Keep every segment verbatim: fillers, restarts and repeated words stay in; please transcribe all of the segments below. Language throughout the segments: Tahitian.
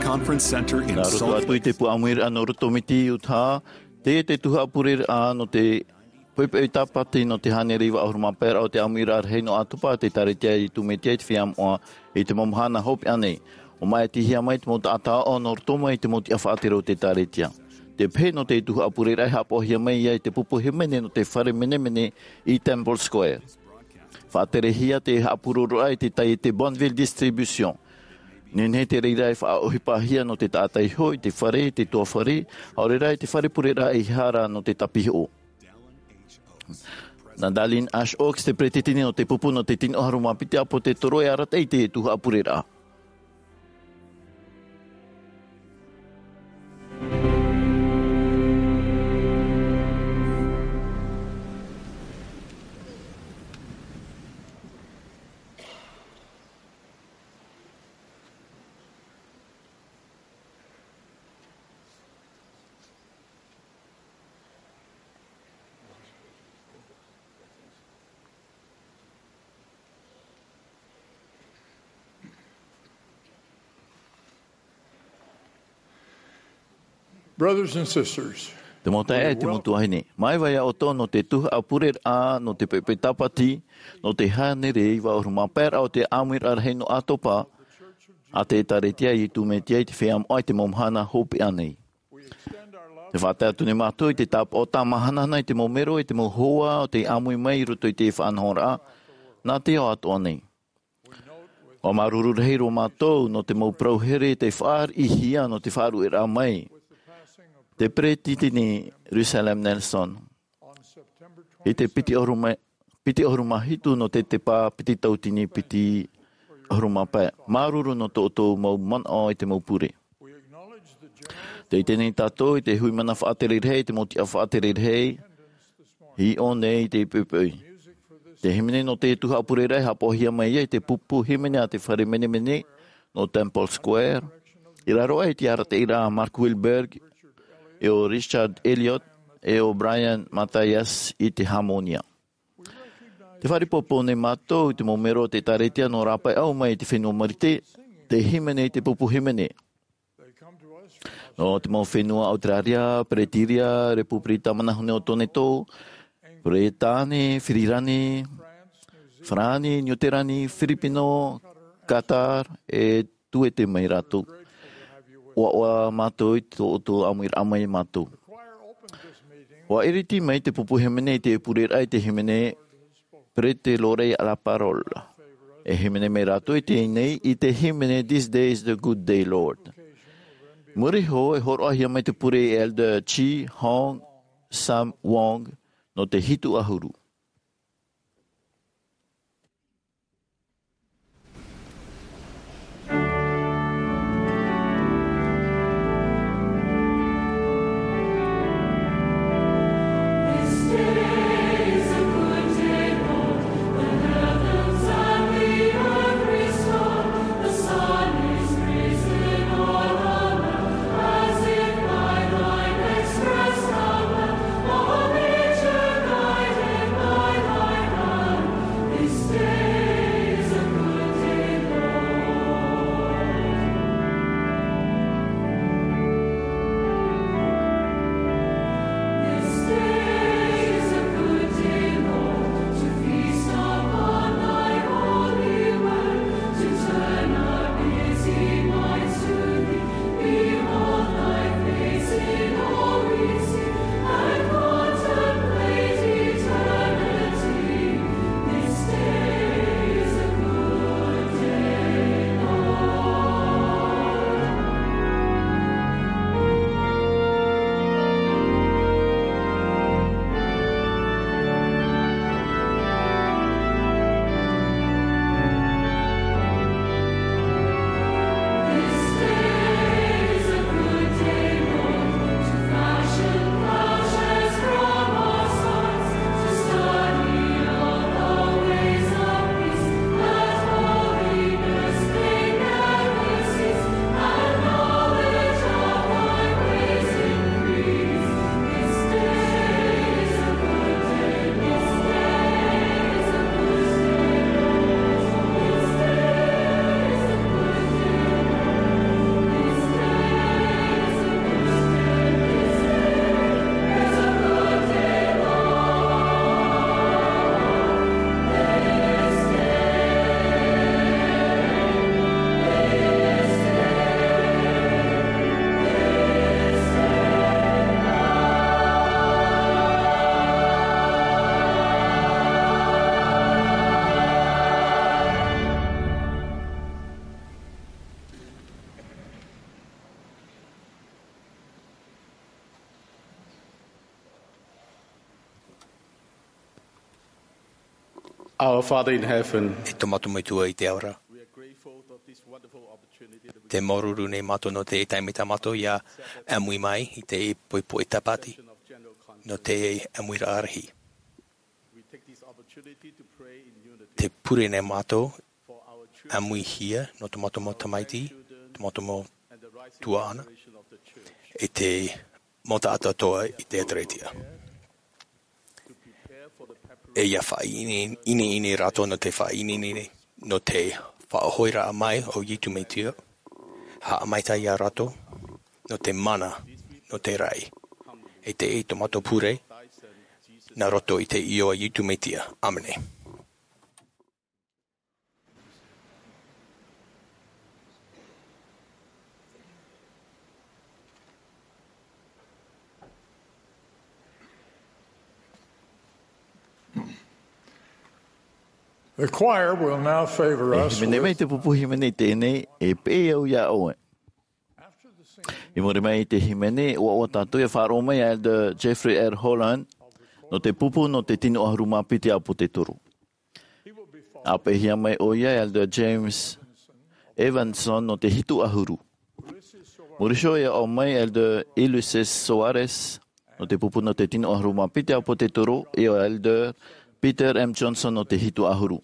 Conference Center in Nā roto Salt atu i te pū ʻāmuiraʻa nō Rotomiti, Utah, teie te tuhaʻa pureraʻa nō te poʻipoʻi tāpati nō te hānere iva ʻahuru mā pae raʻa o te ʻāmuiraʻa rahi nō ʻĀtopa a te ʻĒkālesia Iesu Mesia i te Feiā Moʻa i te mau mahana hopeʻa nei. ʻO māʻitihia mai te mau taʻata aʻo nō roto mai i te mau tiʻa faʻatere o te ʻĒkālesia. Te pehe nō te tuhaʻa pureraʻa e haʻapaʻohia mai ia i te pupu hīmene nō te fare menemene i Temple Square. Faʻaterehia te haʻapurororaʻa i te taiete Bonneville Distribution. Nehenehe te reira e faʻaʻohipahia nō te taʻata iho i te fare, i te tuafare, ʻaore rā i te fare pureraʻa i hara nō te tāpihoʻo. Nā Dallin H. Oaks, te peretiteni nō te pupu nō te tino ʻahuru mā piti ʻāpōsetolo, e arataʻi i te tuhaʻa pureraʻa. Brothers and sisters, te mau taeaʻe, te mau tuahine, māuiui ʻoutou nō te tuhaʻa pureraʻa nō te poʻipoʻi tāpati nō te hānere iva ʻahuru mā pae raʻa o te ʻāmuiraʻa rahi nō ʻĀtopa a te ʻĒkālesia Iesu Mesia i te Feiā Moʻa i te mau mahana hopeʻa nei. Te faʻatae atu nei mātou i te tāpaʻo tāmahanahana i te mau mero, i te mau hoa o tei ʻāmui mai i roto i te faʻanahoraʻa nā te ao atoʻa nei. ʻUa māuruuru rahi roa mātou nō te mau parau here tei faʻariʻihia nō te faʻaruʻeraʻa mai te peretiteni Russell M. Nelson i te piti ʻahuru mā, piti ʻahuru mā hitu nō te tepa piti tauatini piti ʻahuru mā pae. Māuruuru nō tō ʻoutou mau manaʻo i te mau pure. Tē ʻite nei tātou i te hui mana faʻatere rahi, te mau tiʻa faʻatere rahi i ʻō nei i te poʻipoʻi. Te hīmene nō te tuhaʻa pureraʻa e haʻapaʻohia mai ia i te pupu hīmene a te fare menemene nō Temple Square, i raro aʻe i te arataʻiraʻa a Mark Wilberg, e ʻo Richard Elliott, e ʻo Brian Mathias i te hāmōnia. Tē faʻaʻāpī nei mātou i te mau mero o te ʻĒkālesia nō rāpae ʻau mai i te fenua Marite, tē hīmene i te pupu hīmene. Nō te mau fenua Auteraria, Peretānia, Repupirika Tāmana Hune o Toneto, Peretāne, Fīrīne, Farāni, Niuterani, Firipino, Qatar, e tuete mai rātou. ʻUa, ʻua mātou i tō ʻoutou ʻāmuiraʻa mai mātou. ʻUa iriti mai te pupu hīmene i te pureraʻa i te hīmene Prêtez l'oreille à la parole. E hīmene mai rātou i teie nei i te hīmene This Day is the Good Day, Lord. Muri iho e hōroʻahia mai te pure e Elder Chi Hong Sam Wong nō te hitu ʻahuru. Our Father in heaven, e tō mātou Metua i te ao ra, we are grateful for this wonderful opportunity that we te māuruuru nei mātou nō te taime tā mātou ia ʻāmui mai i te poʻipoʻi tāpati nō te ʻāmuiraʻa rahi. We take this opportunity to pray in unity. Te pure nei mātou for our children, ʻāmuihia nō tō mātou mau tamaiti, tō mātou mau tuaʻana, e te mau taʻata atoʻa i te ʻēkālesia. E ia faʻaineine rātou nō te faʻaineine nō te faʻahoʻiraʻa mai o Iesu Mesia, haʻamaitaʻi ia rātou nō te mana, nō te raʻi. E te tō mātou pure, nā roto i te iʻoa o Iesu Mesia. ʻĀmene. The choir will now favor us. E hīmene mai te pupu hīmene i teie nei, e pēʻe au iā ʻoe. I muri mai i te hīmene, ʻua, ʻua tātou ia faʻaroʻo mai iā Elder Jeffrey R. Holland, nō te pupu nō te tino ʻahuru mā piti ʻāpōsetolo. ʻA peʻehia mai ʻoia e Elder James Evanson nō te hitu ʻahuru. Muri iho e aʻo mai Elder Ulisses Soares nō te pupu nō te tino ʻahuru mā piti ʻāpōsetolo, e Elder Peter M. Johnson nō te hitu ʻahuru.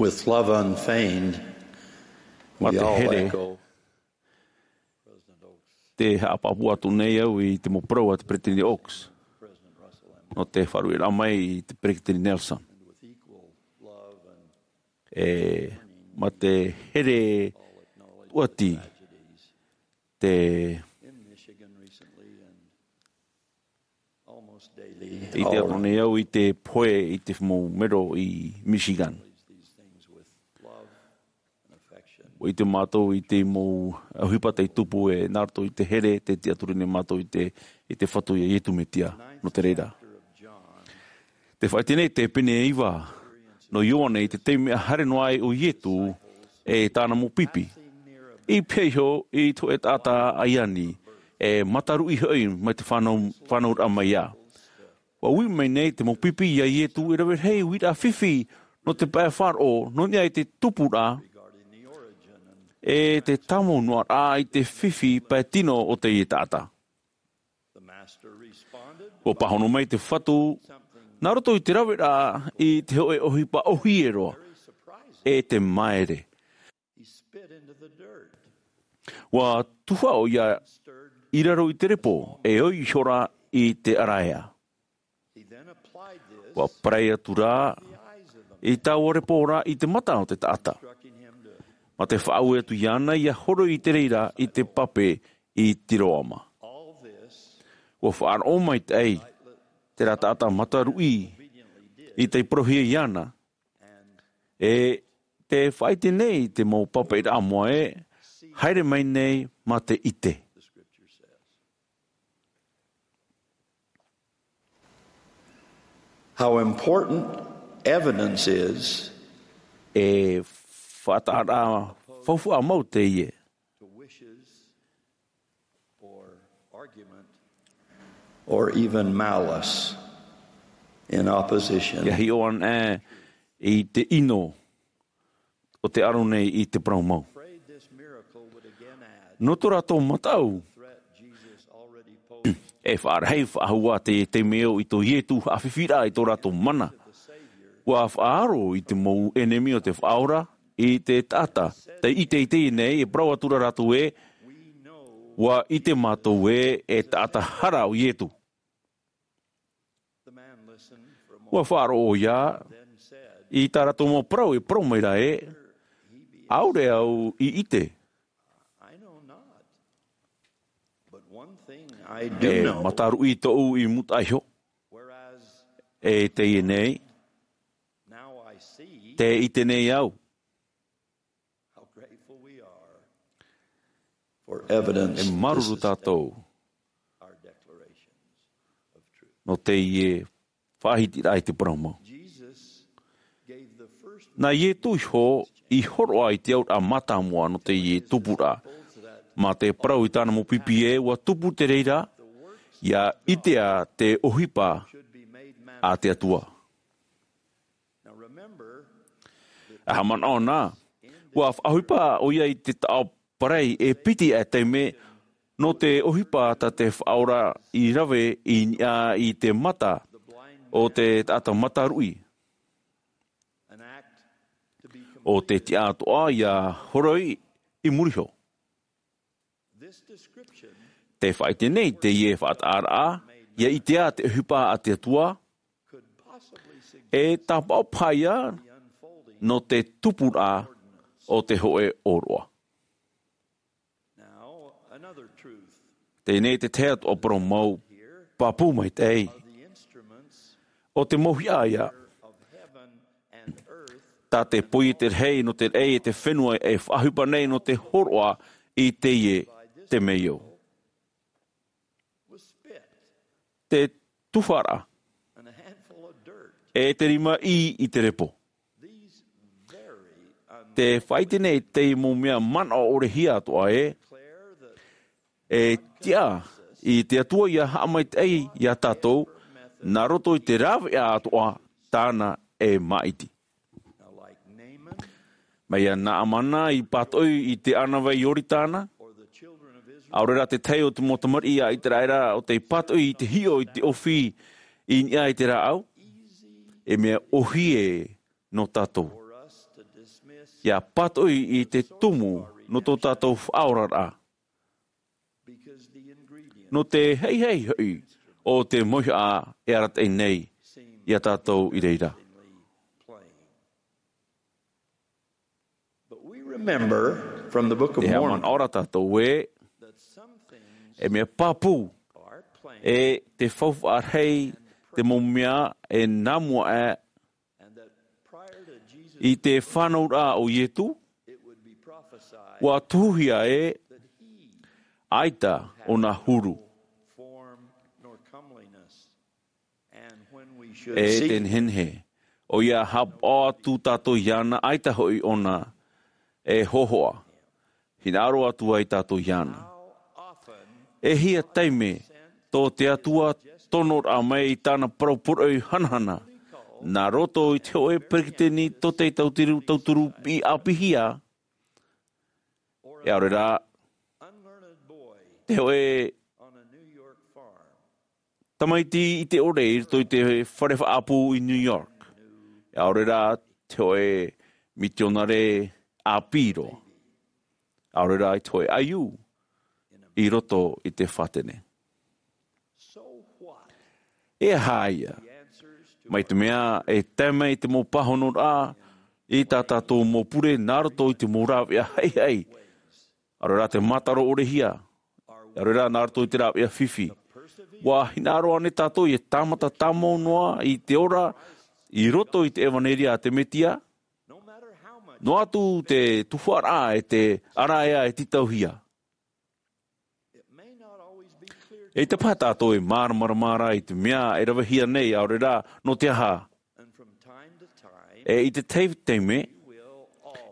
With love unfeigned, mā te here, te haʻapāpū atu nei au i te mau parau a te Peresideni Oaks. Nō te faʻaruʻeraʻa mai i te Peresideni Nelson. E, mā te here tuati te I te aro nei au i te pohe i te mau mero i Michigan. ʻUa ʻite mātou i te mau ʻohipa tei tupu e nā roto i te here, tē tiʻaturi nei mātou i te, i te Fatu ia Iesu Mesia, nō te reira. Tē faʻaʻite nei te pene e iva, nō Ioane i te taime ʻa haere noa ai ʻo Iesu e tāna mau pipi. I pēhea iho i te hōʻē taʻata ʻaiani, e mataruʻi hoʻi mai te fānau, fānauraʻa mai ā. ʻUa ui mai nei te mau pipi ia Iesu e rave rahi uiraʻa fifi nō te pae faʻaroʻo, nō niʻa i te tupuraʻa, e te tāmau noa rā i te fifi pae tino o teie taʻata. ʻUa pāhono mai te Fatu, nā roto i te raveraʻa i te hōʻē ʻohipa ʻōhie roa, e te māere. ʻUa tuha ʻoia i raro i te repo, e ʻoi ihora i te ʻaraea. ʻUa parai atu rā i taua repo ra i te mata o te taʻata. Mā te faʻaue atu iāna ʻia horoi i te reira i te pape i Siloama. ʻUa faʻaroʻo maitaʻi terā taʻata mataruʻi i tei parauhia iāna. E tē faʻaʻite nei te mau papaʻiraʻa moʻa ē, haere mai nei mā te ʻite. How important evidence is E faʻataʻaraʻa faufaʻa mau teie. To wishes or argument or even malice in opposition. ʻIa hiʻo anaʻe i te ʻino o te aro nei i te parau mau. Afraid this miracle would again add Nō tō rātou mataʻu, threat Jesus already posed e faʻarahi faʻahou ā te taime ʻo i tō Iesu haʻafifiraʻa i tō rātou mana. ʻUa faʻaaro i te mau ʻenemi o te Faʻaora, i te taʻata, tei ʻite i teie nei, e parau atu ra rātou ē, ʻua ʻite mātou ē, e taʻata hara ʻo Iesu. ʻUa faʻaroʻo ʻoia i tā rātou mau parau, e parau mai ra ē, ʻaore au i ʻite. E mataruʻi tōʻu i mūtaʻa iho. E teie nei, tē ʻite nei au. E māuruuru tātou nō teie faʻahitiraʻa i te parau mau. Nā Iesu iho i hōroʻa i te auraʻa mātāmua nō teie tupuraʻa. Mā te parau i tāna mau pipi ē, ʻua tupu te reira, ʻia ʻitea te ʻohipa a te Atua. ʻA haʻamanaʻo na, ʻua faʻaʻohipa ʻoia i te taʻo parai e piti ā taime nō te ʻohipa tā te Faʻaora i rave i niʻa i te mata o te taʻata mataruʻi. ʻO te tiʻa atoʻa ʻia horoi i muri iho. Tē faʻaʻite nei teie faʻataʻaraʻa, ʻia ʻitea te ʻohipa a te Atua, e tāpaʻo paha ïa nō te tupuraʻa o te hōʻē ʻōroʻa. Teie nei te tahi atu ā parau mau, pāpū maitaʻi. ʻO te mau hiʻa ïa. Tā te poiete rahi nō te raʻi e te fenua e faʻaʻohipa nei nō te hōroʻa i teie temeio. Te tuharaʻa. E te rima ʻī i te repo. Tē faʻaʻite nei teie mau mea manaʻo ʻore hia atoʻa ē. E tiʻa i te Atua ʻia haʻamaitaʻi iā tātou, nā roto i te rāveʻa atoʻa tāna e māʻiti. Mai iā Naamana i pātoʻi i te ʻānāvai Ioritana, ʻaore rā te tahi o te mau tamariʻi a ʻĪteraʻera ʻo tei pātoʻi i te hiʻo i te ʻōfī i niʻa i te rāʻau, e mea ʻōhie nō tātou. ʻIa pātoʻi i te tumu nō tō tātou faʻaoraraʻa. Nō te heihei hoʻi o te mauhaʻa e arataʻi nei iā tātou i reira. But we remember from the Book of E Mormon haʻamanaʻo ra tātou ē, that some things e mea pāpū, are planned e te faufaʻa rahi te mau mea e nā mua aʻe, and that prior to Jesus i te fānauraʻa o Ietu, it would be prophesied ua tuhuhia ē, that he ʻaita ʻōna huru. Form nor comeliness. And when we should E seek te nehenehe, ʻoia haʻapaʻo atu tātou iāna, ʻaita hoʻi ʻōna e hōhoʻa. Hinaʻaro atu ai tātou iāna. How often E hia taime tō te Atua tonoraʻa mai i tāna parau poroʻi hanahana, nā roto i te hōʻē peretiteni tōtaiete tauturu, tauturu piʻi ʻāpīhia, e ʻaore rā, unlearned boy te hōʻē on a New York farm. Tamaiti ʻite ʻore i roto i te fare faʻaʻapu i New York. E ʻaore rā te hōʻē mitionare ʻāpī roa. E ʻaore rā i te hōʻē ʻaiū i roto i te fātene. So what? E aha ia? Mai te mea e tae mai te mau pāhonoraʻa i tā tātou mau pure nā roto i te mau rāveʻa haʻihaʻi. ʻAore rā te mātaro ʻore hia. ʻAore rā nā roto i te rāveʻa fifi. ʻUa hinaʻaro ānei tātou e tāmata tāmau noa i te ora i roto i te ʻevaneria a te Mesia? Noa atu te tuhaʻaraʻa e te ʻaraʻa e tītauhia. E ʻaita paha tātou e māramarama ra i te mea e ravehia nei, ʻaore rā, nō te aha. E i te tahi taime,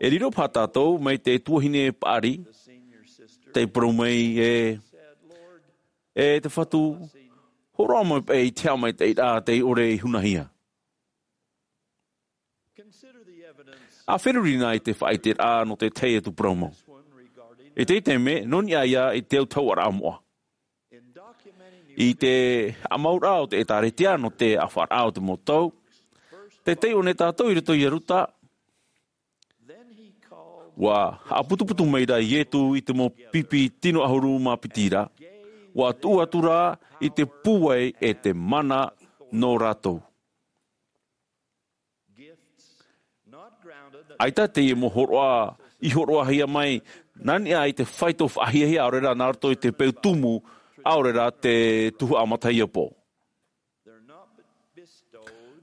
e riro paha tātou mai te tuahine paʻari, tei parau mai ē, e te Fatu, hōroʻa mai paʻi i te haʻamaitaʻiraʻa tei ʻore i hunahia. ʻA feruri na i te faʻaʻiteraʻa nō te tahi atu parau mau. I te taime, nō niʻa ia i te autahuʻaraʻa moʻa. I te haʻamauraʻa o te ʻĒtārētia nō te ʻāfaʻaraʻa o te mau tau, tei taiʻo nei tātou i roto ia Ruta, ʻua haʻaputuputu mai ra Ietu i te mau pipi tino ʻahuru mā piti ra, ʻua tuʻu atu ra i te pūai e te mana nō rātou. ʻAita teie mau hōroʻa i hōroʻahia mai, nā niʻa i te faito faʻahiahia, ʻaore rā nā roto i te peu tumu, ʻaore rā te tuhaʻa matahiapo.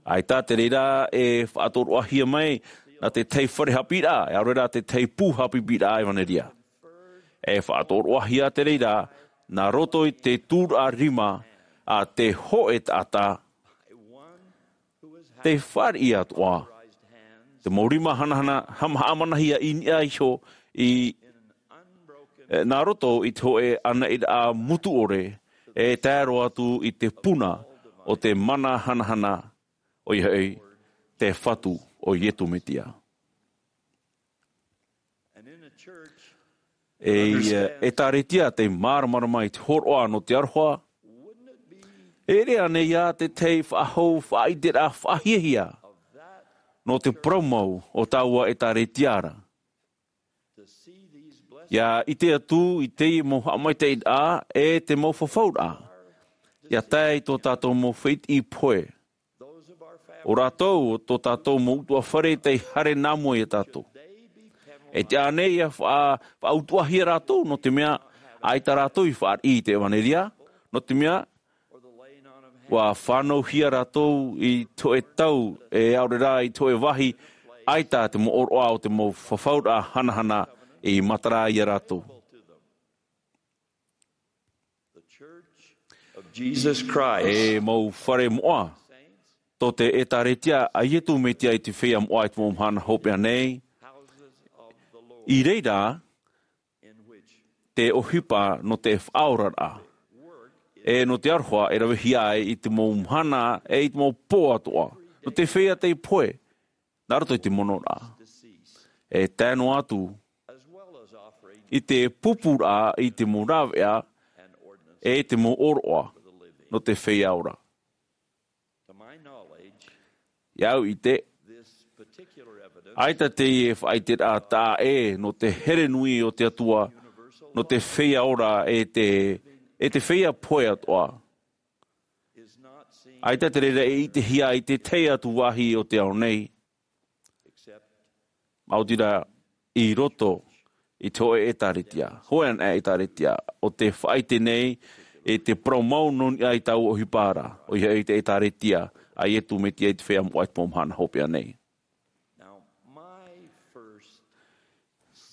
ʻAita te reira e faʻatoroʻahia mai, nā te tahi fare haʻapiʻiraʻa, ʻaore rā te tahi pū haʻapiʻiraʻa ʻevaneria. E faʻatoroʻahia te reira, nā roto i te tūraʻa rima a te hōʻē taʻata, tei fāriʻi atoʻa, te mau rima hanahana, haʻamanahia i niʻa iho i, e, nā roto i te hōʻē ʻanaʻiraʻa mutu ʻore, e tae roa atu i te puna o te mana hanahana, ʻoia hoʻi, te Fatu o Ietu Mesia. E, e, ʻĒtārētia tei māramarama i te hōroʻa nō te aroha, e ʻere ānei ia te tahi faʻahou faʻaʻiteraʻa faʻahiahia nō te parau mau o taua ʻĒtārētia ra. ʻIa ʻite atu i teie mau haʻamaitaʻiraʻa e te mau fafauraʻa, ʻia tae i tō tātou mau fētiʻi pohe. ʻO rātou, tō tātou mau ʻutuāfare tei haere nā mua iā tātou. E tiʻa ānei ʻia faʻa-, faʻautuāhia rātou, nō te mea, ʻaita rātou i fāriʻi i te ʻevaneria, nō te mea, ʻua fānauhia rātou i te hōʻē tau, e ʻaore rā i te hōʻē vāhi, ʻaita te mau ʻōroʻa o te mau fafauraʻa hanahana i matara iā rātou. The Church of Jesus Christ. E mau fare moʻa, tō te ʻĒtārētia a Ietu Mesia i te feiā moʻa i te mau mahana hopeʻa nei, i reira te ʻohipa nō te faʻaoraraʻa, e nō te aroha e ravehia ai i te mau mahana, e i te mau pō atoʻa, nō te feiā tei pohe, nā roto i te monoraʻa. E tae noa atu, i te pupuraʻa, i te mau rāveʻa, e i te mau ʻōroʻa, nō te feiā ora. ʻIa au i te, ʻAita teie faʻaiteraʻa taʻa ʻē nō te here nui o te Atua, nō te feiā ora e te, e te feiā pohe atoʻa. ʻAita te reira e ʻitehia i te tahi atu vāhi o te ao nei. Maoti rā i roto i te hōʻē ʻētāretia, hōʻē anaʻe ʻētāretia, ʻo tē faʻaʻite nei i te parau mau nō niʻa i taua ʻohipa ra, ʻoia hoʻi te ʻētāretia a Iesu Mesia i te feiā moʻa i te mau mahana hopeʻa nei.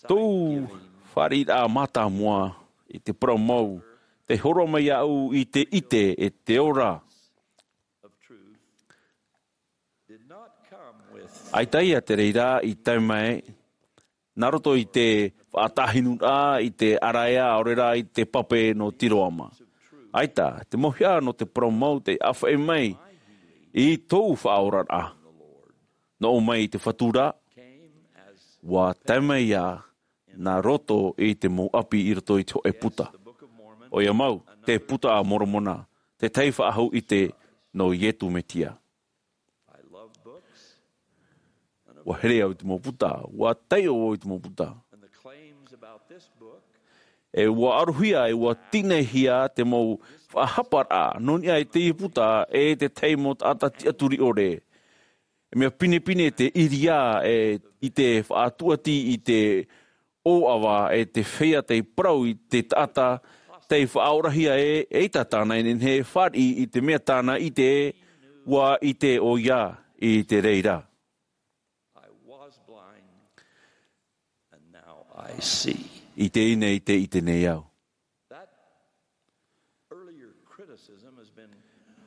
Tōʻu fāriʻiraʻa mātāmua i te parau mau, tei hōroʻa mai iāʻu i te ʻite e te ora. ʻAita ia te reira i tae mai, nā roto i te faʻatāhinuraʻa i te ʻaraea, ʻaore rā i te pape nō Siloama. ʻAita, te mau hia nō te parau mau tei ʻāfaʻi mai i tōʻu faʻaoraraʻa. Nō ʻō mai i te Fatu ra, ʻua tae mai ia nā roto i te mau ʻapi i roto i te hōʻē puta. ʻOia mau, te Puta a Moromona, te tahi faʻahou ʻite nō Iesu Mesia. ʻUa here au i te mau puta, ʻua taiʻo au i te mau puta. E ʻua ʻarohia, e ʻua tīnahia te mau faʻahaparaʻa, nō niʻa i teie puta, e te tahi mau taʻata tiʻaturi ʻore. E mea pinepine te ʻiriā, e, i te faʻatūʻati, i te ʻōʻava, e te feiā tei parau i te taʻata, tei faʻaorahia e, eʻita tāna e nehenehe e fāriʻi i te mea tāna ʻite, ʻua ʻite ʻoia i te reira. I was blind, and now I see. I te ine i te ʻite nei au. That earlier criticism has been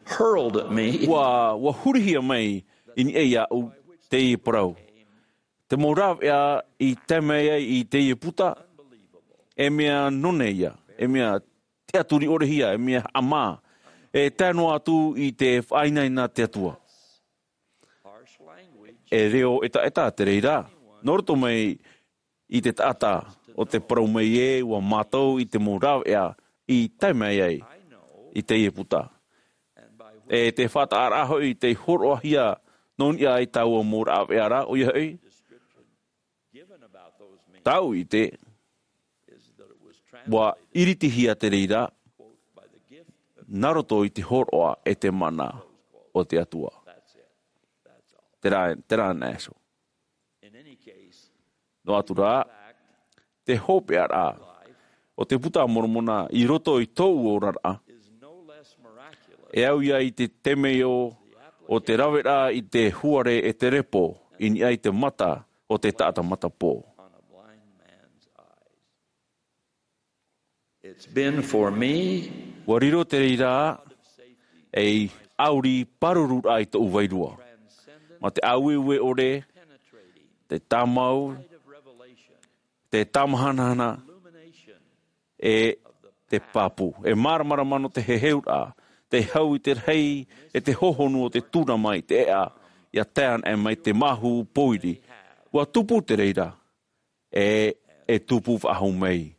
hurled at me. ʻUa, ʻua hurihia mai i niʻa iāʻu teie parau. Te mau rāveʻa i tae mai ai i teie puta, e mea nō nei ia, e mea tiʻaturi ʻore hia, e mea haʻamā, e tae noa atu i te faʻainaina te Atua. E reo ʻetaʻeta te reira, nō roto mai i te taʻata o te parau mai ē, ʻua mātau i te mau rāveʻa i tae mai ai i teie puta. E te faʻataʻaraʻa hoʻi tei hōroʻahia nō niʻa i taua mau rāveʻa ra, ʻoia hoʻi, tāʻu ʻite, ʻua ʻiritihia te reira, nā roto i te hōroʻa e te mana o te Atua. Terā, terā na iho. Noa atu rā, te hopeʻaraʻa o te Puta a Moromona i roto i tōʻu oraraʻa, e au ia i te temeio o te raveraʻa i te huare e te repo i niʻa i te mata o te taʻata matapō. It's been for me. ʻUa riro te reira ei ʻauri pāruru raʻa i tōʻu vairua. Mā te ʻāueue ʻore, te tāmau, te tāmahanahana, e te pāpū. E māramarama nō te heheuraʻa, te hau i te rahi, e te hohonu o te tūrama i te ʻēʻa, ʻia tae anaʻe mai te māhu pōiri. ʻUa tupu te reira, e, e tupu faʻahou mai.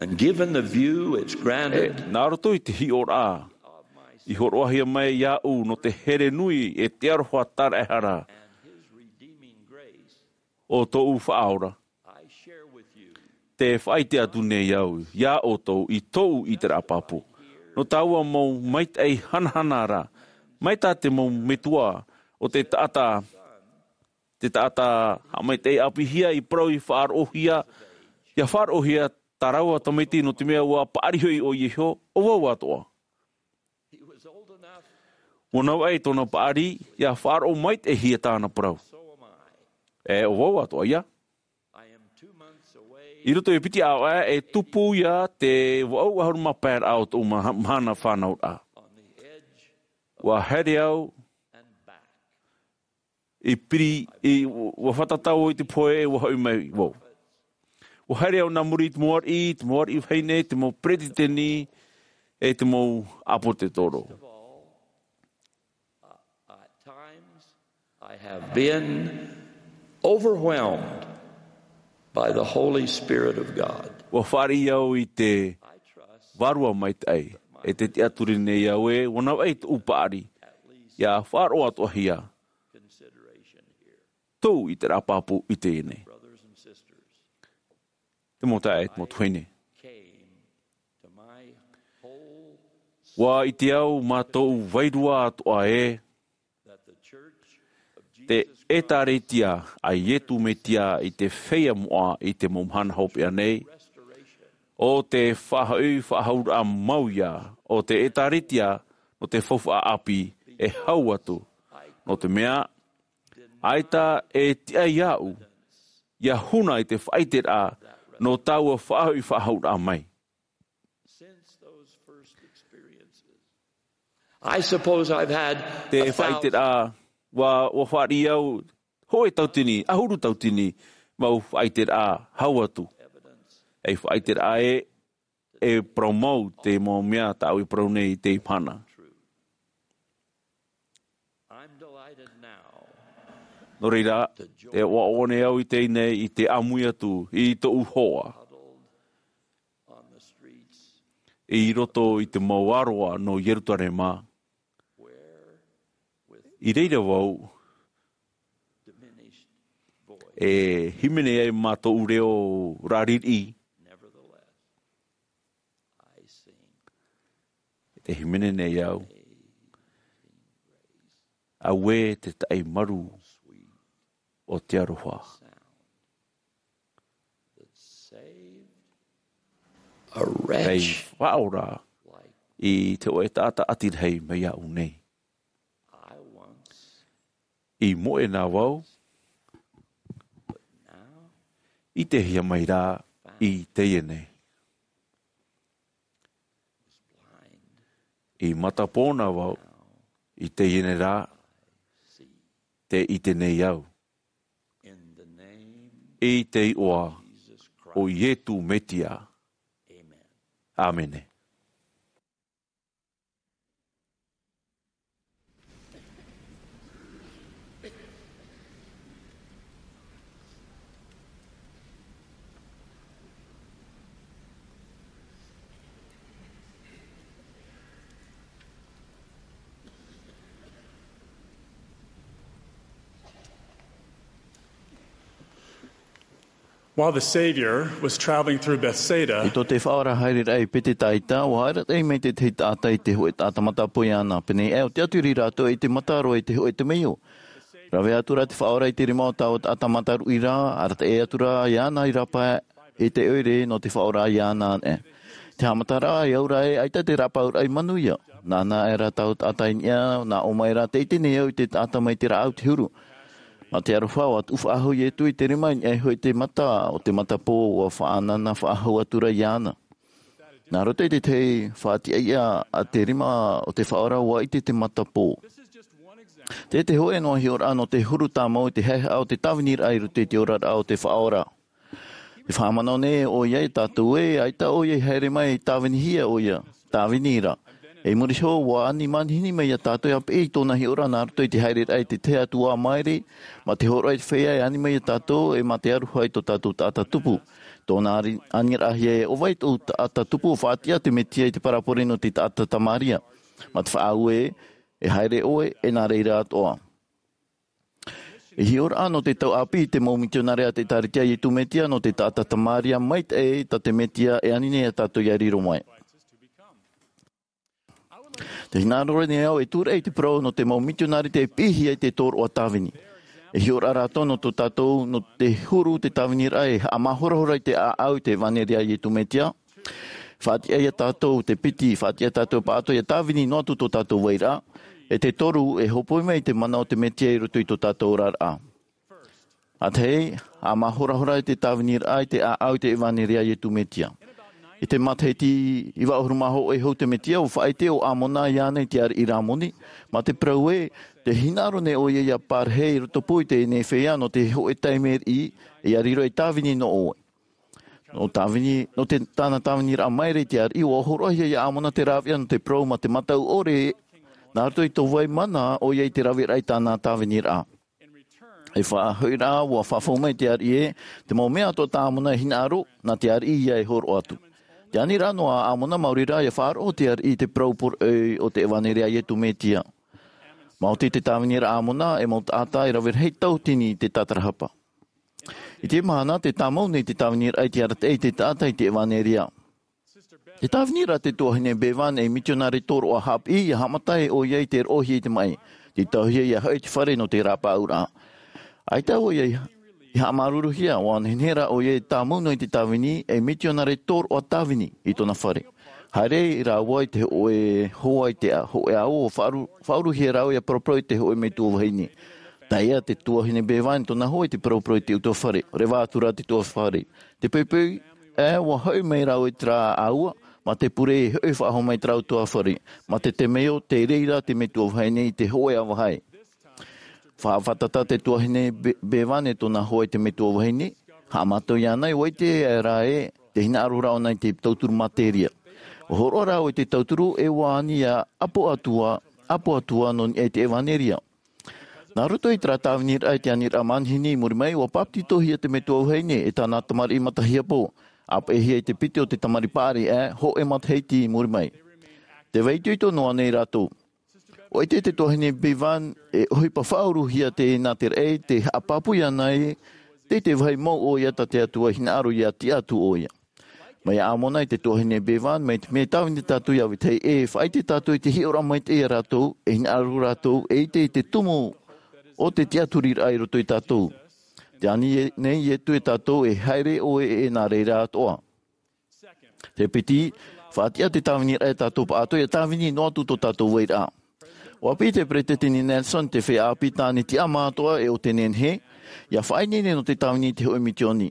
And given the view, it's granted. E, nā roto i te hiʻoraʻa i hōroʻahia mai iāʻu nō te here nui e te aroha tāraʻehara o tōʻu Faʻaora. Te faʻaʻite atu nei au iā ʻoutou i tōʻu ʻiteraʻa pāpū. Nō tāua mau maitaʻi hanahana ra, mai tā te mau metua o te taʻata, te taʻata haʻamaitaʻi ʻāpīhia i parau i faʻaroʻohia, ʻia faʻaroʻohia tā rāua tamaiti nō te mea ʻua paʻari hoʻi ʻoia iho, ʻo vau atoʻa. ʻUa navaʻi tōna paʻari, ʻia faʻaroʻo maitaʻihia tāna parau. E ʻo vau atoʻa ia. I roto i piti ʻāvaʻe, e tupu ia te vaʻu ʻahuru mā pae raʻa o tōʻu ma-, mahana fānauraʻa. ʻUa haere au i piri, i, ʻua fātata au i te pohe, ʻua hoʻi mai vau. ʻUa haere au nā muri i te mau ariʻi, te mau ariʻi vahine, te mau peretiteni, e te mau ʻāpōsetolo. At times, I have been overwhelmed by the Holy Spirit of God. ʻUa fāriʻi au i te Vārua Maitaʻi, e tē tiʻaturi nei au ē, ʻua navaʻi tōʻu paʻari. ia faʻaroʻo atoʻahia tōʻu ʻiteraʻa pāpū i teie nei. Te mau taeaʻe, te mau tuahine. Ua ʻite au mā tōʻu vairua atoʻa ē, te ʻĒtārētia a Iesu Mesia i te feiā moʻa i te mau mahana hopeʻa nei, ʻo te faʻahoʻi faʻahouraʻa mau ia o te ʻĒtārētia nō te faufaʻa ʻāpī e hau atu, nō te mea, ʻaita e tiʻa iāʻu ia huna i te faʻaʻiteraʻa nō taua faʻahoʻi faʻahouraʻa mai. I suppose I've had Te a thousand faʻaʻiteraʻa, ua, ua fāriʻi au hōʻē tautini, ʻahuru tautini, mau faʻaʻiteraʻa hau atu. Ei faʻaʻiteraʻa ē, e parau mau te mau mea tāʻu e parau nei i teie mahana. I'm delighted now Nō reira, e ʻoaʻoa nei au i teie nei i te ʻāmui atu i tōʻu hoa. I roto i te mau ʻāroa nō Ierutarema. I reira vau, e hīmene ai mā tōʻu reo raririʻi. Te hīmene nei au. Auē te taʻi marū o te aroha. A wretch. Faʻaora i te hōʻē taʻata ʻati rahi mai iāʻu nei. I moʻe na vau, ʻitehia mai rā i teie nei. I matapō na vau, i teie nei rā, tē ʻite nei au. I te iʻoa o Iesu Mesia. ʻĀmene. While the Savior was traveling through Bethsaida, I tō te Faʻaora haere raʻa i Petetaita, ʻua haere raʻa mai te tahi taʻata i te hōʻē taʻata matapō iāna. Pēnei ʻo te ʻatu i rātou i te mataroa i te hōʻē temeio. Rave atu rā te Faʻaora i te rima o taua taʻata mataruʻi ra, arataʻi atu rā iāna i rāpae i te ʻoire nō te Faʻaora iāna anaʻe. Te haʻamataraʻa i au ra ē, ʻaita te rāpaeraʻa i manuia. Nāna aʻe rā taua taʻata i niʻa, nā ʻō mai rā, tē ʻite nei au i te taʻata mai te rāʻau te huru. Mā te aroha, ʻua tuʻu faʻahou Iesu i te rima i niʻa iho i te mata o te matapō, ʻua faʻanaho faʻahou atu ra iāna. Nā roto i te tahi faʻatiʻaʻia a te rima o te Faʻaora, ʻua ʻite te matapō. Te, te hōʻē noa hiʻoraʻa nō te huru tāmau i te haʻehaʻa o te tāviniraʻa i roto i te oraraʻa o te Faʻaora. E faʻamanao nei ʻoia ia tātou ē, ʻaita ʻoia i haere mai e tāvinihia ʻoia, tāvini ra. I muri iho, ʻua ani manihini mai ia tātou ʻia piʻi i tōna hiʻoraʻa nā roto i te haereraʻa i te tahi atu ā maere, mā te hōroʻa i te feiā e ani mai ia tātou, ʻe mā te aroha i tō tātou taʻata tupu. Tōna ani-, aniraʻahia ē, ʻo vai tōʻu taʻata tupu, ʻua faʻatiʻa te Mesia i te parabole nō te taʻata Tamaria. Mā te faʻaue, e haere ʻoe, ʻe nā reira atoʻa. E hiʻoraʻa nō te tau ʻāpī i te mau mitionare a te ʻĒtārētia a Iesu Mesia nō te taʻata Tamaria maitaʻi tā te Mesia e ani nei ia tātou ʻia riro mai. Tē hinaʻaro nei au e tūraʻi i te parau nō te mau mitionare tei piʻihia i te tōroʻa tāvini. E hiʻoraʻa rātou nō tō tātou, nō te huru te tāviniraʻa e haʻamāhorahora i te ʻāʻau i te ʻevaneria a Iesu Mesia. Faʻatiʻa ia tātou te piti, faʻatiʻa tātou pāʻatoʻa ʻia tāvini noa atu tō tātou vairaʻa. ʻE te toru, e hōpoi mai i te mana o te Mesia i roto i tō tātou oraraʻa. ʻA tahi, haʻamāhorahora i te tāviniraʻa i te ʻāʻau i te ʻevaneria a Iesu Mesia. I te matahiti iva ʻahuru mā hōʻē hou te Mesia, ʻua faʻaʻite ʻo Amona iāna i te ariʻi Ramoni, mā te parau ē, tē hinaʻaro nei ʻoia ʻia parahi i rotopū i teie nei feiā nō te hōʻē taime riʻi, ʻia riro ei tāvini nō ʻoe. Nō tāvini, nō te, tāna tāviniraʻa maere i te ariʻi, ʻua hōroʻahia ia Amona te rāveʻa nō te parau mā te mataʻu ʻore, nā roto i tō vai mana ʻoia i te raveraʻa i tāna tāviniraʻa. I faʻahoʻiraʻa, ʻua faʻafau mai te ariʻi ē, te mau mea atoʻa tā Amona e hinaʻaro, nā te ariʻi ïa e hōroʻa atu. Te aniraʻa noa a Amona, maori rā ʻia faʻaroʻo te ariʻi i te parau poroʻi o te ʻevaneria a Iesu Mesia. Maoti te tāviniraʻa a Amona e mau taʻata e rave rahi tauatini i te tātarahapa. I te mahana, tē tāmau nei te tāviniraʻa i te arataʻi i te taʻata i te ʻevaneria. Te tāviniraʻa te tuahine Bevan ei mitionare tōroʻa haʻapiʻi, ʻia haʻamata ʻoia i te roʻohia i te maʻi, tei tauhia ʻia hoʻi i te fare nō te rāpaʻauraʻa. ʻAita ʻoia i haʻamāuruuruhia, ʻua nehenehe rā ʻoia e tāmau noa i te tāvini ei mitionare tōroʻa tāvini i tōna fare. Haere rāua i te hōʻē hoa i te hōʻē ao, ʻua faʻauru-, faʻauruhia rāua ʻia paraparau i te hōʻē metua vahine. Tae ā te tuahine Bevan i tōna hoa i te paraparau i te ʻutuāfare, reva atu rā te ʻutuāfare. Te poipoi, ē, ʻua hoʻi mai rāua i terā ʻāua, mā te pure e hoʻi faʻahou mai i terā ʻutuāfare, mā te temeio, tei reira te metua vahine i te hōʻē ʻāvahae. Faʻafātata te tuahine Be-, Bevan e tōna hoa i te metua vahine, haʻamātau iāna, ʻua ʻite rā ē, tē hinaʻaro ra ʻōna i te tauturu materia. ʻUa hōroʻa rāua i te tauturu, e ʻua ani ʻia ʻapo atu ā, ʻapo atu ā nō niʻa i te ʻevaneria. Nā roto i terā tāviniraʻa i te aniraʻa manihini i muri mai, ʻua pāpetitohia te metua vahine e tāna tamariʻi matahiapo, ʻāpeʻehia i te piti o te tamariʻi paʻari, ē, hōʻē matahiti i muri mai. Tē vai itoito noa nei rātou. ʻUa ʻite te tuahine Bevan e ʻohipa faʻauruhia teie nā te raʻi tē haʻapāpū iāna ē, tei te vāhi mau ʻoia tā te Atua i hinaʻaro ʻia tiʻa atu ʻoia. Mai iā Amona i te tuahine Bevan, mai te mea tāvini tātou iā vetahi ʻē, e faʻaʻite tātou i te hiʻoraʻa maitaʻi iā rātou, e hinaʻaro rātou, e ʻite i te tumu o te tiʻaturiraʻa i roto ia tātou. Tē ani nei Ietu iā tātou e haere ʻoe e nā reira atoʻa. Te piti, faʻatiʻa te tāviniraʻa iā tātou pāʻatoʻa ʻia tāvini noa atu tō tātou vairaʻa. ʻUa piʻi te Peresideni Nelson te feiā ʻāpī tāne tiʻamā atoʻa e ʻo tē nehenehe, ʻia faʻaineine nō te tāvini i te hōʻē mitioni.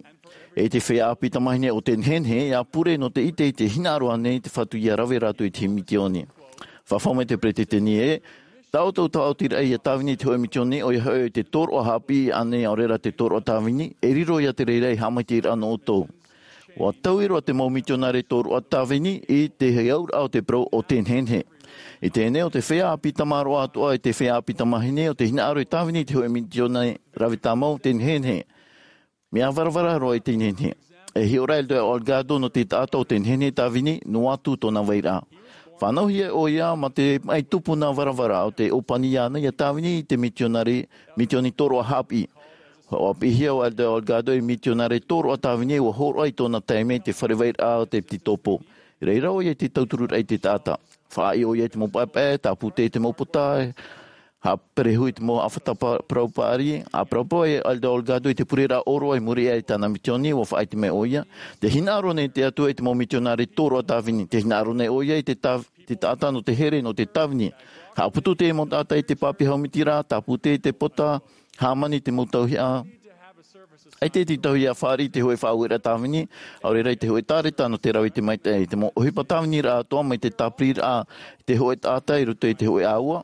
E te feiā ʻāpī tamāhine ʻo tē nehenehe, ʻia pure nō te ʻite i te hinaʻaro ānei te Fatu ʻia rave rātou i te mitioni. Faʻafau mai te Peresideni ē, tā ʻoutou taʻotiraʻa ʻia tāvini i te hōʻē mitioni, ʻoia hoʻi te tōroʻa haʻapiʻi ānei ʻaore rā te tōroʻa tāvini, e riro ia te reira ei haʻamaitaʻiraʻa nō ʻoutou. ʻUa taui roa te mau mitionare tōroʻa tāvini i te auraʻa o te parau ʻo tē nehenehe. I teie nei ʻo te feiā ʻāpī tamāroa atoʻa e te feiā ʻāpī tamāhine ʻo tē hinaʻaro e tāvini i te hōʻē mitioni rave tāmau tē nehenehe. Mea varavara roa i tē nehenehe. E hiʻo ra Elder Holgado nō te taʻata ʻo tē nehenehe e tāvini, noa atu tōna vairaʻa. Fānauhia ʻoia mā te maʻi tupuna varavara ʻo tē ʻōpani iāna ʻia tāvini i te mitionare, mitioni tōroʻa haʻapiʻi. ʻUa piʻihia ʻo Elder Holgado ei mitionare tōroʻa tāvini ʻua hōroʻa i tōna taime i te fare vairaʻa o te piti tōpō. I reira ʻoia i te tautururaʻa i te taʻata. Faʻaʻī ʻoia i te mau paepae, tāpū tē i te mau pota, haʻaperehu i te mau ʻāfata pa-, parau paʻari, ʻa parauparau ai Elder Holgado i te pureraʻa ʻōroʻa i muri aʻe i tāna mitioni, ʻua faʻaʻite mai ʻoia. Tē hinaʻaro nei te Atua i te mau mitionare tōroʻa tāvini, tē hinaʻaro nei ʻoia i te tāv-, te taʻata nō te here, nō te tāvini. Haʻaputu te mau taʻata i te pāpī haumiti ra, tāpū tē i te pota, hāmani te mau tauihaʻa. ʻAita te tauihaʻa fāriʻi i te hōʻē faʻaueraʻa tāvini, ʻaore rā i te hōʻē tāreta nō te rave i te maitaʻi, te mau ʻohipa tāviniraʻa atoʻa mai te tāpiriraʻa i te hōʻē taʻata i roto i te hōʻē ʻāua.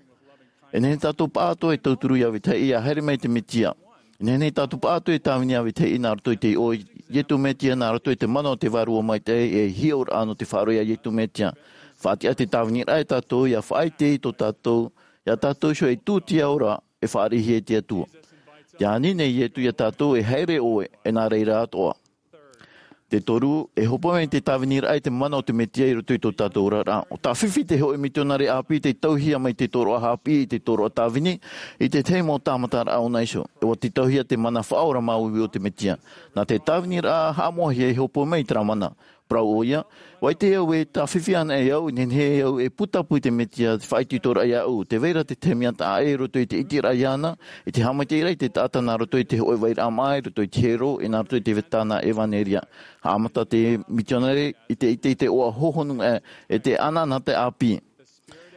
E nehenehe tātou pāʻatoʻa e tauturu iā vetahi ʻē ʻia haere mai te Mesia. E nehenehe tātou pāʻatoʻa e tāvini iā vetahi ʻē nā roto i te iʻoa o Iesu Mesia, nā roto i te mana o te Vārua Maitaʻi, e hiʻoraʻa nō te faʻaroʻo iā Iesu Mesia. Faʻatiʻa te tāviniraʻa iā tātou, ʻia faʻaʻite i tō tātou, iā tātou iho ei tūtia ora e fāriʻihia e te Atua. Tē ani nei Iesu iā tātou e haere ʻoe, e nā reira atoʻa. Te toru, e hōpoi mai te tāviniraʻa i te mana o te Mesia i roto i tō tātou oraraʻa. ʻUa tāfifi te hōʻē mitionare ʻāpī tei tauhia mai te tōroʻa haʻapiʻi i te tōroʻa tāvini, i te tahi mau tāmataraʻa ʻōna iho. E ʻua tītauhia te mana faʻaora māuiui o te Mesia. Nā te tāviniraʻa haʻamoʻahia e hōpoi mai i terā mana. Parau ʻoia, ʻua ʻite au e tāfifi anaʻe au, e nehenehe au e putapū i te Mesia, te faʻaitoitoraʻa iāʻu, tē vai ra te tahi mea taʻa ʻē i roto i te ʻiteraʻa iāna, i te haʻamaitaʻiraʻa i te taʻata nā roto i te hōʻē vairaʻa māʻa, i roto i te hiero, e nā roto i te tāna ʻevaneria. Haʻamata te mitionare i te ʻite i te iʻoa hōhonu aʻe, e te anaanatae ʻāpī.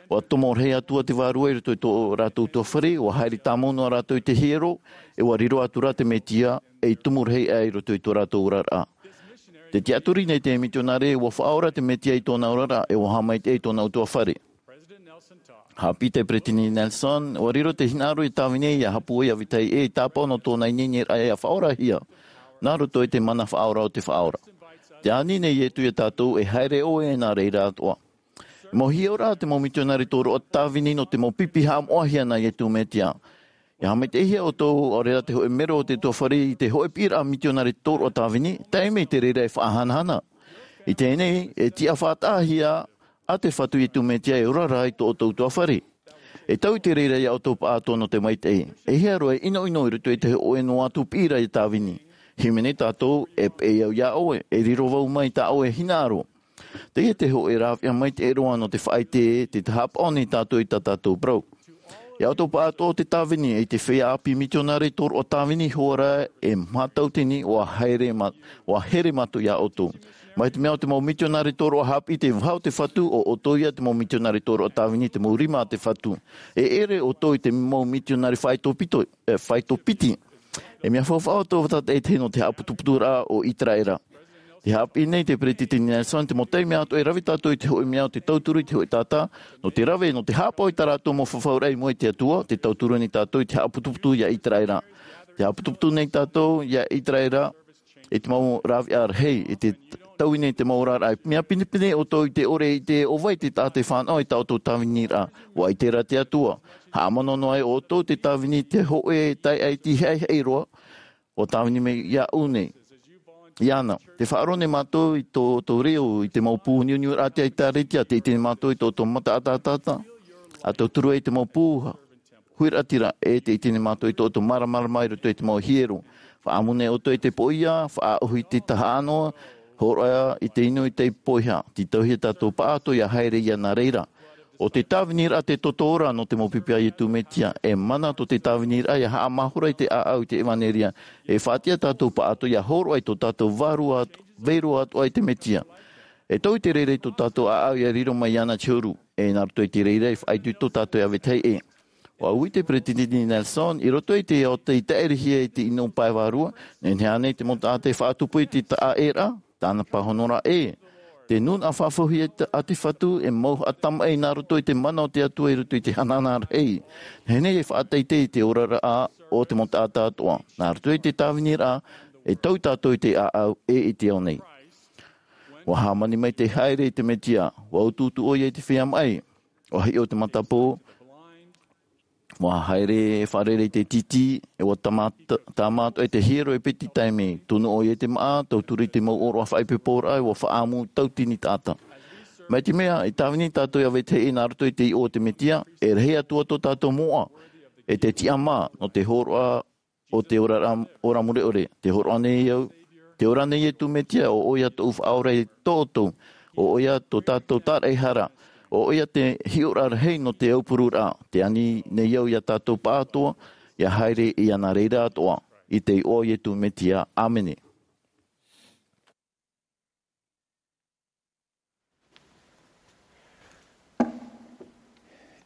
ʻUa tomo rahi atu ā te Vārua i roto i tō rātou ʻutuāfare, ʻua haere tāmau noa rātou i te hiero, e ʻua riro atu rā te Mesia, ei tumu rahi aʻe i roto i tō rātou oraraʻa. Tē tiʻaturi nei te mitionare, ʻua faʻaora te Mesia i tōna oraraʻa, e ʻua haʻamaitaʻi i tōna ʻutuāfare. Haʻapiʻi te Peresideni Nelson, ʻua riro te hinaʻaro i tāvini ʻia haʻapūai iā vetahi ʻē, i tāpaʻo nō tōna ineineraʻa ʻia faʻaorahia, nā roto i te mana faʻaora o te Faʻaora. Tē ani nei Iesu iā tātou e haere ʻoe, e nā reira atoʻa. Mau hiʻoraʻa te mau mitionare tōroʻa tāvini nō te mau pipi haʻamoʻahia nā Iesu Mesia. ʻIa haʻamaitaʻihia ʻoutou, ʻaore rā te hōʻē mero o te ʻutuāfare i te hōʻē piʻiraʻa mitionare tōroʻa tāvini, taime i te reira e faʻahanahana. I teie nei, e tiʻa faʻataʻahia ā te Fatu Iesu Mesia e ora ra i tō ʻoutou ʻutuāfare. E tau i te reira iā ʻoutou paʻatoʻa nō te maitaʻi. E hia roa e ʻinoʻino i roto i te hōʻē noa atu piʻiraʻa iā Tāvini. Hīmene tātou, e peʻe au iā ʻoe, e riro vau mai tā ʻoe e hinaʻaro. Teie te hōʻē rāveʻa maitaʻi roa nō te faʻaʻite, tē haʻapaʻo nei tātou i tā tātou parau. Iā ʻoutou paʻatoʻa o te Tāvini, e te feiā ʻāpī mitionare tōroʻa Tāvini Hoara, e mātau tini, ʻua haere mā-, ʻua here mātou iā ʻoutou. Mai te mea ʻo te mau mitionare tōroʻa haʻapiʻi te vaha o te Fatu, ʻo ʻoutou ia te mau mitionare tōroʻa Tāvini te mau rima a te Fatu. E ʻere ʻoutou i te mau mitionare faʻaitoito piti, e, faʻaitoito piti. E mea faufaʻa ʻoutou tātaʻitahi nō te haʻaputuputuraʻa o ʻĪteraʻera. Tē haʻapiʻi nei te Peretiteni Nelson, te mau taime atoʻa e rave tātou i te hōʻē mea o te tauturu i te hōʻē taʻata, nō te rave, nō te haʻapaʻo i tā rātou mau fafauraʻa i mua i te Atua, tē tauturu nei tātou i te haʻaputuputu iā ʻĪteraʻera. Tē haʻaputuputu nei tātou iā ʻĪteraʻera, i te mau rāveʻa rahi, i te taui nei te mau oraraʻa. Mea pinepine ʻoutou i te ʻore i te ʻo vai te taʻata e fānaʻo i tā ʻoutou Tāviniraʻa. ʻUa ʻite ra te Atua. Haʻamanaʻo noa ai ʻoutou te Tāvini te hōʻē taeaʻe iti haʻihaʻi roa, ʻua Tāvini mai iāʻu nei. Iāna, tē faʻaroʻo nei mātou i tō, tō reo i te mau pū niuniuraʻa a te ʻĒkālesia, tē ʻite nei mātou i tō, tō mata ʻataʻata, ʻa tauturu ai te mau pū huiraʻatira, e tē ʻite nei mātou i tō, tō māramarama i roto i te mau hiero. Faʻaʻamu nei ʻoutou i te poʻia, faʻaʻohi i te tahaʻa noa, hōroʻa i te inu i te poʻihā, tītauhia tātou paʻatoʻa ʻia haere iāna reira. ʻO te Tāviniraʻa te toto ora nō te mau pipi a Iesu Mesia, e mana tō te Tāviniraʻa ʻia haʻamāhora i te ʻāʻau i te ʻevanelia, e faʻatiʻa tātou paʻatoʻa ʻia hōroʻa i tō tātou vārua atu-, vārua atoʻa i te Mesia. E tau i te reira i tō tātou ʻāʻau ʻia riro mai iāna te huru, e nā roto i te reira e faʻaitoito tātou iā vetahi ʻē. ʻUa ui te Peretiteni Nelson, i roto i te ao tei taʻerehia i te ʻino pae vārua, nehenehe ānei te mau taʻata e faʻatupu i te taʻaʻēraʻa, tāna pāhonoraʻa ē. Te nūnaʻa faʻahou a te Fatu, e mau haʻatamaʻi nā roto i te mana o te Atua i roto i te hanahana rahi. Nehenehe e faʻateitei i te oraraʻa o te mau taʻata atoʻa. Nā roto i te Tāviniraʻa, e tau tātou i te ʻāʻau ʻē i te ao nei. ʻUa hāmani mai te haere i te Mesia, ʻua utuutu ʻoia i te feiā maʻi. ʻUa hiʻo te matapō, ʻua haere e fārerei i te tītī, e ʻua tāmā-, tāmā atoʻa i te hiero e piti taime, tunu ʻoia i te māʻa, tauturu i te mau ʻōroʻa faʻaipoiporaʻa, e ʻua faʻaʻamu tauatini taʻata. Mai te mea, i tāvini tātou iā vetahi ʻē nā roto i te iʻoa o te Mesia, e rahi atu ā tō tātou moʻa, e te tiʻamā, nō te hōroʻa o te ora ra-, ora mure ʻore, tē hōroʻa nei au, tē ora nei Iesu Mesia, ʻo ʻoia tōʻu Faʻaora e tōʻoutou, ʻo ʻoia tō tātou tāraʻehara, ʻo ʻoia te hiʻoraʻa rahi nō te aupururaʻa, tē ani nei au iā tātou paʻatoʻa, ʻia haere iāna reira atoʻa, i te iʻoa o Iesu Mesia. ʻĀmene.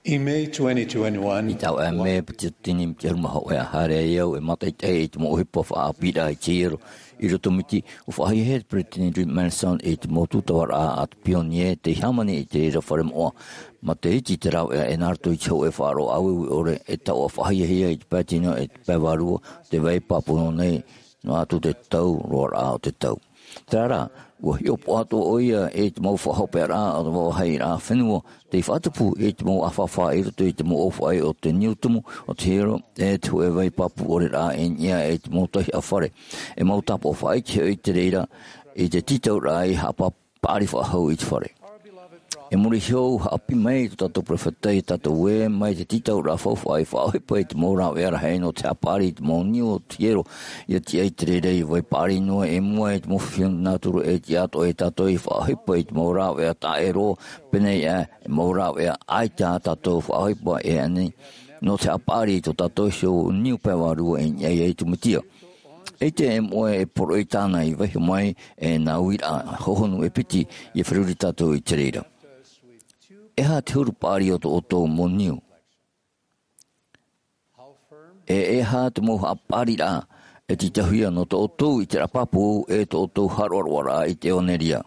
I May twenty twenty-one. I taua mea piti tini miti ʻahuru mā hōʻē, ʻa haere ai au e mātaʻitaʻi i te mau ʻohipa faʻaʻāpīraʻa i te hiero i roto Miti, ʻua faʻahiahia e te Peretiteni Richard Nelson i te mau tūtavaraʻa a te pionie tei hāmani i te reira fare moʻa. Mā te iti te rāveʻa e nā roto i te hōʻē faʻaroʻo ʻāueue ʻore, e taoʻa faʻahiahia i te pae tino e te pae vārua, te vai pāpū nei, noa atu te tau roaraʻa o te tau. Terā rā, ʻua hiʻopoʻa atoʻa ʻoia i te mau faʻahopeʻaraʻa o te vāvāhiraʻa fenua, tei faʻatupu i te mau ʻāfāfā i roto i te mau ʻōfaʻi o te niu tumu, o te hiero, e te hōʻē vai pāpū ʻore rā i niʻa i te mau tauihaʻa fare. E mau tāpaʻo faʻaʻite hoʻi i te reira, i te tītauraʻa i haʻapa-, paʻari faʻahou i te fare. E muri iho, haʻapiʻi mai tō tātou peropheta iā tātou ē, mai te tītauraʻa faufaʻa i faʻaʻohipa i te mau rāveʻa rahi nō te haʻapaʻari i te mau niu o te hiero, ʻia tiʻa i te reira i vai paʻari noa i mua i te mau fifi nātura e tiʻa atoʻa iā tātou i faʻaʻohipa i te mau rāveʻa taʻero, pēneiaʻe, e mau rāveʻa ʻaita ā tātou faʻaʻohipa e ani, nō te haʻapaʻari i tō tātou iho niu pae vārua i niʻa iā Iesu Mesia. ʻEita e moʻe e poroʻi tāna i vaiiho mai e nā uiraʻa hohonu e piti ʻia feruri tātou i te reira. E aha te huru paʻari o tō ʻoutou mau niu? E, e aha te mau haʻapaʻariraʻa e tītauhia nō tō ʻoutou ʻiteraʻa pāpū e tō ʻoutou haʻaroʻaroʻaraʻa i te ʻevanelia?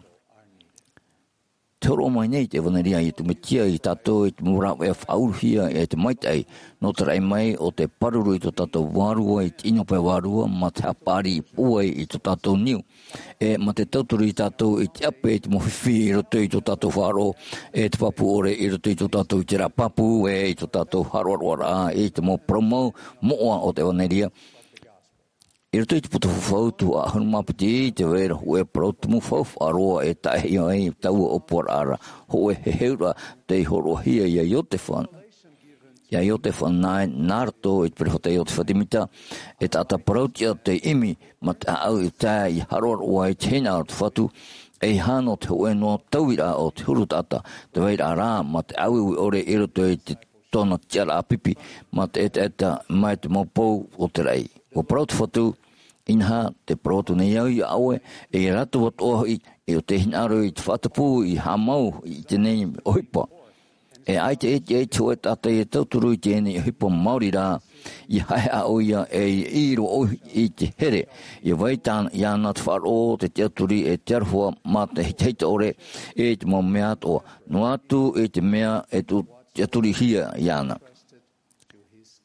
Te hōroʻa mai nei te ʻevanelia a Iesu Mesia iā tātou i te mau rāveʻa faʻauruhia e te maitaʻi, nō te raʻi mai o te pāruru i tō tātou vārua i te ʻino pae vārua, mā te haʻapaʻari i pūai i tō tātou niu. E mā te tauturu iā tātou i te ʻape i te mau fifi i roto i tō tātou faʻaroʻo, e te pāpū ʻore i roto i tō tātou ʻiteraʻa pāpū, e i tō tātou haʻaroʻaroʻaraʻa i te mau parau mau moʻa o te ʻevanelia. I roto i te puta fafau Tuhaʻa ʻahuru mā piti, tē vai ra hōʻē parau tumu faufaʻa roa e taʻehia ai taua ʻōpuaraʻa ra, hōʻē heheuraʻa tei hōroʻahia iā Iosepha. Ia Iotefa nā, nā roto i te peropheta Iotefa Semita, e taʻata parauʻtiʻa tei ʻimi, mā te ʻāʻau i tae i haroharoa i te hinaʻaro o te Fatu, ʻeiaha nō te hōʻē noa tauiraʻa o te huru taʻata, tē vai ra rā, mā te ʻāueue ʻore i roto i te tōna tiʻaraʻa pipi, mā te ʻetaʻeta, mai te mau pou o te raʻi. ʻUa parau te Fatu, inaha, tē parau atu nei au ia ʻoe, e ia rātou atoʻa hoʻi, e ʻo te hinaʻaro i te faʻatupu i haʻamau i teie nei ʻohipa. E ʻaita e tiʻa i te hōʻē taʻata ia tauturu i teie nei ʻohipa maori rā, ia haʻehaʻa ʻoia e ia ʻī roa ʻoia i te here, ia vai tāna, iāna te faʻaroʻo, te tiʻaturi, e te aroha, mā te hitahita ʻore, e te mau mea atoʻa, noa atu i te mea e tū, tiʻaturihia iāna.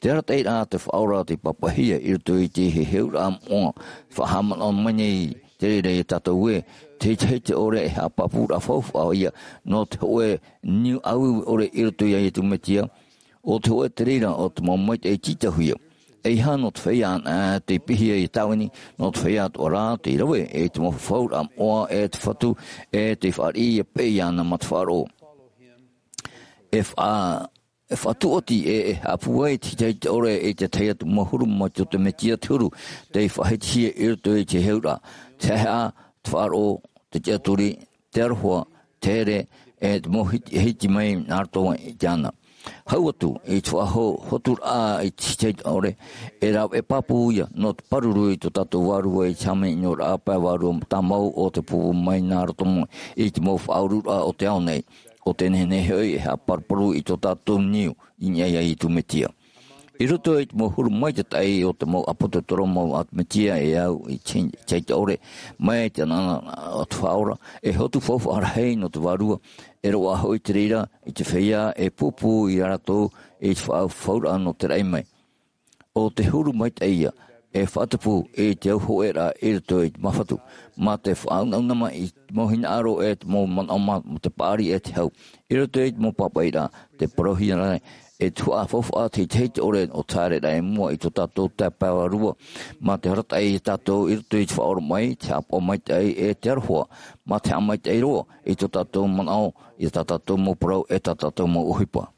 Te arataʻiraʻa a te Faʻaora tei pāpaʻihia i roto i te heheuraʻa moʻa, faʻahaʻamanaʻo mai nei te reira ia tātou ē, te hitahita ʻore e haʻapāpūraʻa faufaʻa ïa, nō te hōʻē niu ʻāueue ʻore i roto ia Iesu Mesia, ʻo te hōʻē te reira o te mau maitaʻi tītauhia. ʻEiaha nō te feiā anaʻe tei pihia i te tāvini, nō te feiā atoʻa rā tei rave, e te mau fafauraʻa moʻa e te Fatu, e tei fāriʻi ïa paʻi iāna mā te faʻaroʻo. E faʻa-, e faʻatuati e, e haʻapūai te hitahita ʻore i te tahi atu mau huru mai tō te Mesia te huru, tei faʻahitihia i roto i te heheuraʻa, te haʻehaʻa, te faʻaroʻo, te tiʻaturi, te aroha, te here, e te mau hiti, hiti mai nā roto i te ana. Hau atu, i te faʻaho-, hoturaʻa i te hitahita ʻore, e rāveʻa pāpū ïa, nō te pāruru i tō tātou Vārua i te hāmani-ʻino-raʻa pae vārua tāmau o te pūpū mai nā roto mai, i te mau faʻaururaʻa o te ao nei. ʻO te nehenehe hoʻi e haʻaparuparu i tō tātou niu, i niʻa ia Iesu Mesia. I roto i te mau huru maitaʻi o te mau ʻāpōsetolo mau a te Mesia e au i te, te hitahita ʻore, mai te anaʻana o te Faʻaora, e hotu faufaʻa rahi nō te Vārua, e roaʻa hoʻi te reira i te feiā e pūpū ia rātou i te faʻafauraʻa nō te raʻi mai. ʻO te huru maitaʻi ïa, e faʻatupu i te au hōʻēraʻa i roto i te māfatu, mā te faʻaunauna mai i te mau hinaʻaro e te mau manaʻo mā, mā te paʻari e te hau. I roto i te mau pāpaʻiraʻa, tē parauhia nei, e tuhaʻa faufaʻa te hitahita ʻore o te haereraʻa i mua i tō tātou taeaʻe pae vārua, mā te arataʻi ia tātou i roto i te faʻaoromaʻi, te haʻapaʻo maitaʻi e te aroha, mā te haʻamaitaʻi roa i tō tātou manaʻo, i tā tātou mau parau e tā tātou mau ʻohipa.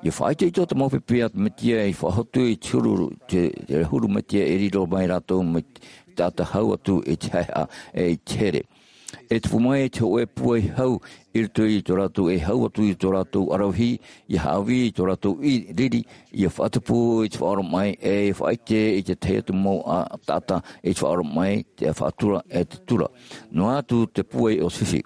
ʻIa faʻaitoito te mau pipi a te Mesia i faʻahotu i te huru, te, te huru Mesia e riro mai rātou mai te taʻata hau atu i te haʻehaʻa e i te here. E tupu mai te hōʻē pūai hau i roto i tō rātou e hau atu i tō rātou ʻaravihi, ʻia haʻavī i tō rātou i riri, ʻia faʻatupu i te faʻaoromaʻi, e faʻaʻite i te tahi atu mau a, taʻata i te faʻaoromaʻi, te faʻatura, e te tura. Noa atu te pūai o te fifi.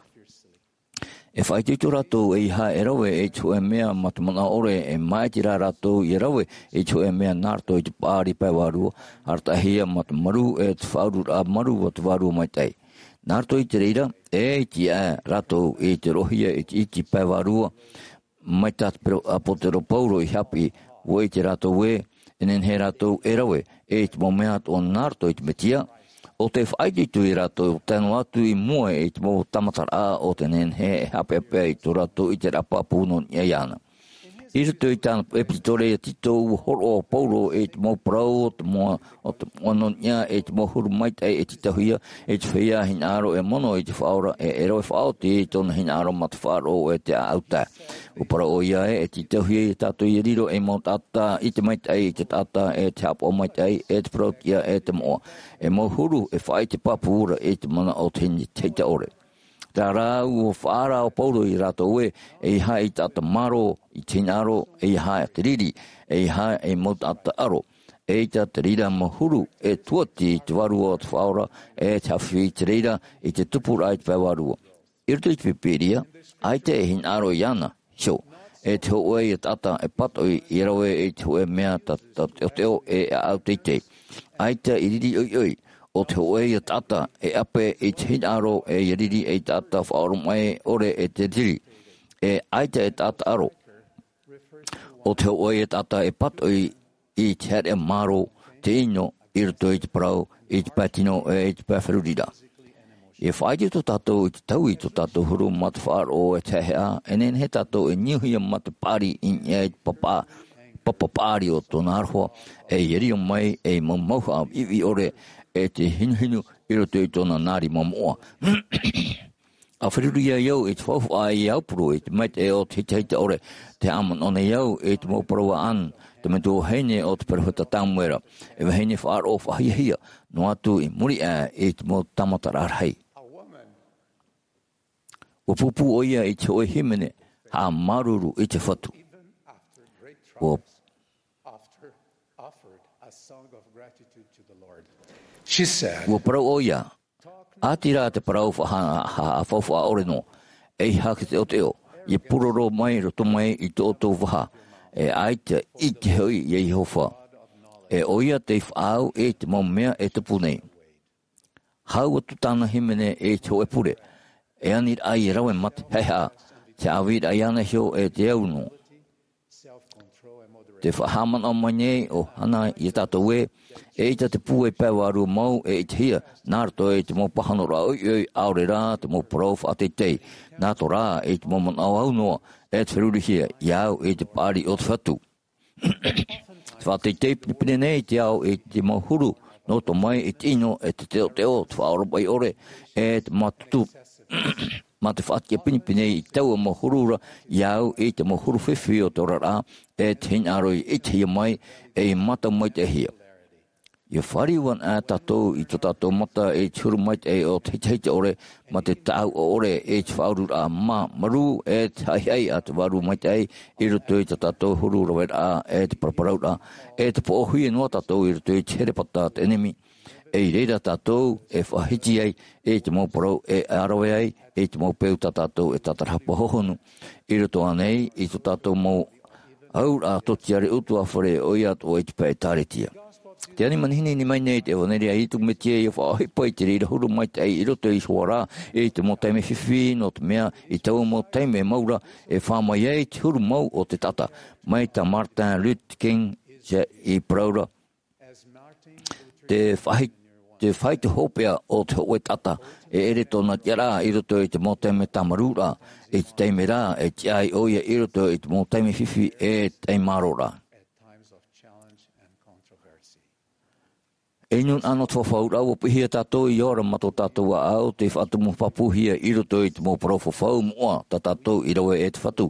E faʻaitoito rātou ʻeiaha e rave i te hōʻē mea mā te manaʻo ʻore, e māʻiti rā rātou ʻia rave i te hōʻē mea nā roto i te paʻari pae vārua, arataʻihia mā te maru e te faʻaururaʻa maru o te Vārua Maitaʻi. Nā roto i te reira, e iti aʻe rātou i te roʻohia i te iti pae vārua, mai tā te pero-, ʻāpōsetolo Paulo i haʻapiʻi, ʻua ʻite rātou ē, e nehenehe rātou e rave, e te mau mea atoʻa nā roto i te Mesia, ʻo tē faʻaitoito ia rātou, tae noa atu i mua i te mau tāmataraʻa o te nehenehe e haʻapeʻapeʻa i tō rātou ʻiteraʻa pāpū nō niʻa iāna. I roto i tāna ʻepitolo ia Tito, ʻua hōroʻa ʻo Paulo i te mau parau o te moʻa, o te moʻa nō niʻa i te mau huru maitaʻi e tītauhia, i te feiā hinaʻaro e mono i te Faʻaora, e, e rave faʻaoti i tōna hinaʻaro mā te faʻaroʻo e te ʻāʻau tae. ʻUa parau ʻoia ē, e tītauhia ia tātou ʻia riro ei mau taʻata ʻite maitaʻi i te taʻata, e te haʻapaʻo maitaʻi, e te parauʻtiʻa, e te moʻa. E mau huru, e faʻaʻite pāpū ra i te mana o te hini, te tahitaʻore. Terā rā, ʻua faʻaara ʻo Paulo ia rātou ē, ʻeiaha ei taʻata mārō i te hinaʻaro, ʻeiaha te riri, ʻeiaha ei mau taʻata ʻaro. ʻEita te reira mau huru, e tuati i te Vārua o te Faʻaora, e te haʻafifi i te reira, i te tupuraʻa i te pae vārua. I roto i te Pīpīria, ʻaita e hinaʻaro iāna, iho, e te hōʻē ia taʻata e pātoʻi ʻia rave i te hōʻē mea tā, tā teʻoteʻo e ʻāʻau teitei. ʻAita i riri ʻoiʻoi, ʻo te hōʻē ia taʻata e ʻape i te hinaʻaro e ʻia riri ei taʻata faʻaoromaʻi ʻore e te riri. E ʻaita e taʻata ʻaro. ʻO te hōʻē ia taʻata e pātoʻi i te haere mārō, te ʻino, i roto i te parau, i te pae tino, e i te pae feruriraʻa. E faʻaitoito tātou i te taui i tō tātou huru mā te faʻaroʻo e te haʻehaʻa, e nehenehe tātou e niuhia mā te paʻari i niʻa i te papa, papa paʻari o tōna aroha, e ʻia riro mai ei mau mauhaʻa viʻiviʻi ʻore, e te hinuhinu i roto i tōna nā rima moʻa. A feruri ai au i te faufaʻa i aupuru i te maitaʻi o te hitahita ʻore, te haʻamanaʻo nei au i te mau parau a Anne, te metua vahine o te peropheta Samuela, e vahine faʻaroʻo faʻahiahia, noa atu i muri aʻe i te mau tāmataraʻa rahi. Ua pūpū ʻoia i te hōʻē hīmene, haʻamāuruuru i te Fatu. Ua, ua parau ʻoia, ʻāti rā te parau faʻahaʻafaufaʻa ʻore noa, ʻeiaha te teʻoteʻo, ʻia pūroro mai roto mai i tō ʻoutou vaha, e ʻaita i te hoʻi iā Iehova. E ʻoia tei faʻaau i te mau mea e tupu nei. Hau atu tāna hīmene i te hōʻē pure, e aniraʻa ʻia rave mā te haʻehaʻa, te haʻavīraʻa iāna iho e te au noa. Te faʻahaʻamanaʻo mai nei ʻo Hana iā tātou ē, eʻita te pūai pae vārua mau e ʻitehia, nā roto i te mau pāhonoraʻa ʻoiʻoi, ʻaore rā te mau parau faʻateitei, nā roto rā i te mau manaʻo aunoa, e te ferurihia iā au i te paʻari o te Fatu. Faʻateitei pinepine nei te ao i te mau huru, nō roto mai i te ʻino e te teʻoteʻo, te faʻaoromaʻi ʻore, e te mātutu, mā te faʻatiʻa pinepine i taua mau huru ra, iā au i te mau huru fifi o te oraraʻa, e te hinaʻaro i ʻitehia mai, e i mātau maitaʻihia. ʻIa fāriu anaʻe tātou i tō tātou mata i te huru maitaʻi o te hitahita ʻore, mā te tāʻau ʻore i te faʻaururaʻa mā, marū, e te haʻihaʻi a te Vārua Maitaʻi i roto i tō tātou huru raveraʻa, e te paraparauraʻa, e te poʻohia noa tātou i roto i te herepata a te ʻenemi. E i reira tātou e faʻahiti ai i te mau parau e ʻārave ai i te mau peu tā tātou e tātarahapa hohonu. I roto ānei i tō tātou mau auraʻa tōtiare ʻutuāfare, ʻoia atoʻa i te pae ʻĒtārētia. Te ani manihini mai nei te ʻevanelia a Iesu Mesia ʻia faʻaʻohipa i te reira huru maitaʻi i roto iho ā rā i te mau taime fifi, nō te mea i taua mau taime mau ra e fā mai ai te huru mau o te taʻata, mai tā Martin Luther King i parau ra. Te faʻahi-, te faʻaitoito hopeʻa o te hōʻē taʻata, e ʻere tōna tiʻaraʻa i roto i te mau taime tāmarū ra, i te taime rā, e tiʻa ai ʻoia i roto i te mau taime fifi, e taime mārō ra. E nūnaʻa nō te fafauraʻa, ua piʻihia tātou ʻia ora mā tō tātou ʻāʻau, tei faʻatumu pāpūhia i roto i te mau parau fafau moʻa tā tātou i rave e te Fatu,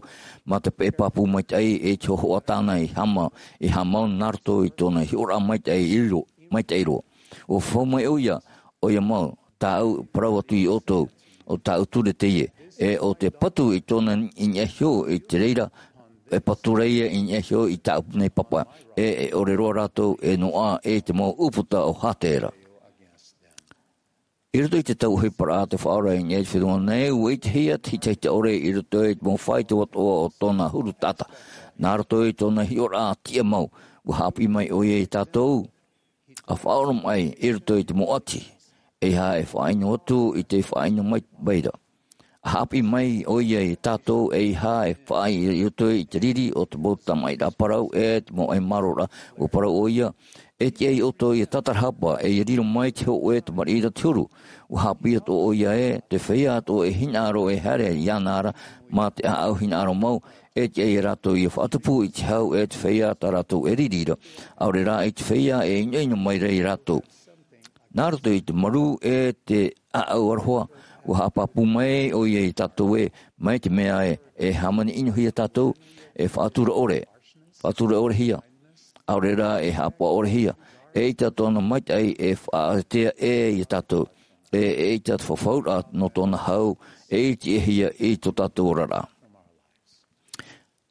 mā te peʻe pāpū maitaʻi i te hōhoʻa tāna i hāma-, i haʻamau nā roto i tōna hiʻoraʻa maitaʻi i ro-, maitaʻi roa. ʻUa fafau mai ʻoia, ʻoia mau, tāʻu parau atu iā ʻoutou, ʻo tāʻu ture teie, e ʻo te patu i tōna i niʻa iho i te reira, e patu ra ia i niʻa iho i tāʻu nei papa, e, e ʻore roa rātou e noaʻa i te mau ʻūputa o Hātera. I roto i te tau ʻohiparaʻa a te Faʻaora i niʻa i te fenua nei, ua ʻitehia te hitahita ʻore i roto i te mau faito atoʻa o tōna huru taʻata. Nā roto i tōna hiʻoraʻa tiʻa mau, ua haʻapiʻi mai ʻoia iā tātou, ʻa faʻaoromaʻi i roto i te mau ʻati, ʻeiaha e faʻaʻino atu i te faʻaʻino mai, mai ra. ʻA haʻapiʻi mai ʻoia iā tātou, ʻeiaha e faʻaʻī i roto i te riri o te mau tamaʻiraʻa parau e te mau ʻai mārōraʻa, ua parau ʻoia, e tiʻa iā ʻoutou ʻia tātarahapa, e ʻia riro mai te hōʻē tamariʻi ra te huru. Ua haʻapiʻi atoʻa ʻoia ē, te feiā atoʻa e hinaʻaro e haere iāna ra, mā te ʻāʻau hinaʻaro mau, e tiʻa iā rātou ʻia faʻatupu i te hau e te feiā tā rātou e riri ra, ʻaore rā i te feiā e ʻinoʻino mai ra iā rātou. Nā roto i te marū e te ʻāʻau aroha, ua haʻapāpū mai ʻoia iā tātou ē, mai te mea ē, e hāmani ʻinohia tātou, e faʻatura ʻore, faʻatura ʻorehia, ʻaore rā e haʻapaʻo ʻorehia, eʻita tōna maitaʻi e faʻaʻetea ē iā tātou, e, eʻita te fafauraʻa nō tōna hau, e ʻitehia i tō tātou oraraʻa.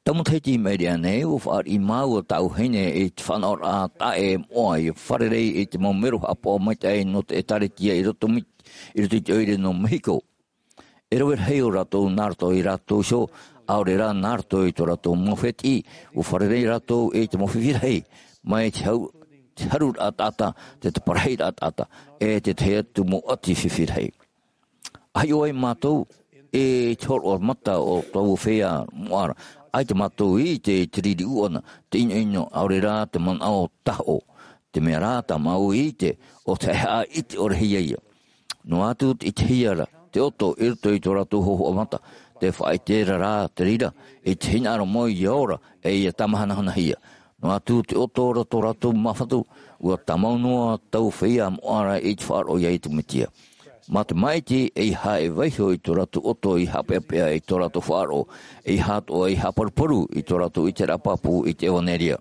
Tau matahiti i maʻiri aʻe nei, ua fāriʻi māua tāʻu vahine i te faʻanahoraʻa taʻa ʻē moʻa ʻia fārerei i te mau mero haʻapaʻo maitaʻi nō te ʻĒtārētia i roto mi-, i roto i te ʻoire nō Mehiko. E rave rahi ō rātou nā roto ia rātou iho, ʻaore rā nā roto i tō rātou mau fētiʻi, ua fārerei rātou i te mau fifi rahi, mai te hau-, te haruraʻa taʻata, te, te parahiraʻa taʻata, e te tahi atu mau ʻati fifi rahi. ʻA hiʻo ai mātou i te hōroʻa mata o taua feiā moʻa ra, ʻaita mātou i ʻite i te riri ʻūʻana, te ʻinoʻino, ʻaore rā te manaʻo tahoʻo. Te mea rā, tā māua i ʻite, ʻo te haʻehaʻa ʻite ʻorehia ia. Noa atu te ʻitehia ra te ʻoto i roto i tō rātou hōhoʻa mata, te faʻaʻite ra rā te reira, i te hinaʻaro mau ʻia ora, e ʻia tāmāhanahanahia. Noa atu te ʻoto ra tō rātou māfatu, ua tāmau noa taua feiā moʻa ra i te faʻaroʻo iā Iesu Mesia. Mā te māʻiti ʻeiaha e vaiho i tō rātou ʻoto i haʻapeʻapeʻa i tō rātou faʻaroʻo, ʻeiaha atoʻa i haʻaparuparu i tō rātou ʻiteraʻa pāpū i te ʻevanelia.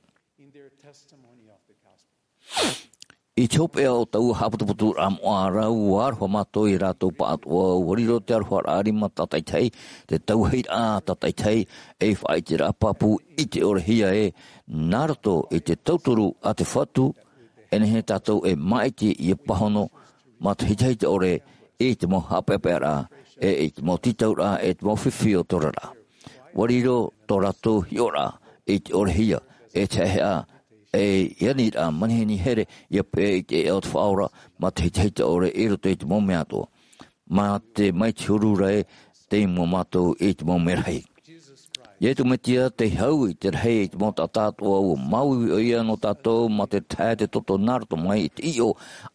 I te hopeʻa o taua haʻaputuputuraʻa moʻa ra, ua aroha mātou iā rātou pāʻatoʻa, ua riro te aroharaʻa rima tātaʻitahi, te tauahiraʻa tātaʻitahi, ei faʻaʻiteraʻa pāpū i ʻite ʻore hia ē, nā roto i te tauturu a te Fatu, e nehenehe tātou e māʻiti ʻia pāhono mā te hitahita ʻore i te mau haʻapeʻapeʻaraʻa, e i te mau tītauraʻa, e te mau fifi o te oraraʻa. Ua riro tō rātou hiʻoraʻa i te ʻore hia, e te haʻehaʻa, e i aniraʻa manihini here, ʻia peʻe i te ʻēʻa o te Faʻaora, mā te hitahita ʻore i roto i te mau mea atoʻa. Mā te, mai te huru ra ē, tei mua mātou i te mau merahi. Iesu Mesia, tei hau i te rahi i te mau taʻata atoʻa, ua māuiui ʻoia nō tātou mā te tahe, te toto nā roto mai i te ʻiʻo,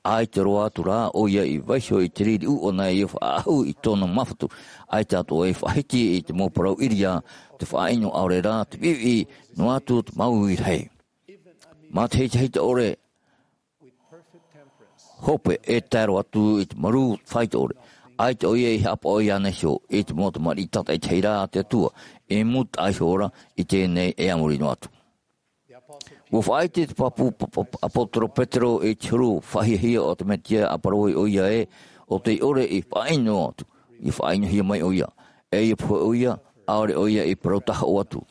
ʻaita roa atu rā ʻoia i vaiho i te riri ʻūʻana ʻia faʻaʻahu i tōna māfatu, ʻaita atoʻa i faʻahiti i te mau parau ʻīria, te faʻaʻino ʻaore rā, te viʻiviʻi, noa atu te māuiui rahi. Mā te hitahita ʻore, hope e tae roa atu i te marū faito ʻore. ʻAita ʻoia i haʻapaʻo iāna iho i te mau tamariʻi tātaʻitahi ra a te Atua, e mūtaʻa iho ra i teie nei e a muri noa atu. Ua faʻaʻite te pāpū pa-, pa-, ʻāpōsetolo Petero i te huru faʻahiahia o te Mesia, ʻa parau ai ʻoia ē, ʻo tei ʻore i faʻaʻino atu, ʻia faʻaʻinohia mai ʻoia. E ʻia pohe ʻoia, ʻaore ʻoia i parau tahoʻo atu.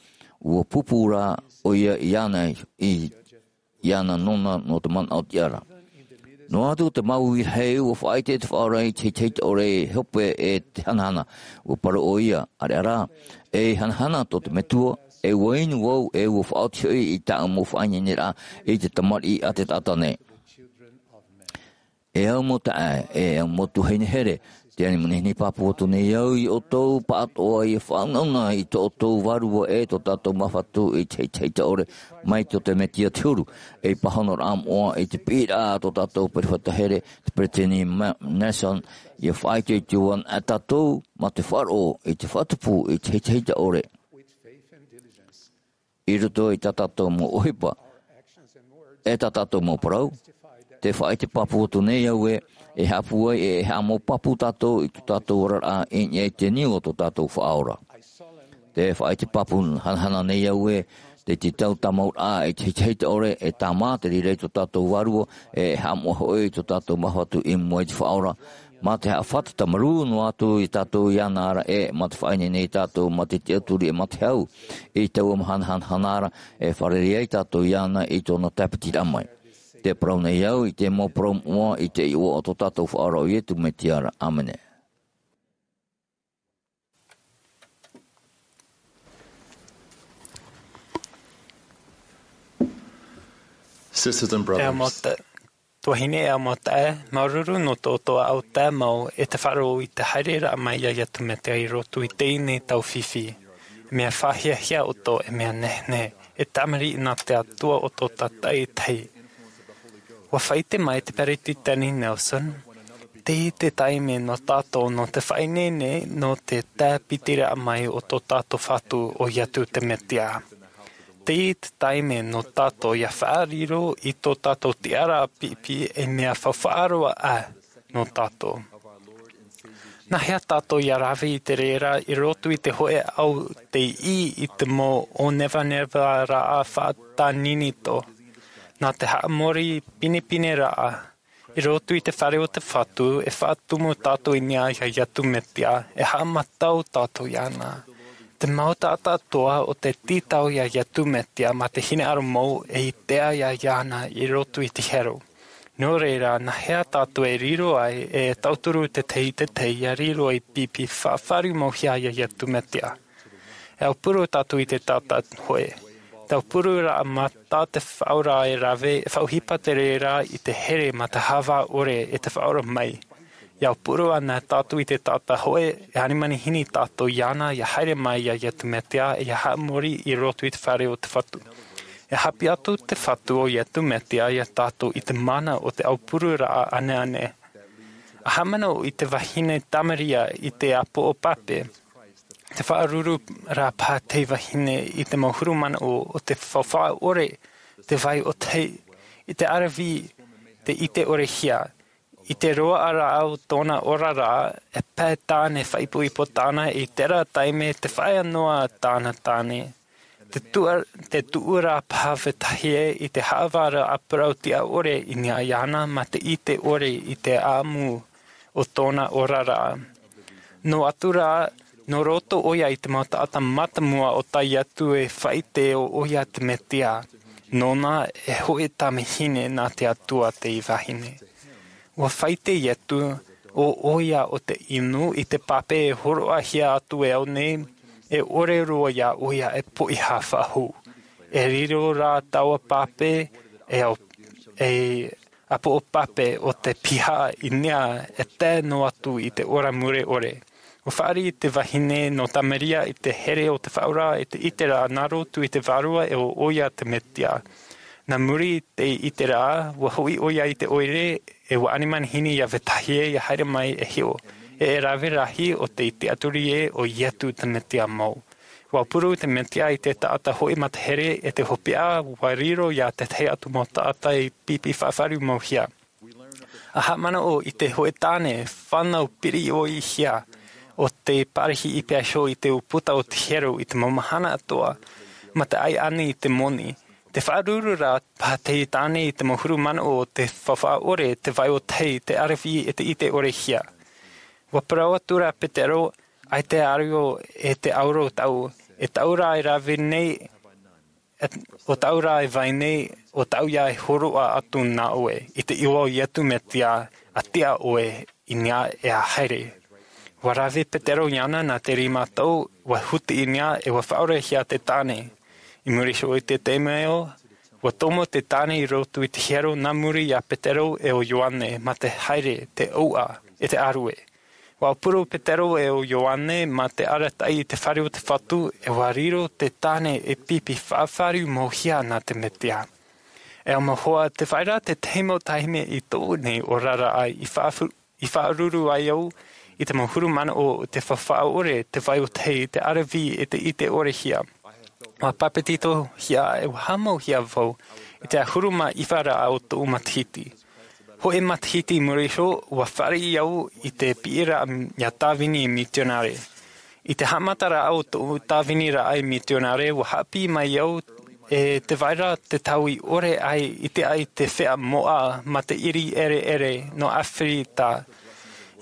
Ua pūpū rā ʻoia iāna i iāna nōna nō te manaʻo tiʻa ra. Noa atu te māuiui rahi, ua faʻaʻite te Faʻaora i te hitahita ʻore, e hope e te hanahana. Ua parau ʻoia, ʻāreʻa rā, e hanahana tō te Metua, e ua inu vau, e ua faʻaoti hoʻi i tāʻu mau faʻaineineraʻa i te tamariʻi a te taʻata nei. E au mau taeaʻe, e au mau tuahine here, tē ani manihini pāpū atu nei au iā ʻoutou pāʻatoʻa ʻia faʻaunauna i tō ʻoutou Vārua ʻe tō tātou Māfatu i te hitahita ʻore mai tō te Mesia te huru, ei pāhonoraʻa moʻa i te piʻiraʻa a tō tātou peropheta here, te Peresideni Ma-, Nelson, ʻia faʻaitoito ana tātou mā te faʻaroʻo i te faʻatupu i te hitahita ʻore. I roto i tā tātou mau ʻohipa, e tā tātou mau parau, tē faʻaʻite pāpū atu nei au ē, e haʻapūai, e haʻamau pāpū tātou i tō tātou oraraʻa i niʻa i te niu o tō tātou Faʻaora. Tē faʻaʻite pāpū hanahana nei au ē, te tītau tāmauraʻa i te hitahita ʻore, e tāmā te reira i tō tātou Vārua, e haʻamoʻa hoʻi i tō tātou Māfatu i mua i te Faʻaora, mā te haʻafātata marū noa atu iā tātou iāna ra ʻe, mā te faʻaineine iā tātou, mā te tiʻaturi ʻe mā te hau, i taua mahana hanahana ra, e fārerei ai tātou iāna i tōna tāpitiraʻa mai. Tē parau nei au i te mau parau moʻa i te iʻoa o tō tātou Faʻaora ʻo Iesu Mesia ra. ʻĀmene. Sisters and E brothers, mau ta-, tuahine, e mau taeaʻe, māuruuru nō tō ʻoutou ʻāʻau tāmau ʻe te faʻaroʻo i te haereraʻa mai iā Iesu Mesia i roto i teie nei tau fifi. Mea faʻahiahia ʻoutou, e mea nehenehe, e tamariʻi nā te Atua ʻoutou tātaʻitahi. Ua faʻaʻite mai te Peresideni Nelson, teie te taime nō tātou nō te faʻaineine nō te tāpitiraʻa mai o tō tātou Fatu ʻo Iesu te Mesia. Teie te taime nō tātou ʻia faʻariro i tō tātou tiʻaraʻa piʻipiʻi, e mea faufaʻa roa ā nō tātou. Nā hea tātou ʻia rave i te reira i roto i te hōʻē ʻaʻau tei ʻī i te mau ʻōnevanevaraʻa faʻatāninito? Nā te haʻamori pinepineraʻa i roto i te fare o te Fatu, e faʻatumu tātou i niʻa iā Iesu Mesia, e haʻamātau tātou iāna. Te mau taʻata atoʻa o te tītau iā Iesu Mesia mā te hinaʻaro mau, e ʻite ā iāna i roto i te hiero. Nō reira, nā hea tātou e riro ai, e tauturu te tahi i te tahi ʻia riro ei piʻipiʻi faʻafaʻaroʻo mau hia iā Iesu Mesia? E aupuru tātou i te taʻata hōʻē. Te aupuru ra mā tā te Faʻaora e rave, e faʻaʻohipa te reira i te here mā te hāvā ʻore e te Faʻaora mai. ʻIa aupuru ana tātou i te taʻata hōʻē, e ani manihini tātou iāna ʻia haere mai iā Iesu Mesia, ʻia haʻamori i roto i te fare o te Fatu. E haʻapiʻi atu te Fatu ʻo Iesu Mesia iā tātou i te mana o te aupururaʻa ʻaneʻane. ʻA haʻamanaʻo i te vahine Tamaria i te ʻāpoʻo pape, tē faʻaruru ra paha te vahine i te mau huru manaʻo o te faufaʻa ʻore, te vai ʻōtahi, i te ʻaravihi, te ʻite ʻore hia, I te roaʻa rā o tōna oraraʻa, e pae tāne faʻaipoipo tāna i terā taime te faʻaea noa tāna tāne. Te tuʻa-, te tuʻura paha vetahi ē i te haʻavāraʻa parau tiʻa ʻore i niʻa iāna mā te ʻite ʻore i te ʻāmu o tōna oraraʻa. Nō atu rā, nō roto ʻoia i te mau taʻata mātāmua o tae atu e faʻaʻite ʻo ʻoia te Metia. Nōna e hoʻi tamahine nā te Atua tei vahine. Ua faʻaʻite Ietu, ʻo ʻoia ʻo te inu i te pape e hōroʻahia atu e au nei, e ʻore roa iā ʻoia e poʻihā faʻahou. E riro rā taua pape, e au, e ʻāpoʻo pape o te piha i niʻa e tae noa atu i te ora mure ʻore. Ua fāriʻi te vahine nō Tamaria i te here o te Faʻaora e te ʻiteraʻa nā roto i te Vārua e ʻo ʻoia te Metia. Nā muri i te ʻiteraʻa, ua hoʻi ʻoia i te ʻoire, e ua ani manihini iā vetahi ē ia haere mai e hiʻo. E, e rave rahi ʻo te tiʻaturi ē ʻo Ietu te Metia mau. Ua puru te Metia i te taʻata hoʻi matahere e te hopeʻa, ua riro iā tētahi atu mau taʻata i pipi faʻafaru mau hia. A haʻamanaʻo i te hōʻē tāne fānau piriʻihia o te pārahi i pea iho i te ʻūputa o te hiero i te mau mahana atoʻa, mā te ʻaiʻani i te moni. Te faʻaruru rā paha te tāne i te mau huru manaʻo o te faufaʻa ʻore, te vai o tahi, te ʻaravihi e te ʻite ʻorehia. Ua parau atu rā Petero, ʻaita e ʻario e te ʻauro tāʻu, e tāʻu rā e rave nei, ʻo tāʻu rā e vai nei, ʻo tāʻu ia e hōroʻa atu nā ʻoe, i te iʻoa o Ietu Metia, a tiʻa ʻoe i niʻa e a haere. Ua rave Petero iāna nā te rima tau, ua huti i niʻa e ua faʻaorehia te tāne. I muri iho i te taime ē, ua tomo te tāne i roto i te hiero nā muri iā Petero e ʻo Ioane mā te haere, te ʻouʻa, e te ʻārue. Ua puru Petero e ʻo Ioane mā te arataʻi i te fare o te Fatu, e ua riro te tāne e pipi faʻafaru mau hia nā te Metia. E au mau hoa, te vai ra te tahi mau taime i tōʻu nei oraraʻa i faʻafu-, i faʻaruru ai au i te mau huru manaʻo o te faufaʻa ʻore, te vai o tahi, te ʻaravihi e te ʻite ʻorehia. Ua papetitohia e ua haʻamauhia vau i te ahuru mā iva ra o tōʻu matahiti. Hōʻē matahiti i muri iho, ua fāriʻi au i te piʻiraʻa ia tāvini mitionare. I te haʻamataraʻa o tōʻu tāviniraʻa mitionare, ua haʻapiʻi mai au e te vai ra te tau i ʻore ai i te, ai te feiā moʻa mā te ʻiri ʻereʻere nō Aferika,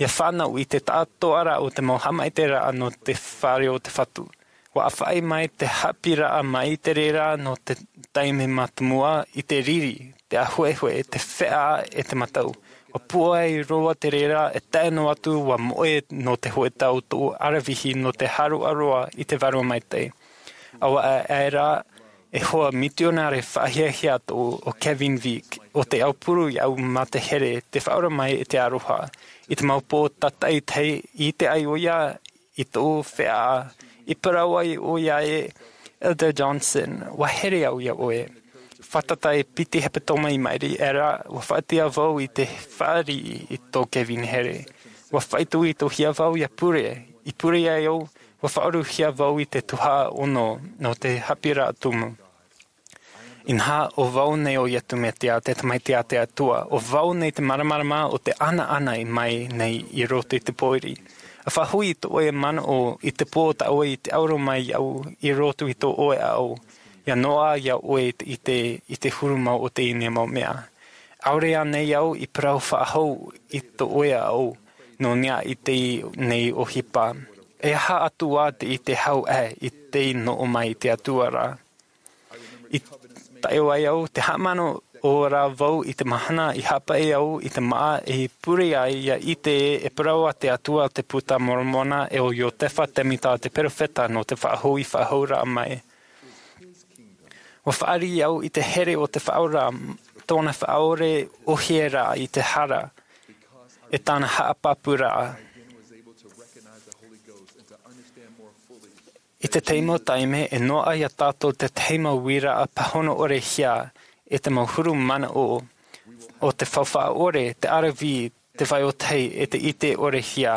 ia fānau i te taʻatoʻaraʻa o te mau haʻamaitaʻiraʻa nō te fare o te Fatu. Ua ʻāfaʻi mai te haʻapiʻiraʻa maitaʻi ra nō te taime mātāmua i te riri, te ʻāhuehue, te feiā e te matau. Ua pūai roa te reira e tae noa atu ua moʻe nō te hōʻē tau tōʻu ʻaravihi nō te hāroʻaroa i te Vārua Maitaʻi. ʻAua aʻera e hoa mitionare faʻahiahia tōʻu ʻo Kevin Vick, ʻo te aupuru i au mā te here, te faʻaora mai e te aroha. I te mau pō tātaʻitahi i ʻite ai ʻoia i tōʻu feiā, i parau ai ʻoia e, Elder Johnson, ua here au iā ʻoe. Fātata e piti hepetoma i maʻiri aʻera, ua faʻaʻite vau i te fāriʻi i tō Kevin here. Ua faʻaitoitohia vau ia pure, i pure ai au, ua faʻaʻoruhia vau i te tuhaʻa ono nō te haʻapiʻiraʻa tumu. Inaha, ʻo vau nei ʻo Ietu Metia, te Tamaiti a te Atua, ʻo vau nei te māramarama o te ʻanaʻana i mai nei i roto i te pōiri. ʻA faʻahoʻi i tō ʻoe manaʻo i te pō tā ʻoe i te auro mai au i roto i tō ʻoe ao, ia noaʻa iā ʻoe i te, i te, i te huru mau o teie nei mau mea. ʻAore ānei au i parau faʻahou i tō ʻoe ao, nō niʻa i teie nei ʻohipa? E aha atu ā te ʻite hau aʻe i te noʻo mai i te Atua ra? I tae ai au, te haʻamanaʻo rā vau i te mahana i haʻapaʻi au i te māʻa e pure ai ia ʻite e parau a te Atua te Puta Moromona e ʻo Iosepha Semita te perofeta nō te faʻahoʻi faʻahouraʻa mai. Ua fāriʻi au i te here o te Faʻaora, tōna faʻaʻore ʻohie ra i te hara, e tāna haʻapāpūraʻa. I te tahi mau taime, e noaʻa iā tātou te tahi mau uiraʻa pāhono ʻorehia, e te mau huru manaʻo o te faufaʻa ʻore, te ʻaravihi, te vai o tahi, e te ʻite ʻorehia.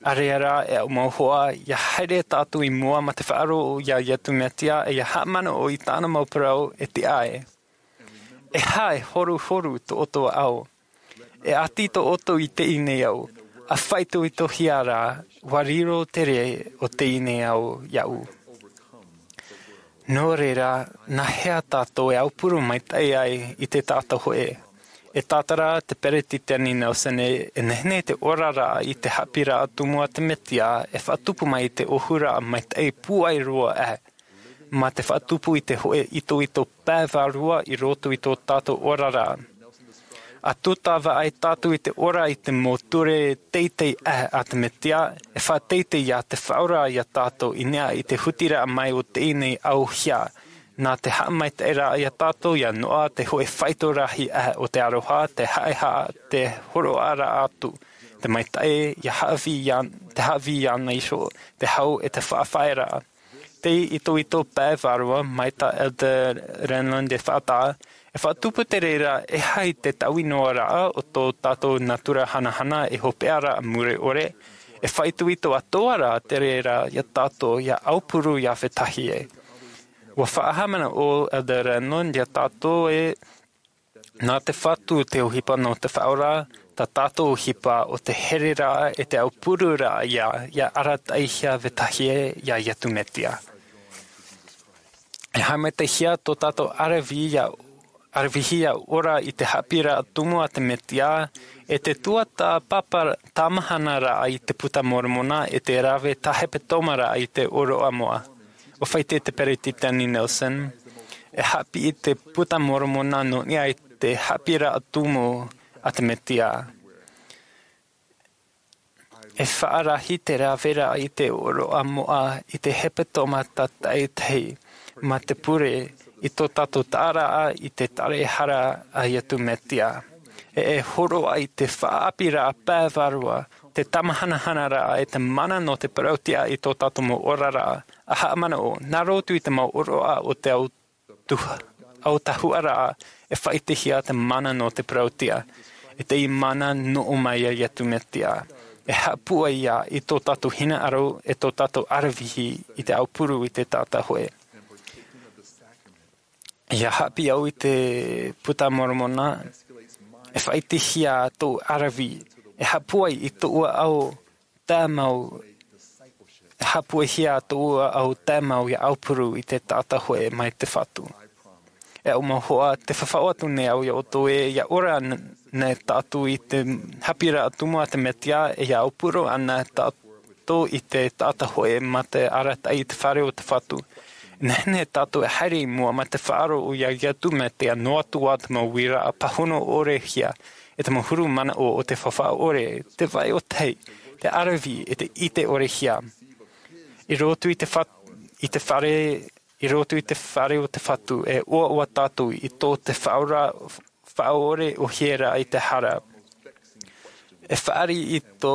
ʻAreʻa rā, e aʻu mau hoa, ia haere tātou i mua mā te faʻaroʻo iā Ietu Metia, e ia haʻamanaʻo i tāna mau parau e tiʻa ai. E aha e horuhoru tō ʻoutou ao? E ʻati tō ʻoutou i teie nei ao, ʻa faʻaitoitohia rā, ʻua riro te rē o teie nei ao iāʻu. Nō reira, nā hea tātou e aupuru maitaʻi ai i te taʻata hōʻē? E tātara te Peretiteni Nelson ē, e nehenehe te oraraʻa i te haʻapiʻiraʻa tumu a te Mesia e faʻatupu mai i te ʻōhuraʻa maitaʻi pūai roa aʻe, mā te faʻatupu i te hōʻē itoito pae vārua i roto i tō tātou oraraʻa. ʻA tūtava ai tātou i te ora i te mau ture teitei aʻe a te Mesia, e faʻateitei ia te Faʻaora ia tātou i niʻa i te hutiraʻa mai o teie nei ao hia, nā te haʻamaitaʻiraʻa ia tātou ia noaʻa te hōʻē faito rahi aʻe o te aroha, te haʻehaʻa, te hōroʻaraʻa atu, te maitaʻi, ia haʻavī ia, te haʻavī iāna iho, te hau e te faʻafaʻaearaʻa. Te itoito pae vārua, mai tā Elder Renlund e faʻataʻa, e faʻatupu te reira e aha te taui noa raʻa o tō tātou natura hanahana e hopeʻa ra mure ʻore, e faʻaitoito atoʻa rā te reira ia tātou ia aupuru ia vetahi ē. ʻUa faʻahaʻamanaʻo Elder Renlund ia tātou ē, nā te Fatu te ʻohipa nō te Faʻaora, tā tātou ʻohipa ʻo te hereraʻa e te aupururaʻa ia, ia arataʻihia vetahi ē ia Iesu Mesia. E haʻamaitaʻihia tō tātou ʻaravihi ia, ʻaravihi ia ora i te haʻapiʻiraʻa tumu a te Mesia, e te tuatāpapa tāmahanaraʻa i te Puta Moromona, e te rave tā hepetoma raʻa i te ʻōroʻa moʻa. ʻUa faʻaʻite te Peretiteni Nelson, e haʻapiʻi te Puta Moromona nō niʻa i te haʻapiʻiraʻa tumu a te Mesia. E faʻarahi te raveraʻa i te ʻōroʻa moʻa i te hepetoma tātaʻitahi, mā te pure i tō tātou taʻaraʻa i te tare hara a Iesu Mesia. E, e hōroʻa i te faʻaʻāpīraʻa pae vārua, te tāmāhanahanaraʻa e te mana nō te parauʻtiʻa i tō tātou mau oraraʻa, ʻa haʻamanaʻo, nā roto i te mau ʻōroʻa o te au tuha, autahuʻaraʻa, e faʻaʻitehia te mana nō te parauʻtiʻa, e te mana nō ʻō mai ia Iesu Mesia. E haʻapūai ia i tō tātou hinaʻaro, e tō tātou ʻaravihi i te aupuru i te taʻata hōʻē. ʻIa haʻapiʻi au i te Puta Moromona, e faʻaʻitehia tōʻu ʻaravihi, e haʻapūai i tōʻu ao tāmau, e haʻapūaihia tōʻu ao tāmau ʻia aupuru i te taʻata hōʻē mai te Fatu. E aʻu mau hoa, tē faʻaʻite atu nei au ia ʻoutou ē, ʻia ora n-, nei tātou i te haʻapiʻiraʻa tumu a te Mesia, e ʻia aupuru ana tātou i te taʻata hōʻē mā te arataʻi i te fare o te Fatu. E nehenehe tātou e haere i mua mā te faʻaroʻo ia Iesu Mesia noa atu ā te mau uiraʻa pāhono ʻore hia, e te mau huru manaʻo o te faufaʻa ʻore, te vai ʻōtahi, te ʻaravihi, e te ʻite ʻore hia. I roto i te fa-, i te fare, i roto i te fare o te Fatu, e ʻoaʻoa tātou i tō te Faʻaora, Faʻaora ʻōhie ra i te hara. E fāriʻi i tō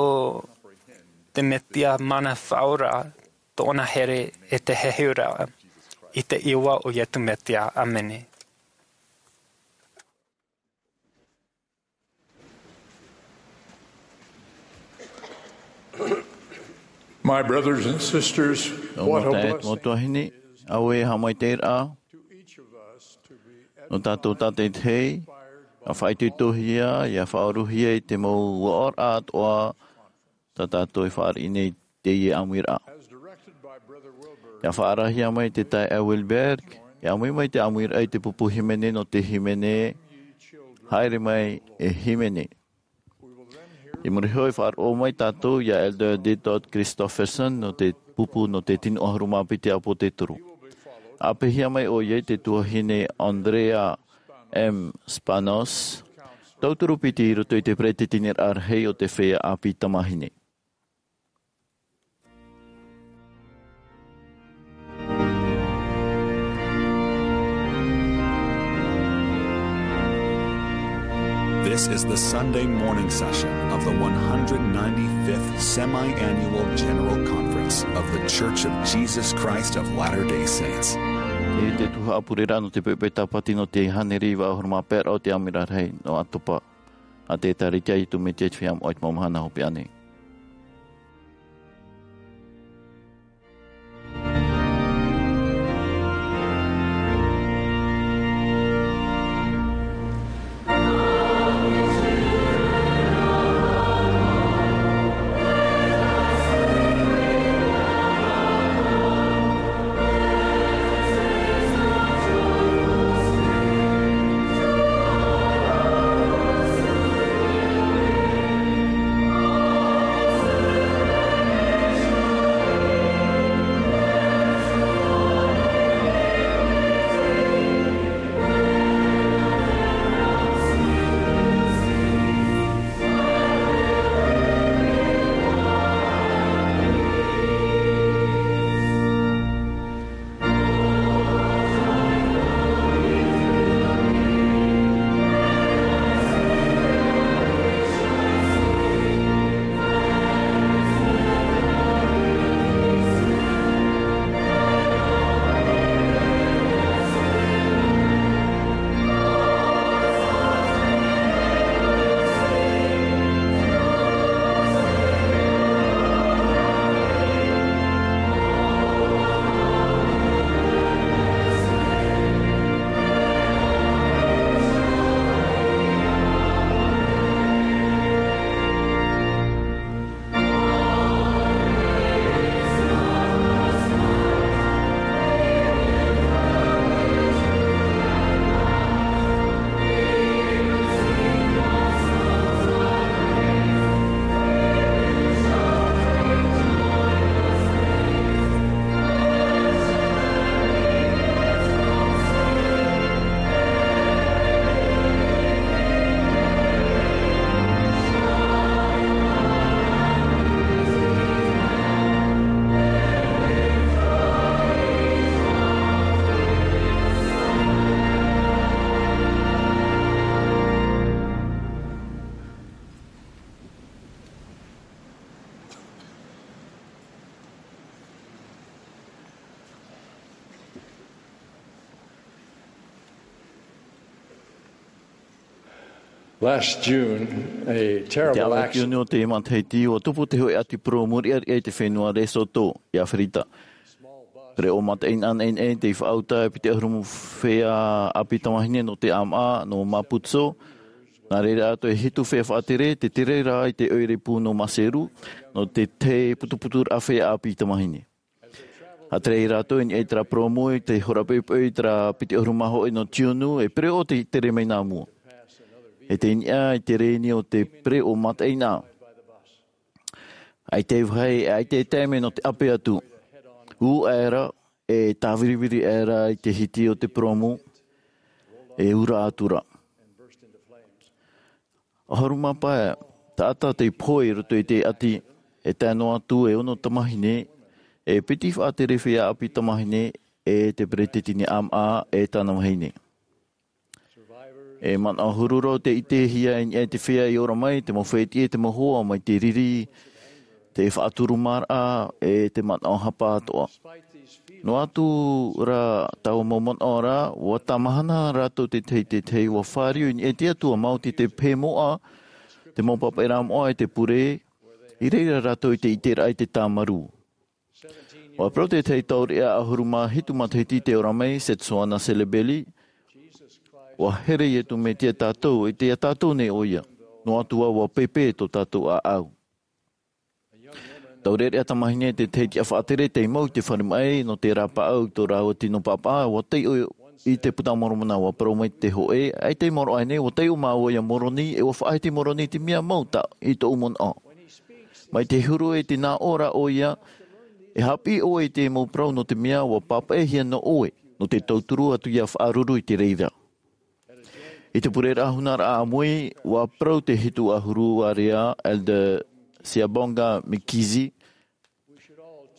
te Mesia mana faʻaora, tōna here e te heheuraʻa, i te iʻoa o Iesu Mesia. ʻĀmene. My brothers and sisters, Mau what a taeaʻe, mau blessing tuahine, auē e haʻamaitaʻiraʻa to each of us to be nō tātou tātaʻitahi, ʻa faʻaitoitohia, ʻia faʻaorohia i te mau uaʻaraʻa atoʻa tā tātou e fāriʻi nei i teie ʻāmuiraʻa. As directed by Brother Wilberg, ʻIa faʻaarahia mai te taeaʻe Wilberg, ʻia ʻāmui mai te ʻāmuiraʻa i te pupu hīmene nō te hīmene, Haere Mai e Hīmene. I muri iho e faʻaroʻo mai tātou ia Elder Dieter Christofferson nō te pupu nō te tino ʻahuru mā piti ʻĀpōsetolo. ʻApehia mai ʻoia i te tuahine Andrea M. Spanos, tauturu piti i roto i te peretiteniraʻa rahi o te feiā ʻāpī tamāhine. This is the Sunday morning session of the one hundred ninety-fifth Semi-Annual General Conference of The Church of Jesus Christ of Latter-day Saints. E te tuhaʻa pureraʻa nō te poʻipoʻi Tāpati nō te hānere iva ʻahuru mā pae o te ʻĀmui Rahi nō ʻOketopa. ʻA te ʻĒkālesia a Iesu Mesia i te Feiā Moʻa i te mau mahana hopeʻa nei. Last June, a terrible accident. Te aʻo tiunu o te matahiti, ua tupu te hōʻē ʻati purōmu riʻariʻa i te fenua Lesotho, i Aferika. Pereʻoʻo mataʻeinaʻa tei faʻauta e piti ʻahuru fea ʻāpī tamāhine nō te ʻāmaʻa nō Maputo. Nā reira atoʻa e hitu fea faʻatere, te tere rā i te ʻoire pū nō Maseru, nō te tahi putuputuraʻa fea ʻāpī tamāhine. ʻA tere rātou i niʻa i terā purōmu i te hora poʻipoʻi i terā piti ʻahuru mā hōʻē nō tiunu, e pereʻoʻo te tere mai nā mua. E tei niʻa i te rēni o te pereʻoʻo mataʻeinaʻa. ʻAita e vāhi, ʻaita e taime nō te ʻape atu. Ū aʻera, e tāviriviri aʻera i te hiti o te purōmu, e ura atu ra. ʻAhuru mā pae taʻata tei pohe i roto i te ʻati, e tae noa atu e ono tamāhine, e piti faʻatere fea ʻāpī tamāhine, e te peretiteni ʻāmaʻa, e tāna vahine. E manaʻo huru roa te ʻitehia i niʻa i te fea i ora mai, te mau fētiʻi, te mau hoa mai te riri, te faʻaturumāraʻa, e te manaʻo hapa atoʻa. Noa atu rā taua mau manaʻo ra, ua tāmahana rātou te tahi i te tahi, ua fāriu i niʻa i te Atua, maoti te pehe moʻa, te mau pāpaʻiraʻa moʻa e te pure, i reira rātou i te ʻiteraʻa i te tāmarū. Ua parau te tahi taureʻa ʻahuru mā hitu matahiti tei ora mai, Setsuana Selebeli, ua here Iesu Mesia ia tātou, e ʻite ia tātou nei ʻoia. Noa atu ā ua pēpē tō tātou ʻāʻau. Taureʻareʻa tamāhine te tahi tiʻa faʻatere tei mau i te fare maʻi nō te rāpaʻau i tō rāua tino pāpaʻa, ua taiʻo i te Puta Moromona, ua parau mai te hōʻē, ʻaita i maoro aʻe nei, ua taiʻo māua ia Moroni, e ua faʻahiti Moroni i te mea mau tā i tōʻu manaʻo. Mai te huru e te nā ʻō ra ʻoia, e haʻapiʻi ʻoe i te mau parau nō te mea ua pāpaʻihia nō ʻoe, nō te tauturu atu ia faʻaruru i te reira. I te pureraʻa hunaraʻa ʻāmui, ua parau te hitu ʻahuru area, Elder Siabonga Mikizi,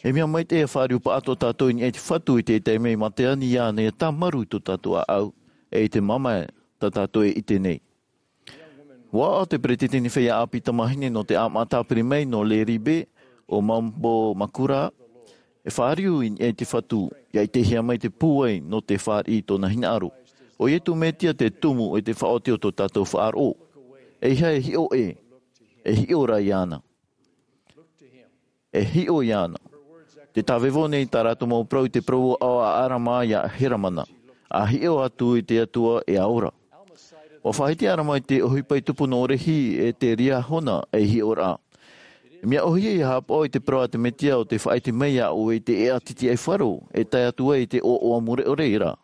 e mea maitaʻi e fāriu paʻatoʻa tātou i niʻa i te Fatu i te taime i mate ani iāna ia tāmarū i tō tātou ʻāʻau, e i te mamae tā tātou e ʻite nei. Ua aʻo te peretiteni fea ʻāpī tamāhine nō te ʻāmaʻa tāpiri mai nō Leribe, ʻo Mambo Makura, e fāriu i niʻa i te Fatu, ia ʻitehia mai te pūai nō te fāriʻi i tōna hinaʻaro. ʻO Iesu Mesia te tumu e te faʻaoti o tō tātou faʻaroʻo. ʻEiaha e hiʻo ē, e hiʻo rā iāna. E hiʻo iāna. Te tāvevo nei tā rātou mau parau i te parau ʻāʻau a ʻArama ia Heramana. ʻA hiʻo atu i te Atua e ora. Ua faʻahiti ʻArama i te ʻohipa i tupu nō Rehi e te Liahona ei hiʻoraʻa. E mea ʻōhie ia haʻapaʻo i te parau a te Mesia ʻo tē faʻaʻite mai iā ʻoe i te ʻēʻa titiʻaifaro, e tae atu ai i te ʻoaʻoa mure ʻore ra.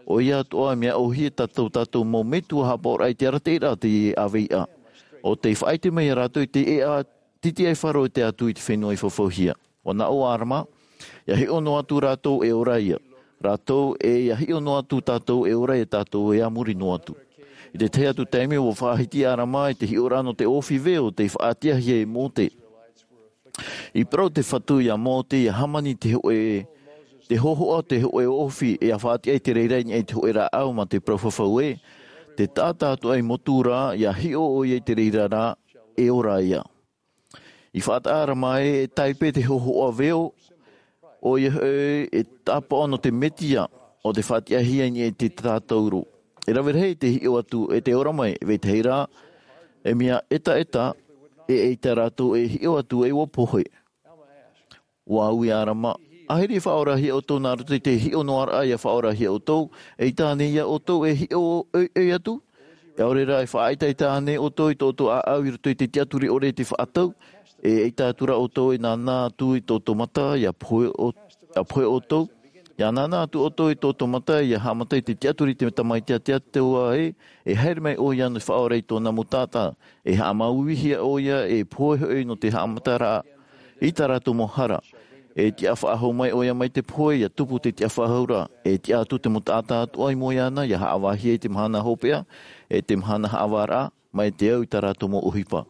ʻOia atoʻa e mea ʻōhie tā tō tātou mau metua haʻapaʻoraʻa i te arataʻiraʻa i te ʻāveiʻa. ʻO tē faʻaʻite mai iā rātou i te ʻēʻa titiʻaifaro e tae atu i te fenua i fafauhia. Ua nā ʻō ʻo ʻArama, ia hiʻo noa atu rātou e ora ia. Rātou, e ia hiʻo noa atu tātou e ora ia tātou e a muri noa atu. I te tahi atu taime ua faʻahiti ʻArama i te hiʻoraʻa nō te ʻōfī veo tei faʻatiʻahia e Mōse. I parau te Fatu iā Mōse ia hāmani te hōʻē, te hōhoʻa, te hōʻē ʻōfī, e ia faʻatiʻa i te reira i niʻa i te hōʻē rāʻau mā te parau fafau ē, te taʻata atoʻa i motu ra, ia hiʻo ʻoia i te reira rā, e ora ia. I faʻataʻa ra mai e tāipe te hōhoʻa veo, ʻoia hoʻi e tāpaʻo nō te Mesia, ʻo tē faʻatiʻahia i niʻa i te tātauro. E rave rahi te hiʻo atu e te ora mai, e vetahi rā, e mea ʻetaʻeta, e ʻeita rātou e hiʻo atu e ua pohe. Ua ui ʻArama, ʻaita e faʻaorahia ʻoutou nā roto i te hiʻo noa raʻa ia faʻaorahia ʻoutou, ʻeita ānei ia ʻoutou e hiʻo ʻoiʻoi atu? ʻAore rā e faʻaʻetaʻeta ānei ʻoutou i tō ʻoutou ʻāʻau i roto i te tiʻaturi ʻore i te faʻatau? E ʻeita atu rā ʻoutou e nānā atu i tō ʻoutou mata ia pohe ʻo-, ia pohe ʻoutou? Ia nānā atu ʻoutou i tō ʻoutou mata ia haʻamata i te tiʻaturi i te Tamaiti a te Atua ē, e haere mai ʻoia nō te faʻaora i tōna mau taʻata, e haʻamauihia ʻoia, e pohe hoʻi nō te haʻamataraʻa i tā rātou mau hara. E tiʻa faʻahou mai ʻoia mai te pohe, ia tupu te tiʻa faʻahou ra, e tiʻa atu te mau taʻata atoʻa i mua iāna, ia haʻavāhia i te mahana hopeʻa, e te mahana haʻavāraʻa, mai te au i tā rātou mau ʻohipa.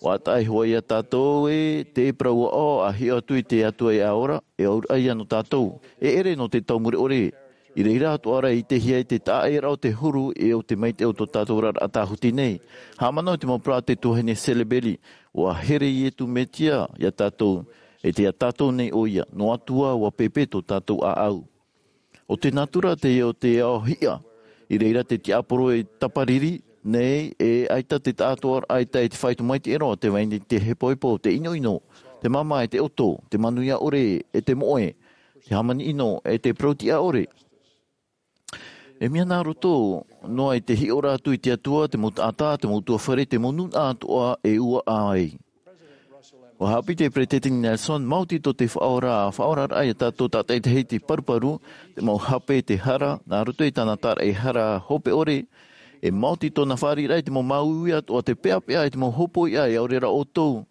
ʻUa taʻa iho ā ia tātou ē, te parau aʻo, ʻa hiʻo atu i te Atua e ora, e auraʻa ia nō tātou, e ʻere nō te tau mure ʻore. I reira atoʻa rā e ʻitehia i te taʻaʻēraʻa o te huru e ʻo te maitaʻi o tō tātou oraraʻa tāhuti nei. Haʻamanaʻo i te mau parau a te tuahine Selebeli, ʻua here Iesu Mesia ia tātou, e tei ia tātou nei ʻoia, noa atu ā ʻua pēpē tō tātou ʻāʻau. ʻO te natura teie o te ao hiʻa, i reira te tiaporo e tapariri, nei, e ʻaita te taʻatoʻaraʻa i tae i te faito maitaʻi roa, te vai nei te hepohepo, te ʻinoʻino, te māmā e te ʻoto, te manuia ʻore e te moʻe, te hāmani ʻino e te parau tiʻa ʻore. E mea nā roto noa i te hiʻoraʻa atu i te Atua, te mau taʻata, te mau ʻutuāfare, te mau nūnaʻa atoʻa e ʻuaʻa ai. ʻUa haʻapiʻi te Peresideni Nelson, maoti tō te Faʻaora, faʻaoraraʻa ia tātou tātaʻitahi i te paruparu, te mau hape, te hara, nā roto i tāna tāraʻehara hope ʻore, e maoti tōna fāriʻiraʻa i te mau māuiui atoʻa, te peʻapeʻa i te mau hōpoiʻa, e ʻaore rā ʻoutou.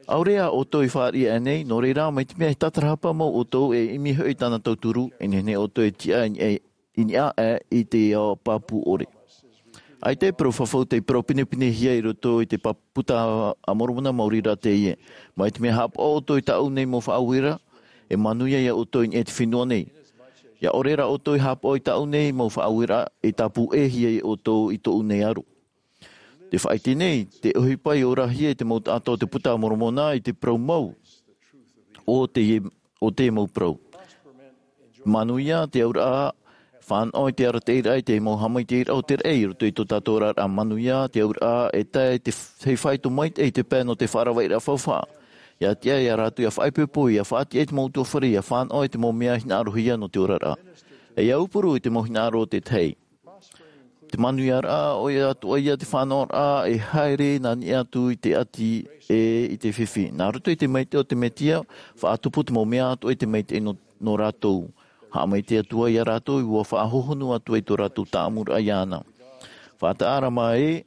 ʻAore ā ʻoutou i fāriʻi aʻe nei, nō reira, mai te mea e tātarahapa mau ʻoutou, e ʻimi hoʻi tāna tauturu, e nehenehe ʻoutou e tiʻa i niʻa, i niʻa aʻe i te ao pāpū ʻore. ʻAita e parau fafau tei parau pinepinehia i roto i te pa-, Puta a Moromona, maori rā teie. Mai te mea haʻapaʻo ʻoutou i tāʻu nei mau faʻaueraʻa, e manuia ia ʻoutou i niʻa i te fenua nei. ʻIa ʻore rā ʻoutou i haʻapaʻo i tāʻu nei mau faʻaueraʻa, e tāpūhia ia ʻoutou i tōʻu nei aro. Te faʻaʻite nei, te ʻohipa i orahia e te mau taʻata o te Puta a Moromona i te parau mau o te, o te mau parau. Manuia te auraʻa, fānaʻo i te arataʻiraʻa i te mau haʻamaitaʻiraʻa o te raʻi i roto i tō tātou oraraʻa. Manuia te auraʻa, e tae te f-, hei faito maitaʻi i te pae nō te faʻaravaʻiraʻa faufaʻa. ʻIa tiʻa ia rātou ʻia faʻaipoipo, ʻia faʻatiʻa i te mau ʻutuāfare, ʻia fānaʻo i te mau mea hinaʻarohia nō te oraraʻa. E ʻia aupuru i te mau hinaʻaro o te tahi. Te manuiaraʻa, ʻoia atoʻa ia te fānaʻoraʻa e haere nā niʻa atu i te ʻati e i te fifi. Nā roto i te maitaʻi o te Mesia, faʻatupu te mau mea atoʻa i te maitaʻi nō, nō rātou. Haʻamaitaʻi atu ā ia rātou, ʻua faʻahohonu atu ai tō rātou tāʻamuraʻa iāna. Faʻataʻa rā mā ē,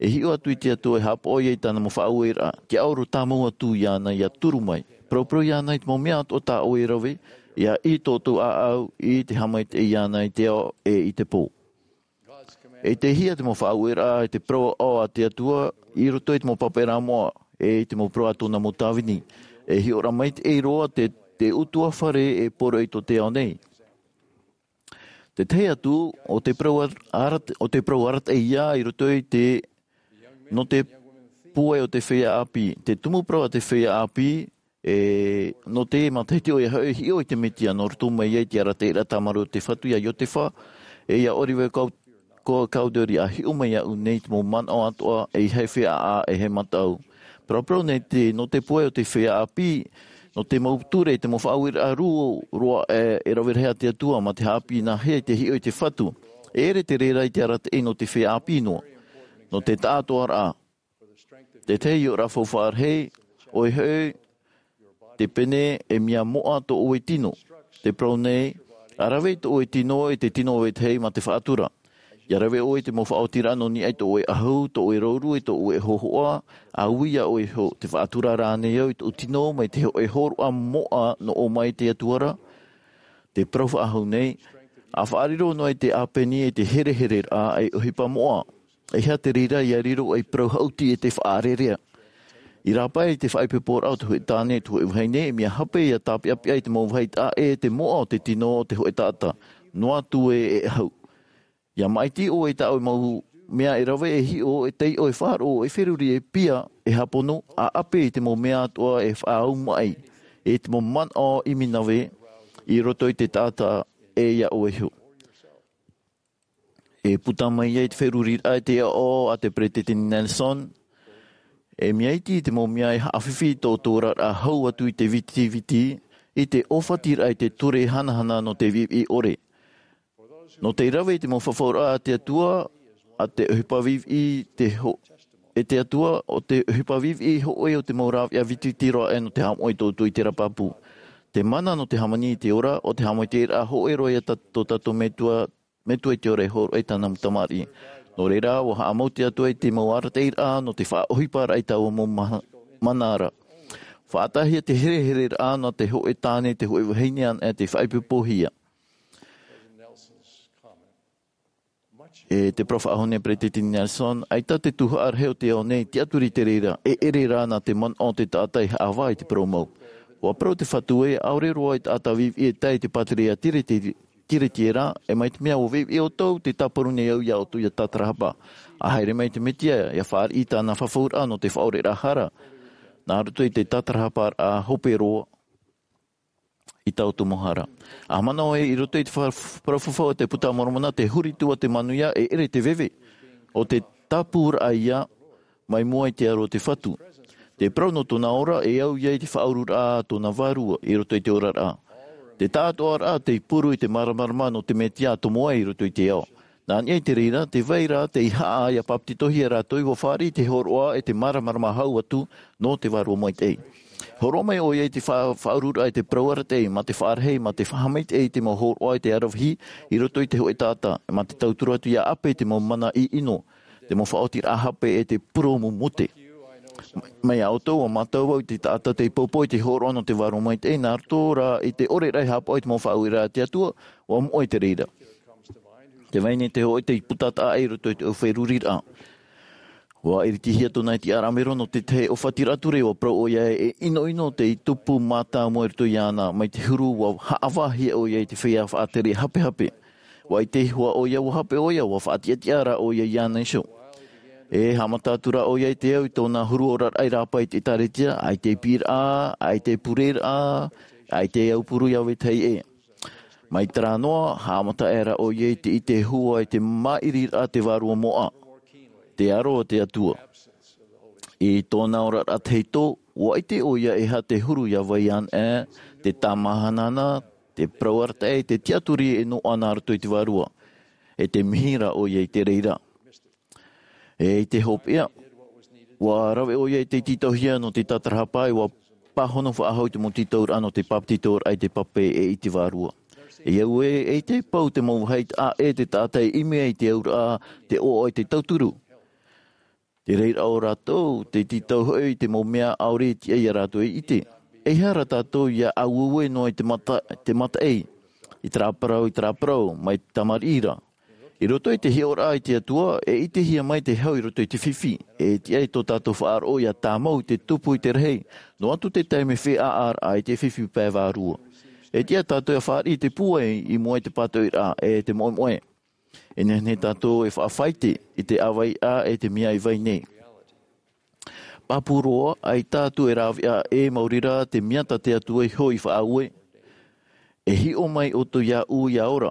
e hiʻo atu i te Atua e haʻapaʻo ia i tāna mau faʻaueraʻa, te auro tāmau atu iāna ʻia turu mai. Paraparau iāna i te mau mea atoʻa tā ʻoe e rave, ʻia ʻī tō ʻoutou ʻāʻau i te haʻamaitaʻi iāna i te ao e i te pō. E tae hia te mau faʻaueraʻa, e te parau aʻo a te Atua, i roto i te mau pāpaʻiraʻa moʻa, e i te mau parau a tōna mau tāvini. E hiʻoraʻa maitaʻi roa te, te ʻutuāfare e poroʻi tō te ao nei. Te tahi atu, ʻo te parau ar-, arat-, ʻo te parau arataʻi ia i roto i te, nō te pūai o te feiā ʻāpī. Te tumu parau a te feiā ʻāpī, e, nō te matahiti ʻoia hoʻi e hiʻo i te Mesia, nō roto mai ai te arataʻiraʻa tāmarū o te Fatu ia Iotefa, e ia Oliver Cow-, Cow-, Cowdery, ʻa hiʻo mai iāʻu nei te mau manaʻo atoʻa, e ʻeiaha e feiā ʻā, e ʻeiaha e mataʻu. Paraparau nei te, nō te pūai o te feiā ʻāpī, nō te mau ture, te mau faʻaueraʻa rū roa, e, e rave rahi a te Atua, mā te haʻapiʻi nāhea i te hiʻo i te Fatu. E ʻere te reira i te arataʻi nō te feiā ʻāpī noa. Nō te taʻatoʻaraʻa. Te tahi hiʻoraʻa faufaʻa rahi, ʻoia hoʻi, te pene e mea moʻa tō ʻoe tino. Te parau nei, ʻa rave i tō ʻoe tino, e te tino o vetahi mā te faʻatura. ʻIa rave ʻoe i te mau faʻaotiraʻa nō niʻa i tō ʻoe ʻahu, tō ʻoe rouru, e tō ʻoe hōhoʻa, ʻa ui iā ʻoe iho, te faʻatura rānei au i tōʻu tino, mai te hō-, e hōroʻa moʻa nō ʻō mai te Atua ra? Te parau faʻahou nei, ʻa faʻariro noa i te ʻāpeni e te herehereraʻa e ʻohipa moʻa. ʻEiaha te reira ʻia riro ei parau haʻuti e te faʻarerea. I rāpae i te faʻaipoiporaʻa o te hōʻē tāne, te hōʻē vahine, e mea hape ʻia tāpeʻapeʻa i te mau vāhi taʻa ʻē te moʻa o te tino o te hōʻē taʻata. Noa atu ē e ʻahu. ʻIa māʻiti ʻoe i tā ʻoe mau mea e rave, e hiʻo, e taiʻo, e faʻaroʻo, e feruri, e pia, e hāpono, ʻa ʻape i te mau mea atoʻa e faʻaau maʻi, e te mau manaʻo ʻiminave i roto i te taʻata ʻē iā ʻoe iho. E puta mai ai te feruriraʻa i te aʻo a te Peresideni Nelson, e mea iti i te mau mea e haʻafifi i tō ʻoutou oraraʻa hau atu i te vitiviti, i te ʻōfatiraʻa i te ture hanahana nō te viʻiviʻi ʻore. Nō te rave i te mau fafauraʻa a te Atua, a te ʻohipa viʻiviʻi te ho-, e te Atua, ʻo te ʻohipa viʻiviʻi hōʻē o te mau rāveʻa vitiviti roa aʻe nō te haʻamoʻe i tō ʻoutou ʻiteraʻa pāpū. Te mana nō te hāmani i te ora, ʻo te haʻamaitaʻiraʻa hōʻē roa ia tā-, tō tātou Metua, Metua i te ora e hōroʻa i tāna mau tamariʻi. Nō reira, ʻua haʻamau te Atua i te mau arataʻiraʻa nō te faʻaʻohiparaʻa i taua mau ma-, mana ra. Faʻataʻahia te herehereraʻa nā te hōʻē tāne, te hōʻē vahine anaʻe tei faʻaipoipohia. E te parau faʻahou nei a Peresideni Nelson, ʻaita te tuhaʻa rahi o te ao nei, tiʻaturi i te reira, e ʻere rā nā te manaʻo o te taʻata e haʻavā i te parau mau. ʻUa parau te Fatu ē, ʻaore roa e taʻata viʻiviʻi e tae i te pātireia Tireti-, Tiretiera, e mai te mea ʻua viʻiviʻi ʻoutou, tē tāparu nei au iā ʻoutou ʻia tātarahapa. ʻA haere mai te Mesia, ʻia fāriʻi i tāna fafauraʻa nō te faʻaoreraʻa hara. Nā roto i te tātarahaparaʻa hope roa i tā ʻoutou mau hara. ʻA manaʻo ē, i roto i te fa-, parau fafau a te Puta a Moromona, te huri atu ā te manuia e ʻere te veve. ʻO te tāpūraʻa ia, mai mua i te aro o te Fatu. Te parau nō tōna ora, e au ia i te faʻaururaʻa a tōna vārua, i roto i te oraraʻa. Te tāʻatoʻaraʻa tei puru i te māramarama nō te Mesia tomo ai i roto i te ao. Nā niʻa i te reira, tē vai ra tei haʻa ia papetitohia rātou ʻua fāriʻi te hōroʻa e te māramarama hau atu nō te Vārua Maitaʻi. Hōroʻa mai ʻoia i te fa-, faʻaururaʻa i te parau arataʻi, mā te faʻarahi, mā te faʻamaitaʻi i te mau hōroʻa i te aravihi, i roto i te hōʻē taʻata, mā te tauturu atu ia ʻape i te mau mana ʻino, te mau faʻaotiraʻa hape e te purōmu mute. Mai iā ʻoutou, ʻua mātau vau i te taʻata tei poupou i te hōroʻa nō te Vārua Maitaʻi, nā roto rā i te ʻore raʻa e haʻapaʻo i te mau faʻaueraʻa a te Atua, ʻua moʻe i te reira. Tē vai nei te hōʻē tei puta taʻa i roto i te feruriraʻa. ʻUa iritihia tōna iti ʻāraʻamero nō te tahi ʻōfatiraʻa ture, ʻua parau ʻoia e ʻinoʻino tei tupu mātāmua i roto iāna, mai te huru ʻua haʻavāhia ʻoia i te feiā faʻatere hapehape. ʻUa ʻite ihoa ʻoia, ʻua hape ʻoia, ʻua faʻatiʻatiʻa rā ʻoia iāna iho. E haʻamata atu rā ʻoia i te au i tōna huru oraraʻa i rāpae i te ʻĒtārētia, ʻaita e piʻiraʻa, ʻaita e pureraʻa, ʻaita e aupuru ia vetahi ʻē. Mai terā noa, haʻamata aʻera ʻoia i te ʻite hua i te māʻiriraʻa te vārua moʻa, te aro o te Atua. I tōna oraraʻa tahito, ʻua ʻite ʻoia e aha te huru ia vai ana, te tāmāhanahana, te parau arataʻi, te tiʻaturi e noaʻa nā roto i te Vārua. E tē mihi ra ʻoia i te reira. E i te hopeʻa, ʻua rave ʻoia i te tītauhia nō te tātarahapa, ʻua pāhono faʻahou i te mau tītauraʻa nō te papetitoraʻa i te pape e i te Vārua. E au ē, e te pau te mau vāhi taʻa ʻē te taʻata e ʻimi ai i te auraʻa, te ʻoaʻoa i te tauturu. Te reira o rātou, te tītau hoʻi i te mau mea ʻaore e tiʻa ia rātou e ʻite. E aha rā tātou ia aueue noa i te mata-, te mataʻi, i terā parau, i terā parau, mai te tamariʻi ra. I roto i te hiʻoraʻa i te Atua, e ʻitehia mai te hau i roto i te fifi, e tiʻa i tō tātou faʻaroʻo ia tāmau i te tupu i te rahi, noa atu te taime feiā ʻāraʻa i te fifi pae vārua. E tiʻa tātou ia fāriʻi te pūai i mua i te pātoʻiraʻa e te moʻemoʻe. E nehenehe tātou e faʻafaite i te ʻāvaʻe e te mea i vai nei. Pāpū roa, ʻaita atu e rāveʻa ʻē maori rā te mea tā te Atua iho i faʻaue. E hiʻo mai ʻoutou iāʻu ia ora,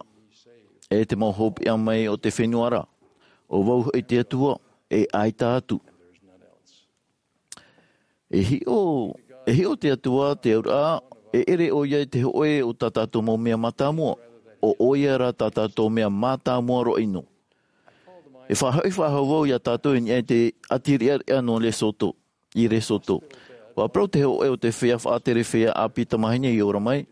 e te mau hopeʻa mai o te fenua ra, ʻo vau hoʻi te Atua, e ʻaita atu. E hiʻo, e hiʻo te Atua te auraʻa, e ʻere ʻoia i te hōʻē o tā tātou mau mea mātāmua, ʻo ʻoia rā tā tātou mea mātāmua roa ʻino. E faʻahoʻi faʻahou vau ia tātou i niʻa i te ʻāti riʻariʻa nō Lesotho, i Lesotho. ʻUa parau te hōʻē o te feiā faʻatere feiā ʻāpī tamāhine i ora mai,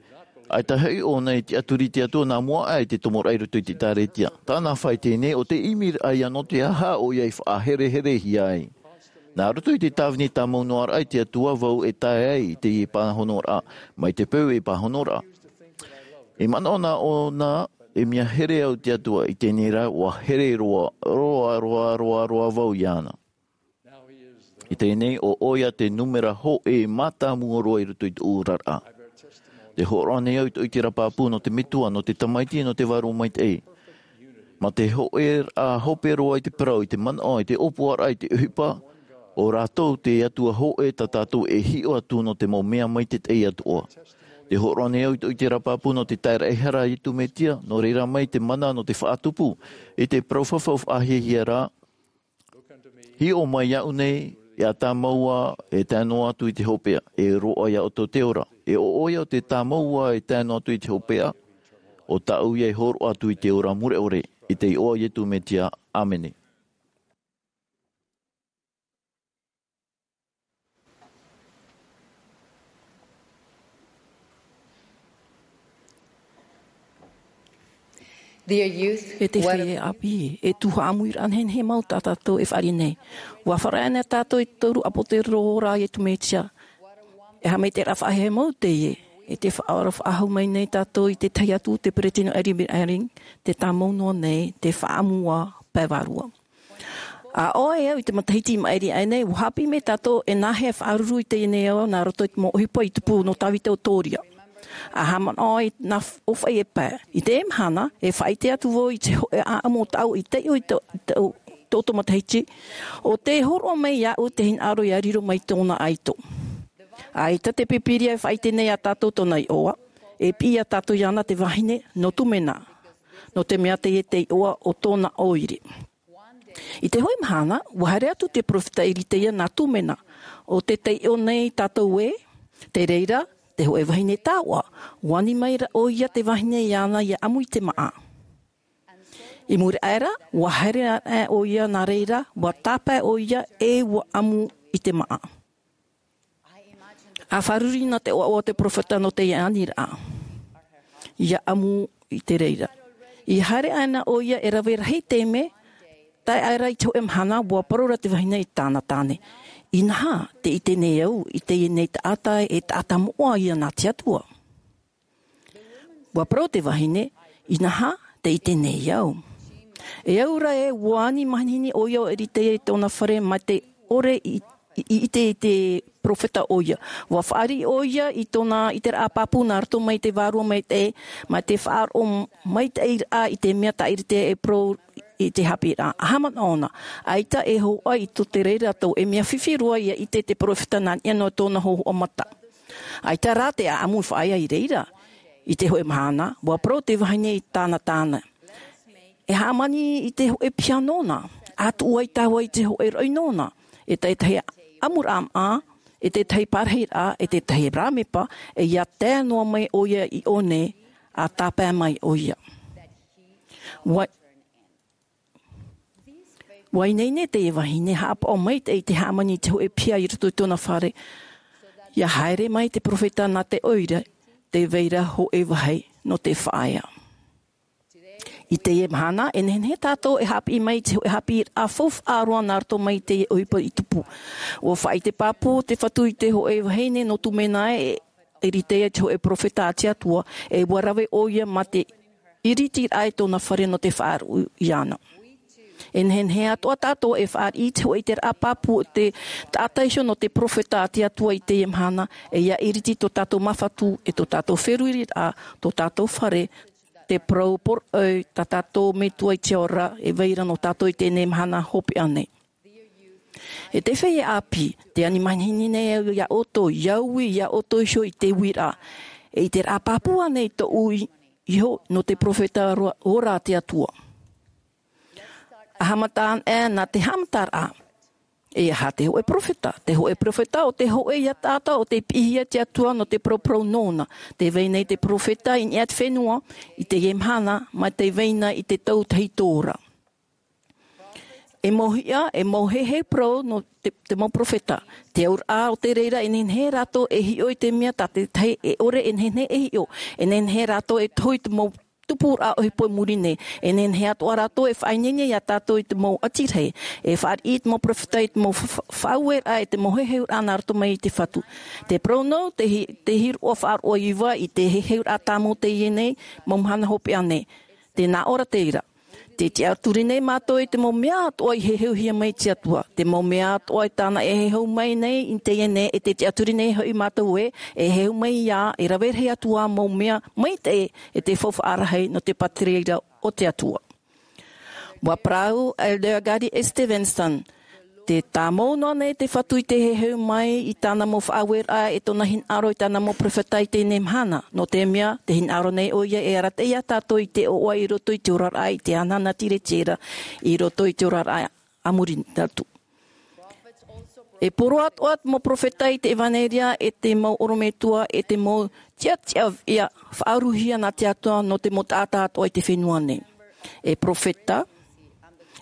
ʻaita hoʻi ʻōna i tiʻaturi i te Atua nā mua aʻe i te tomoraʻa i roto i te ʻĒtārētia. Tāna fāʻite nei ʻo te ʻimiraʻa ia nō te aha ʻoia i faʻahereherehia ai. Nā roto i te tāvini tāmau noa raʻa i te Atua vau e tae ai i teie pāhonoraʻa, mai te peu e pāhonoraʻa. I manaʻo nā ʻōna, e mea here au te Atua, i teie nei rā, ʻua here roa, roa, roa, roa, roa vau iāna. I teie nei, ʻo ʻoia te nūmera hōʻē mātāmua roa i roto i tōʻu oraraʻa. Tē hōroʻa nei au i tōʻu ʻiteraʻa pāpū nō te Metua, nō te Tamaiti, nō te Vārua Maitaʻi. Mā te hōʻēraʻa hope roa i te parau, i te manaʻo, i te ʻōpuaraʻa, i te ʻohipa, ʻo rātou te Atua hōʻē tā tātou e hiʻo atu nō te mau mea maitaʻi atoʻa. Tē hōroʻa nei au i tōʻu ʻiteraʻa pāpū nō te taeraʻehara a Iesu Mesia, nō reira mai te mana nō te faʻatupu, i te parau fafau faʻahiahia ra, hiʻo mai iāʻu nei, e tāmau ā, e tae noa atu i te hopeʻa, e roaʻa iā ʻoutou te ora. E ʻo ʻoia ʻo te tāmau ā e tae noa atu i te hopeʻa, ʻo tāʻu ia e hōroʻa atu i te ora mure ʻore, i te iʻoa o Iesu Mesia, ʻāmene. Dear youth, e te feiā ʻāpī, e tuhaʻa ʻāmuiraʻa nehenehe mau tā tātou e fāriʻi nei. ʻUa fāriʻi ana tātou i te toru ʻāpōsetolo ra a Iesu Mesia. E haʻamaitaʻiraʻa faʻaheamau teie, e tē faʻaora faʻahou mai nei tātou i te tahi atu, te Peresideni Henry B. Eyring, tē tāmau noa nei te faʻaʻamu ā pae vārua. ʻA ʻoe e au i te matahiti i maʻiri aʻe nei, ʻua haʻapiʻi mai tātou e nāhea e faʻaruru i teie nei ao nā roto i te mau ʻohipa i tupu nō Tāvita ʻo Toria. ʻA haʻamanaʻo i nā f-, ʻōfaʻi e pae. I teie mahana, e faʻaʻite atu vau i te hōʻē ʻāʻamu o tāʻu i taiʻo i tō, tō, tō, tō matahiti, ʻo tē hōroʻa mai iāʻu te hinaʻaro ia riro mai tōna ʻaito. ʻAita te Pīpīria e faʻaʻite nei iā tātou tōna iʻoa, e piʻi iā tātou iāna te vahine, nō te mea nā, nō te mea teie te iʻoa o tōna ʻoire. I te hōʻē mahana, ua haere atu te peropheta Eritaia nā Tūmena, ʻo tē taiʻo nei tātou ē, te reira, te hōʻē vahine taoʻa, ua ani mai ra ʻoia te vahine iāna ʻia ʻamu i te māʻa. I muri aʻe ra, ua haere aʻe ʻoia nā reira, ua tāpae ʻoia ʻe ua ʻamu i te māʻa. ʻA fārerei nā te ʻoaʻoa o te peropheta nō teie aniraʻa. ʻIa ʻamu i te reira. I haere aʻe na ʻoia e rave rahi taime, tae aʻe ra i te hōʻē mahana, ua parau ra te vahine i tāna tāne. Inaha, tē ʻite nei au, i teie nei taʻata e taʻata moʻa ïa nā te Atua. Ua parau te vahine, inaha, tē ʻite nei au. E au ra ē, ua ani manihini ʻoia ʻo Eritaia i tōna fare mai te ʻore i, i, i ʻite i te peropheta ʻoia. Ua fāriʻi ʻoia i tōna ʻiteraʻa pāpū nā roto mai te vārua maitaʻi, mai te faʻaroʻo maitaʻiraʻa i te mea tā Eritaia e parau i te haʻapiʻiraʻa. ʻAha manaʻo na, ʻaita e hōhoʻa i tō te reira atu, e mea fifi roa ʻia ʻite te peropheta nā niʻa noa i tōna hōhoʻa mata. ʻAita rā te ʻaʻamu i faʻaea i reira. I te hōʻē mahana, ua parau te vahine i tāna tāne. E hāmani i te hōʻē piha nōna, ʻa tuʻu ai tāua i te hōʻē raʻi nōna, e te tahi ʻamuraʻa māʻa, e te tahi parahiraʻa, e te tahi rāmepa, e ʻia tae noa mai ʻoia i ʻō nei, ʻa tāpae mai ʻoia. Ua, ua ineine teie vahine haʻapaʻo maitaʻi i te hāmani i te hōʻē piha i roto i tōna fare, ʻia haere mai te peropheta nā te ʻoire, tē vai ra hōʻē vāhi nō te faʻaea. I teie mahana, e nehenehe tātou e haʻapiʻi mai i te hōʻē haʻapiʻiraʻa faufaʻa roa nā roto mai i teie ʻohipa i tupu. Ua faʻaʻite pāpū te Fatu i te hōʻē vahine nō Tūmena e Eritaia te hōʻē peropheta a te Atua, e ua rave ʻoia mā te ʻiritiraʻa i tōna fare nō te faʻaruʻe iāna. E nehenehe atoʻa tātou e fāriʻi i te hōʻē ʻiteraʻa pāpū o te taʻata iho nō te peropheta a te Atua i teie mahana, e ʻia ʻiriti tō tātou mau fatu, e tō tātou feruriraʻa, tō tātou fare, te parau poroʻi tā tātou Metua i te ao ra, e vai ra nō tātou i teie mahana hopeʻa nei. E te feiā ʻāpī, tē ani manihini nei au iā ʻoutou, ʻia ui iā ʻoutou iho i te uiraʻa. E ʻiteraʻa pāpū ānei tōʻu i, iho nō te peropheta ora, ora a te Atua? ʻA haʻamata anaʻe nā te haʻamataraʻa. E aha te hōʻē peropheta? Te hōʻē peropheta ʻo te hōʻē ïa taʻata ʻo tei piʻihia e te Atua nō te paraparau nōna. Tē vai nei te peropheta i niʻa i te fenua, i teie mahana, mai te vai na i te tau tahito ra. E mau hiʻa, e mau heheu parau nō te, te mau peropheta. Te auraʻa o te reira e nehenehe rātou e hiʻo i te mea tā te tahi e ʻore e nehenehe e hiʻo. E nehenehe rātou e tohu i te mau tupuraʻa ʻohipa i muri nei. E nehenehe atoʻa rātou e faʻaineine iā tātou i te mau ʻati rahi. E fāriʻi te mau peropheta i te mau fa-, fa-, faʻaueraʻa e te mau heheuraʻa nā roto mai i te Fatu. Te parau nō, te hi-, te hīroʻa faʻaroʻo iva i te heheuraʻa tāmau teie nei, mau mahana hopeʻa nei. Tē nā ʻō ra te reira. Tē tiʻaturi nei mātou i te mau mea atoʻa i heheuhia mai te Atua. Te mau mea atoʻa i tāna e heheu mai nei i teie nei, e tē tiʻaturi nei hoʻi mātou ē, e heheu mai ïa, e rave rahi atu ā mau mea maitaʻi e te faufaʻa rahi nō te pātireia o te Atua. Ua parau Elder Gary Stevenson, tē tāmau noa nei te Fatu i te heheu mai i tāna mau faʻaueraʻa e tōna hinaʻaro i tāna mau peropheta i teie mahana, nō te mea, tē hinaʻaro nei ʻoia e arataʻi iā tātou i te ʻoaʻoa i roto i te oraraʻa i te ananahi tiretiera, i roto i te oraraʻa a muri atu. E poro atoʻa te mau peropheta i te ʻevanelia e te mau ʻorometua e te mau tiʻatiʻa ʻia faʻaruhia nā te Atua nō te mau taʻata atoʻa i te fenua nei. E peropheta,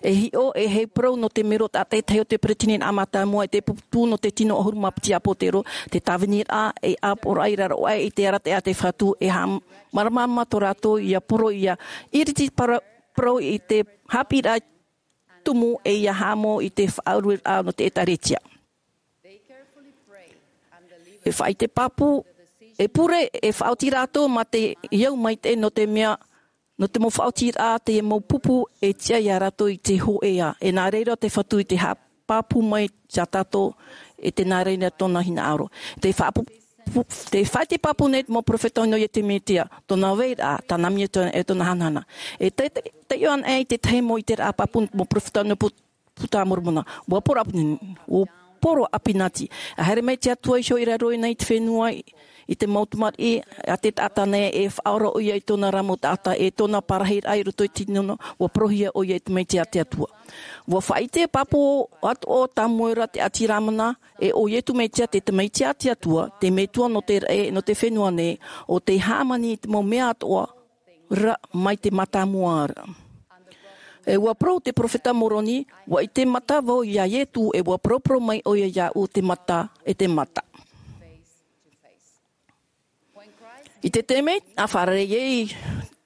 e hiʻo, e heheu parau nō te mero taʻata e tahi o te peretiteniraʻa mātāmua, e te pupu nō te tino ʻahuru mā piti ʻāpōsetolo, te tāviniraʻa, e ʻāpoʻoraʻa i raro aʻe i te arataʻi a te Fatu, e haʻamāramarama tō rātou ʻia poro, ʻia iriti para-, parau i te haʻapiʻiraʻa tumu e ʻia haʻamau i te faʻarueraʻa nō te ʻĒtārētia. E faʻaʻite pāpū, e pure, e faʻaoti rātou mā te au maitaʻi nō te mea, nō te mau faʻaotiraʻa, te mau pupu e tiʻa iā rātou i te hōʻē. E nā reira te Fatu i te haʻapāpū mai iā tātou, e tē nā reira tōna hinaʻaro. Te faʻapu-, pu-, te faʻaʻite pāpū nei te mau peropheta nō Iesu Mesia, tōna vairaʻa, tāna mea tōna, e tōna hanahana. E te, te, te ʻoaʻoa anaʻe i te tahi mau ʻiteraʻa pāpū nō te mau peropheta nō Pu-, Puta a Moromona. Ua poro ʻāpī-, ua poro ʻāpīnati. ʻA haere mai te Atua iho i raro nei i te fenua i, i te mau tamariʻi a te taʻata nei e faʻaora ʻoia i tōna ra mau taʻata e tōna parahiraʻa i roto i te tino, ua porohia ʻoia i te maitaʻi a te Atua. Ua faʻaʻite pāpū atoʻa o Samuera te ʻāti Lamana, e ʻo Iesu Mesia te Tamaiti a te Atua, te Metua nō te raʻi, nō te fenua nei, ʻo tei hāmani i te mau mea atoʻa ra mai te mātāmua ra. E ua parau te perofeta Moroni, ua ʻite mata vau ia Iesu, e ua paraparau mai ʻoia iāʻu, te mata, e te mata. I te taime a fārerei ai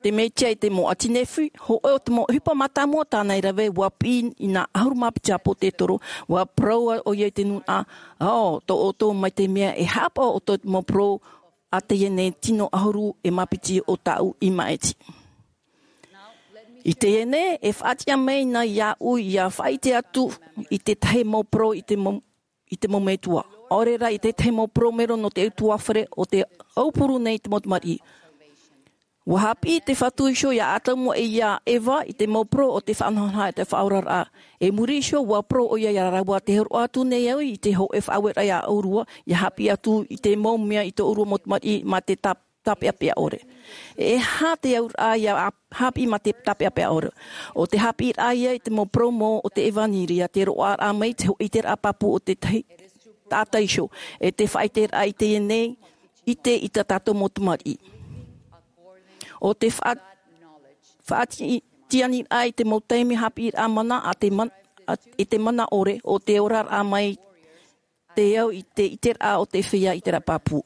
te Mesia i te mau ʻāti Nephi, hōʻē o te mau ʻohipa mātāmua tāna i rave, ua piʻi i nā ʻahuru mā piti ʻāpōsetolo, ua parau ʻoia i te nūnaʻa, ʻo, tō ʻoutou mai te mea e haʻapaʻo ʻoutou i te mau parau a teie nei tino ʻahuru e mā piti o tāʻu i maʻiti. I teie nei, e faʻatiʻa mai na iāʻu ia faʻaʻite atu i te tahi mau parau i te mau, i te mau metua. ʻAore rā i te tahi mau parau mero nō te utuāfare o te aupuru nei i te mau tamariʻi. Ua haʻapiʻi te Fatu iho ia Atamu e ia Eva i te mau parau o te faʻanahonahoraʻa e te faʻaoraraʻa. E muri iho, ua parau ʻoia ia rāua, tē hōroʻa atu nei au i te hōʻē faʻaueraʻa ia ʻōrua, ia haʻapiʻi atu i te mau mea i tō ʻōrua mau tamariʻi mā te tā-, tāpeʻapeʻa ʻore. E aha te auraʻa ia a-, haʻapiʻi mā te tāpeʻapeʻa ʻore? ʻO te haʻapiʻiraʻa ia i te mau parau mau o te ʻevanelia, te roaʻaraʻa mai i te hōʻē ʻiteraʻa pāpū o te tahi taʻata iho, e te faʻaʻiteraʻa i teie nei, ʻite i tā tātou mau tamariʻi. ʻO te faʻa-, faʻatiʻa-, tiʻaniraʻa i te mau taime haʻapiʻiraʻa mana a te man-, a, i te mana ʻore, ʻo te oraraʻa mai te au i te ʻiteraʻa o te feiā ʻiteraʻa pāpū.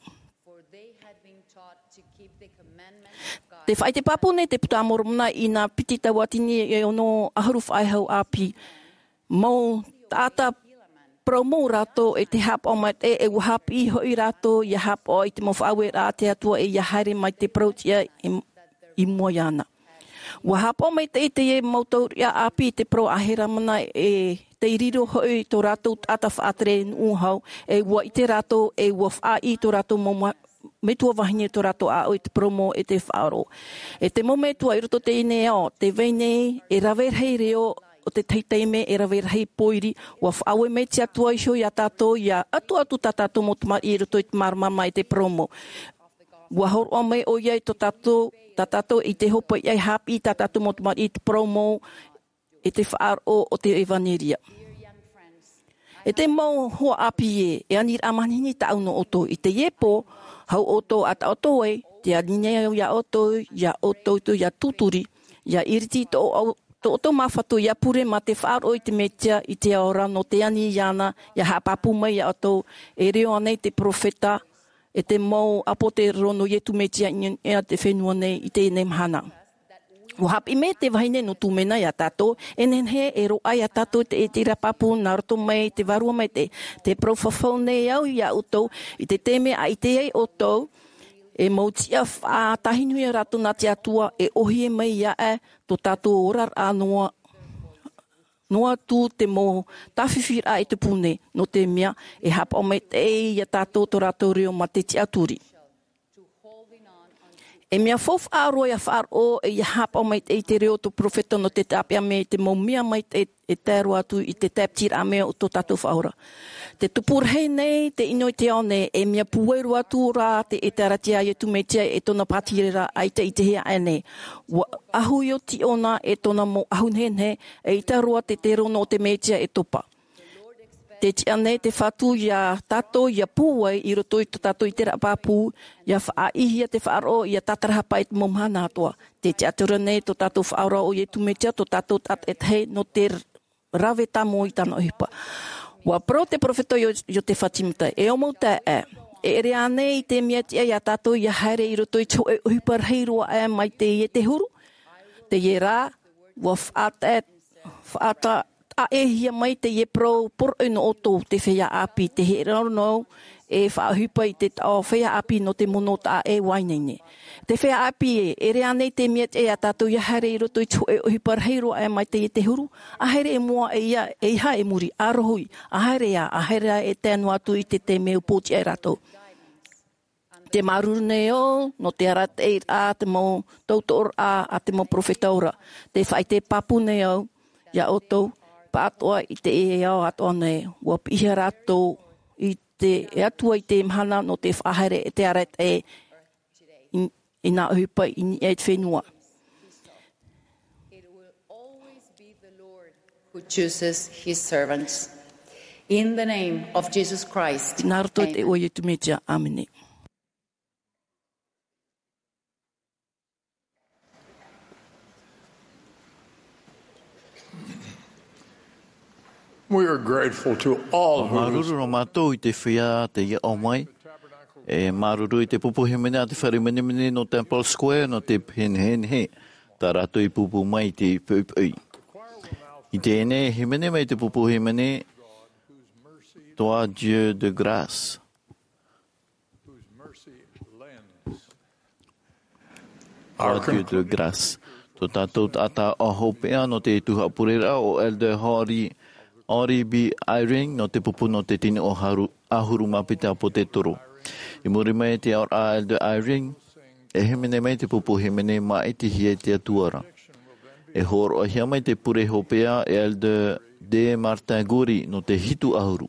Tē faʻaʻite pāpū nei te Puta a Moromona i nā piti tauatini e ono ʻahuru faʻaʻohipa ʻāpī. Mau taʻata parau mau rātou e te haʻapaʻo maitaʻi, e ua haʻapiʻi hoʻi rātou ia haʻapaʻo i te mau faʻaueraʻa a te Atua e ia haere mai te parau tiʻa i, i mua iāna. Ua haʻapaʻo maitaʻi teie mau taureʻareʻa ʻāpī i te parau a Helamana, e tei riro hoʻi tō rātou taʻata faʻatere nuʻu hau, e ua ʻite rātou, e ua faʻaʻī tō rātou mau ma-, metua vahine tō rātou ʻāʻau i te parau mau e te faʻaroʻo. E te mau metua i roto i teie nei ao, tē vai nei e rave rahi reo o te tahi taime, e rave rahi pōiri, ua faʻaue mai te Atua iho ia tātou, ia ʻatuʻatu tā tātou mau tamariʻi i roto i te māramarama e te parau mau. Ua hōroʻa mai ʻoia i tō tātou, tā tātou i te hopeʻa e haʻapiʻi tā tātou mau tamariʻi i te parau mau, e te faʻaroʻo o te ʻevanelia. E te mau hoa ʻāpī ē, e aniraʻa manihini tāʻu nō ʻoutou. I teie pō, hou ʻoutou a taʻoto ai, tē ani nei au ia ʻoutou, ia ʻoutou, ia tūturi, ia iriti tō, tō ʻoutou māfatu, ia pure mā te faʻaroʻo i te Mesia, i te ao ra nō te ani iāna, ia haʻapāpū mai ia ʻoutou, e riro ānei te perofeta, e te mau ʻāpōsetolo nō Iesu Mesia i niʻa i te fenua nei i teie nei mahana. Ua haʻapiʻi mai te vahine nō Tumena ia tātou, e nehenehe e roaʻa ia tātou te ʻiteraʻa pāpū nā roto mai te Vārua Maitaʻi, tē parau fafau nei au ia ʻoutou, i te taime a ʻite ai ʻoutou, e mau tiʻa faʻatāhinu ia rātou nā te Atua, e ʻōhie mai ia ʻoe, tō tātou oraraʻa noa, noa atu te mau tāfifiraʻa i te pū nei, nō te mea, e haʻapaʻo maitaʻi ia tātou tō rātou reo mā te tiʻaturi. E mea faufaʻa roa ia faʻaroʻo, e ia haʻapaʻo maitaʻi i te reo o te perofeta nō te tāpeʻa mai i te mau mea maitaʻi e tae roa atu i te tāpitiraʻa mai o tō tātou Faʻaora. Tē tupu rahi nei te ʻino i te ao nei, e mea pūai roa atu rā te ʻĒtārētia a Iesu Mesia e tōna pātireia, ʻaita i te hea aʻe nei. Ua ʻahu ʻo Ziona e tōna mau ʻahu nehenehe, eʻita roa te terono o te Mesia e topa. Tē tiʻa nei te Fatu ia tātou ia pūai i roto i tō tātou ʻiteraʻa pāpū, ia faʻaʻīhia te faʻaroʻo, ia tātarahapa i te mau mahana atoʻa. Tē tiʻaturi nei tō tātou Faʻaora ʻo Iesu Mesia, tō tātou taʻata e tahi nō te rave tāmau i tāna ʻohipa. Ua parau te perofeta Io-, Iosepha Sāmita, e ʻo mau taeaʻe, e ʻere ānei te mea tiʻa ia tātou ia haere i roto i te hōʻē ʻohipa rahi roa aʻe mai teie te huru? Teie rā, ua faʻata-, faʻata-, taʻehia mai teie parau poroʻi nō ʻoutou, te feiā ʻāpī, tē hiʻo ra nō au, e faʻaʻohipa i te taʻo feiā ʻāpī nō te mono taʻa ʻē ua ineine. Te feiā ʻāpī ē, e ʻere ānei te mea tiʻa ia tātou ia haere i roto i te hōʻē ʻohipa rahi roa aʻe mai teie te huru? ʻAhiri i mua, ʻeiaha, ʻeiaha i muri, ʻa rohi, ʻahiria, ʻahiria e tae noa atu i te taime ʻua pōtiʻa ia rātou. Tē māuruuru nei au, nō te arataʻiraʻa, te mau tautooraʻa a te mau perofeta ora. Tē faʻaʻite pāpū nei au, ia ʻoutou, pāʻatoʻa i teie ao atoʻa nei, ʻua piʻihia rātou i te, e Atua i te mahana nō te faʻahaere e te arataʻi i, i nā ʻohipa i niʻa i te fenua. Who chooses his servants. In the name of Jesus Christ. Nā roto i te iʻoa o Iesu Mesia, āmene. We are grateful to all who Māuruuru rā mātou i te feiā tei aʻo mai. E māuruuru i te pupu hīmene a te fare menemene nō Temple Square, nō te nehenehe tā rātou i pūpū mai i te poʻipoʻi. I teie nei, hīmene mai te pupu hīmene, Toi Dieu de grâce. Toi Dieu de grâce. Tō tātou taʻata hopeʻa nō te tuhaʻa pureraʻa, ʻo Elder Henry, Henry B. Eyring, nō te pupu nō te tino ʻahuru, ʻahuru mā piti ʻāpōsetolo. I muri mai i te aʻoraʻa a Elder Eyring, e hīmene mai te pupu hīmene, māʻitihia e te Atua ra. E hōroʻahia mai te pure hopeʻa e Elder D. Martin Goury nō te hitu ʻahuru.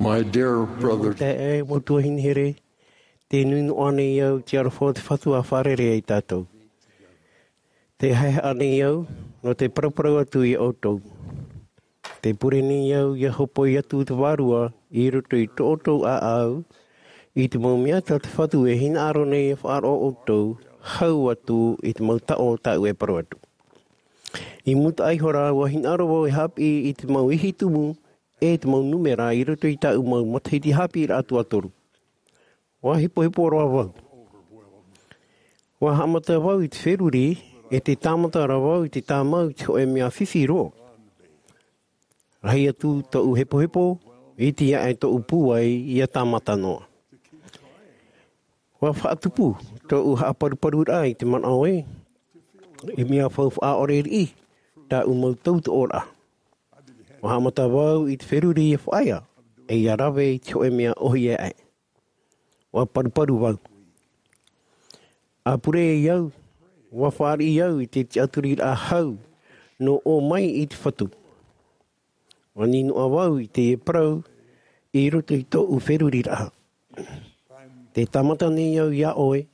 My dear brother, Te e mau tuahine here, te nui noa nei au i te aroha o te Fatu a fārerei ai tātou. Te haehaʻa nei au, nō te paraparau atu i a ʻoutou. Te pure nei au ia hopoi atu te vārua i roto i tō ʻoutou ʻāʻau, i te mau mea tā te Fatu e hinaʻaro nei e faʻaroʻo ʻoutou, hau atu i te mau taʻo tāʻu e parau atu. I muta ai hora, ua hinaʻaro vau e haʻapiʻi i te mau ihi tumu, e te mau nūmera i roto i tāʻu mau matahiti haʻapiʻiraʻa tuatoru. Ua hepohepo roa vau. Ua haʻamata vau i te feruri, e te tāmata ra vau i te tāmau i te hōʻē mea fifi roa. Rahi atu tōʻu hepohepo, iti aʻe tōʻu pūai ia tāmata noa. Ua faʻatupu tōʻu haʻaparuparuraʻa i te manaʻo ē, e mea faufaʻa ʻore riʻi tāʻu mau tautoʻoraʻa. Ua haʻamata vau i te feruri ia faʻaea, e ia rave i te hōʻē mea ʻōhie aʻe. Ua paruparu vau. A pure ai au, ua fāriʻi au i te tiʻaturiraʻa hau nō ʻō mai i te Fatu. Ua nīnoa vau i te parau i roto i tōʻu feruriraʻa. Te tāmata nei au iā ʻoe,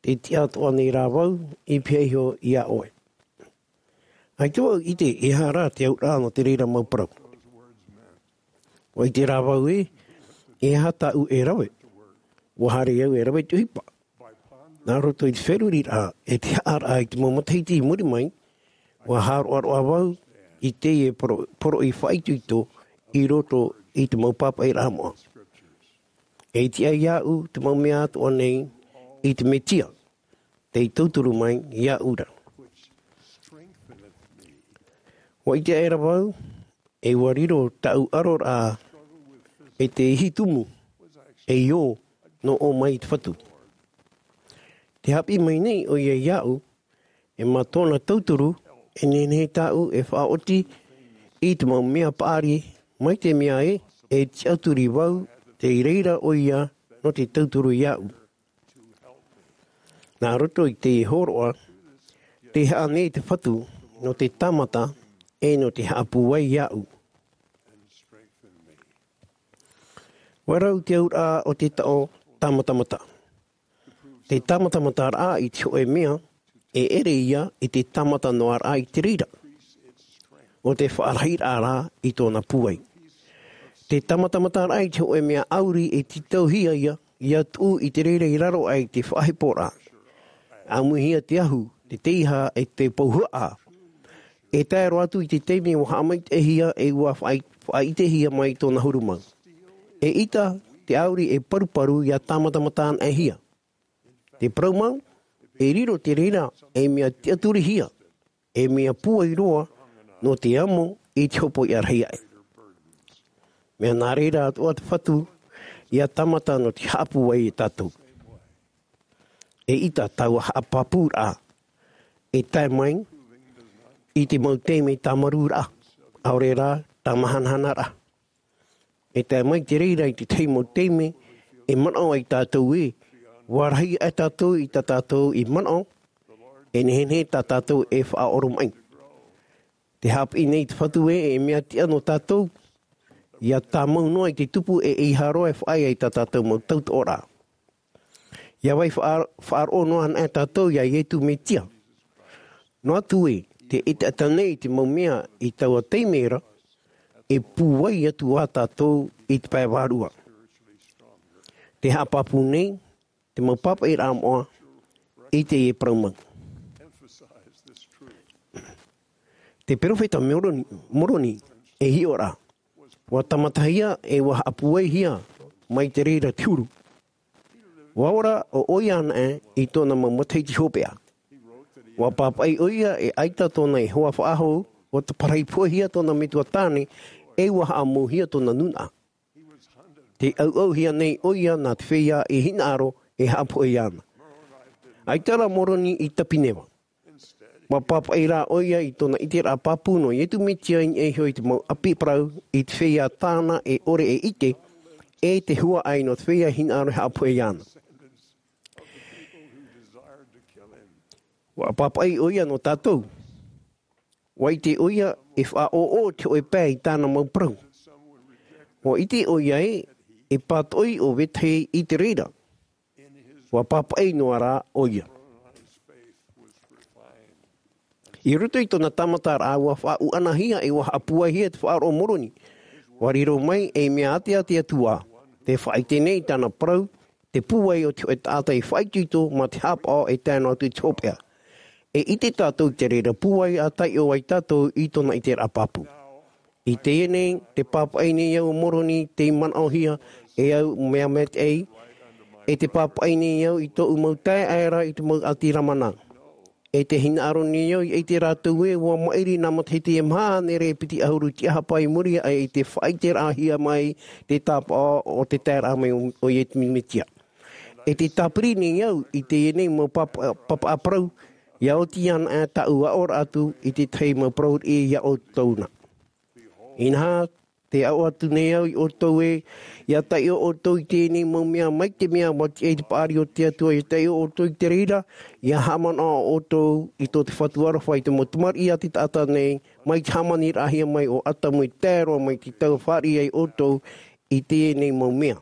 te tiʻa atoʻa nei rā vau i pihaʻi iho iā ʻoe. ʻAita vau i ʻite e aha rā te auraʻa nō te reira mau parau. Ua ʻite rā vau ē, e aha tāʻu e rave. Ua haere au e rave i te ʻohipa. Nā roto i te feruriraʻa, e te haʻaraʻa i te mau matahiti i muri mai, ua hāroʻaroʻa vau i teie poro-, poroʻi faʻaitoito i roto i te mau pāpaʻiraʻa moʻa. E tiʻa iāʻu te mau mea atoʻa nei i te Mesia, tei tauturu mai iāʻu ra. Ua ʻite aʻera vau, e ua riro tāʻu ʻaroraʻa e te ihi tumu, e ʻio, nō ʻō mai i te Fatu. Te haʻapiʻi mai nei ʻoia iāʻu, e mā tōna tauturu, e nehenehe tāʻu e faʻaoti i te mau mea paʻari, mai te mea ē, e tiʻaturi vau, tei reira ʻoia nō te tauturu iāʻu. Nā roto i te hōroʻa, tē haʻa nei te Fatu nō te tāmata, e nō te haʻapūai iāʻu. Ua rau te auraʻa o te taʻo tāmatamata. Te tāmatamataraʻa i te hōʻē mea, e ʻere ia i te tāmata noa raʻa i te reira. ʻO te faʻarahiraʻa rā i tōna pūai. Te tāmatamataraʻa i te hōʻē mea ʻauri e tītauhia ia, ia tuʻu i te reira i raro aʻe i te faʻaheporaʻa. ʻAmuihia te ahu, te teiaha, e te pūhaʻa. E tae roa atu i te taime ua haʻamaitaʻihia e ua faʻai-, faʻaʻitehia mai tōna huru mau. Eʻita, te ʻauri e paruparu ia tāmatamataraʻahia. Te parau mau, e riro te reira, e mea tiʻaturihia, e mea pūai roa, nō te amo i te hopoiʻa rahi aʻe. Mea nā reira atoʻa te Fatu, ia tāmata nō te haʻapūai ia tātou. Eʻita taua haʻapāpūraʻa, e tae mai, i te mau taime tāmarūraʻa, ʻaore rā, tāmahanahanaraʻa. E tae mai te reira i te tahi mau taime, e manaʻo ai tātou ē, ua rahi aʻe tātou i tā tātou i manaʻo, e nehenehe tā tātou e faʻaoromaʻi. Te haʻapiʻi nei te Fatu ē, e mea tiʻa nō tātou, ia tāmau noa i te tupu e ʻeiaha roa e faʻaea i tā tātou mau tautoʻoraʻa. ʻIa vai faʻa-, faʻaroʻo noa anaʻe tātou ia Ietu Metia. Noa atu ē, tē ʻiteʻita nei te mau mea i taua taime ra, e pūai atu ā tātou i te pae vārua. Te haʻapāpū nei, te mau pāpaʻiraʻa moʻa, i teie parau mau. Te perofeta Moroni, Moroni, e hiʻo ra. Ua tāmatahia e ua haʻapūaihia mai te reira te huru. Ua ora ʻo ʻoia anaʻe i tōna mau matahiti hopeʻa. Ua pāpaʻi ʻoia e ʻaita tōna ihoa faʻahou, ua taparahi poʻihia tōna metua tāne, e ua haʻamouhia tōna nūnaʻa. Tē ʻauʻauhia nei ʻoia nā te feiā e hinaʻaro e haʻapohe iāna. ʻAita rā Moroni i Tapeneva. Ua pāpaʻi rā ʻoia i tōna ʻiteraʻa pāpū nō Ietu Metia i niʻa iho i te mau ʻapi parau i te feiā tāna e ʻore e ʻite, e te huaʻai nō te feiā hinaʻaro e haʻapohe iāna. Ua pāpaʻi ʻoia nō tātou. Ua ʻite ʻoia e faʻaʻōʻō te hōʻē pae i tāna mau parau. Ua ʻite ʻoia ē, e pātoʻi ʻo vetahi i te reira. Ua pāpaʻi noa rā ʻoia. I roto i tōna tāmataraʻa, ua faʻaʻuanahia ʻe ua haʻapūaihia te faʻaroʻo o Moroni. Ua riro mai ei mea ʻāteʻa te Atua, tē faʻaʻite nei i tāna parau, te pūai o te hōʻē taʻata i faʻaitoito mā te haʻapaʻo e tae noa atu i te hopeʻa. E ʻite tātou i te reira pūai a taiʻo ai tātou i tōna ʻiteraʻa pāpū. I teie nei, tē pāpaʻi nei au ʻo Moroni tei manaʻohia e au mea maitaʻi, ʻe tē pāpaʻi nei au i tōʻu mau taeaʻe ra i te mau ʻāti Lamana. ʻE tē hinaʻaro nei au i ʻite rātou ē, ua maʻiri nā matahiti e maha hānere e piti ʻahuru tiʻahapa i muri aʻe i te faʻaʻiteraʻahia mai te tāpaʻo o te taeraʻa mai o, o Iesu Mesia. ʻE tē tāpiri nei au i teie nei mau papa, papaʻa parau, ʻia oti anaʻe tāʻu aʻoraʻa atu i te tahi mau parau riʻi ia ʻoutou na. Inaha, tē aʻo atu nei au ia ʻoutou ē, ʻia taiʻo ʻoutou i teie nei mau mea, mai te mea ua tiʻa i te paʻari o te Atua ʻia taiʻo ʻoutou i te reira, ʻia haʻamanaʻo ʻoutou i tō te Fatu aroha i te mau tamariʻi a te taʻata nei, mai te hāmaniraʻahia mai o Atamu e tae roa mai i te tau e fāriʻi ai ʻoutou i teie nei mau mea.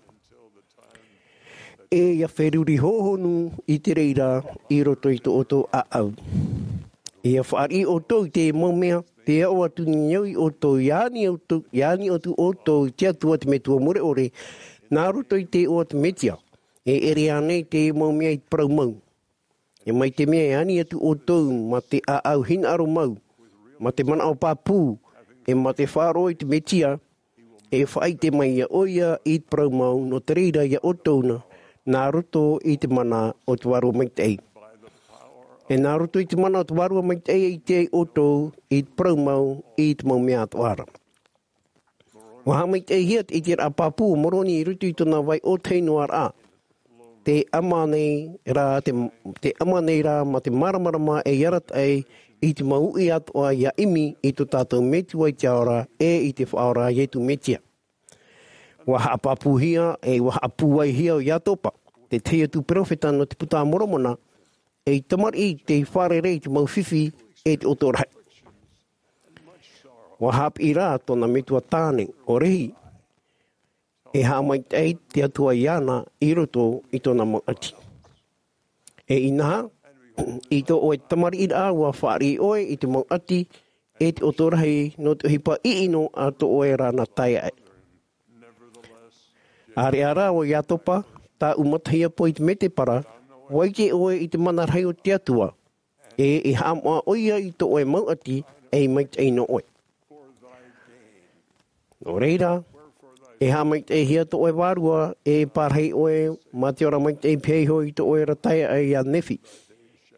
ʻE ʻia feruri hōhonu i te reira i roto i tō ʻoutou ʻāʻau. ʻE ʻia fāriʻi ʻoutou i te mau mea, tē aʻo atu nei au ia ʻoutou, ʻia ani ʻoutou, ʻia ani atu ʻoutou i te Atua te Metua mure ʻore, nā roto i te iʻoa o te Mesia, e ʻere ānei te mau mea i te parau mau. ʻE mai te mea e ani atu ʻoutou mā te ʻāʻau hinaʻaro mau, mā te manaʻo pāpū, ʻe mā te faʻaroʻo i te Mesia, e faʻaʻite mai ia ʻoia i te parau mau, nō te reira ia ʻoutou na, nā roto i te mana o te Vārua Maitaʻi. ʻE nā roto i te mana o te Vārua Maitaʻi e ʻite ai ʻoutou i te parau mau, i te mau mea atoʻa ra. Ua haʻamaitaʻihia te ʻiteraʻa pāpū o Moroni i roto i tōna vai ʻōtahi noa ra. Tē ʻama nei rā, te, tē ʻama nei rā mā te māramarama ei arataʻi i te mau uʻi atoʻa ʻia ʻimi i tō tātou Metua i te ao ra, ʻe i te Faʻaora a Iesu Mesia. Ua haʻapāpūhia, ʻe ua haʻapūaihia ʻo Iatopa, te tahi atu perofeta nō te Puta a Moromona, ei tamariʻi tei fārerei i te mau fifi ʻe te ʻoto rahi. Ua haʻapiʻi rā tōna metua tāne, ʻo Rehi, e haʻamaitaʻi te Atua iāna i roto i tōna mau ʻati. ʻE inaha, i tō ʻoe tamariʻiraʻa ua fāriʻi ʻoe i te mau ʻati, ʻe te ʻoto rahi nō te ʻohipa ʻiʻino a tō ʻoe ra na taeaʻe. ʻĀreʻa rā ʻo Iatopa, tāʻu matahiapo i te mētēpara, ua ʻite ʻoe i te mana rahi o te Atua, ʻe e haʻamoʻa ʻoia i tō ʻoe mau ʻati, ʻe i maitaʻi nō ʻoe. Nō reira, e haʻamaitaʻihia tō ʻoe vārua, ʻe e pārahi ʻoe mā te ora maitaʻi pēhea iho i tō ʻoe ra taeaʻe ia Nephi.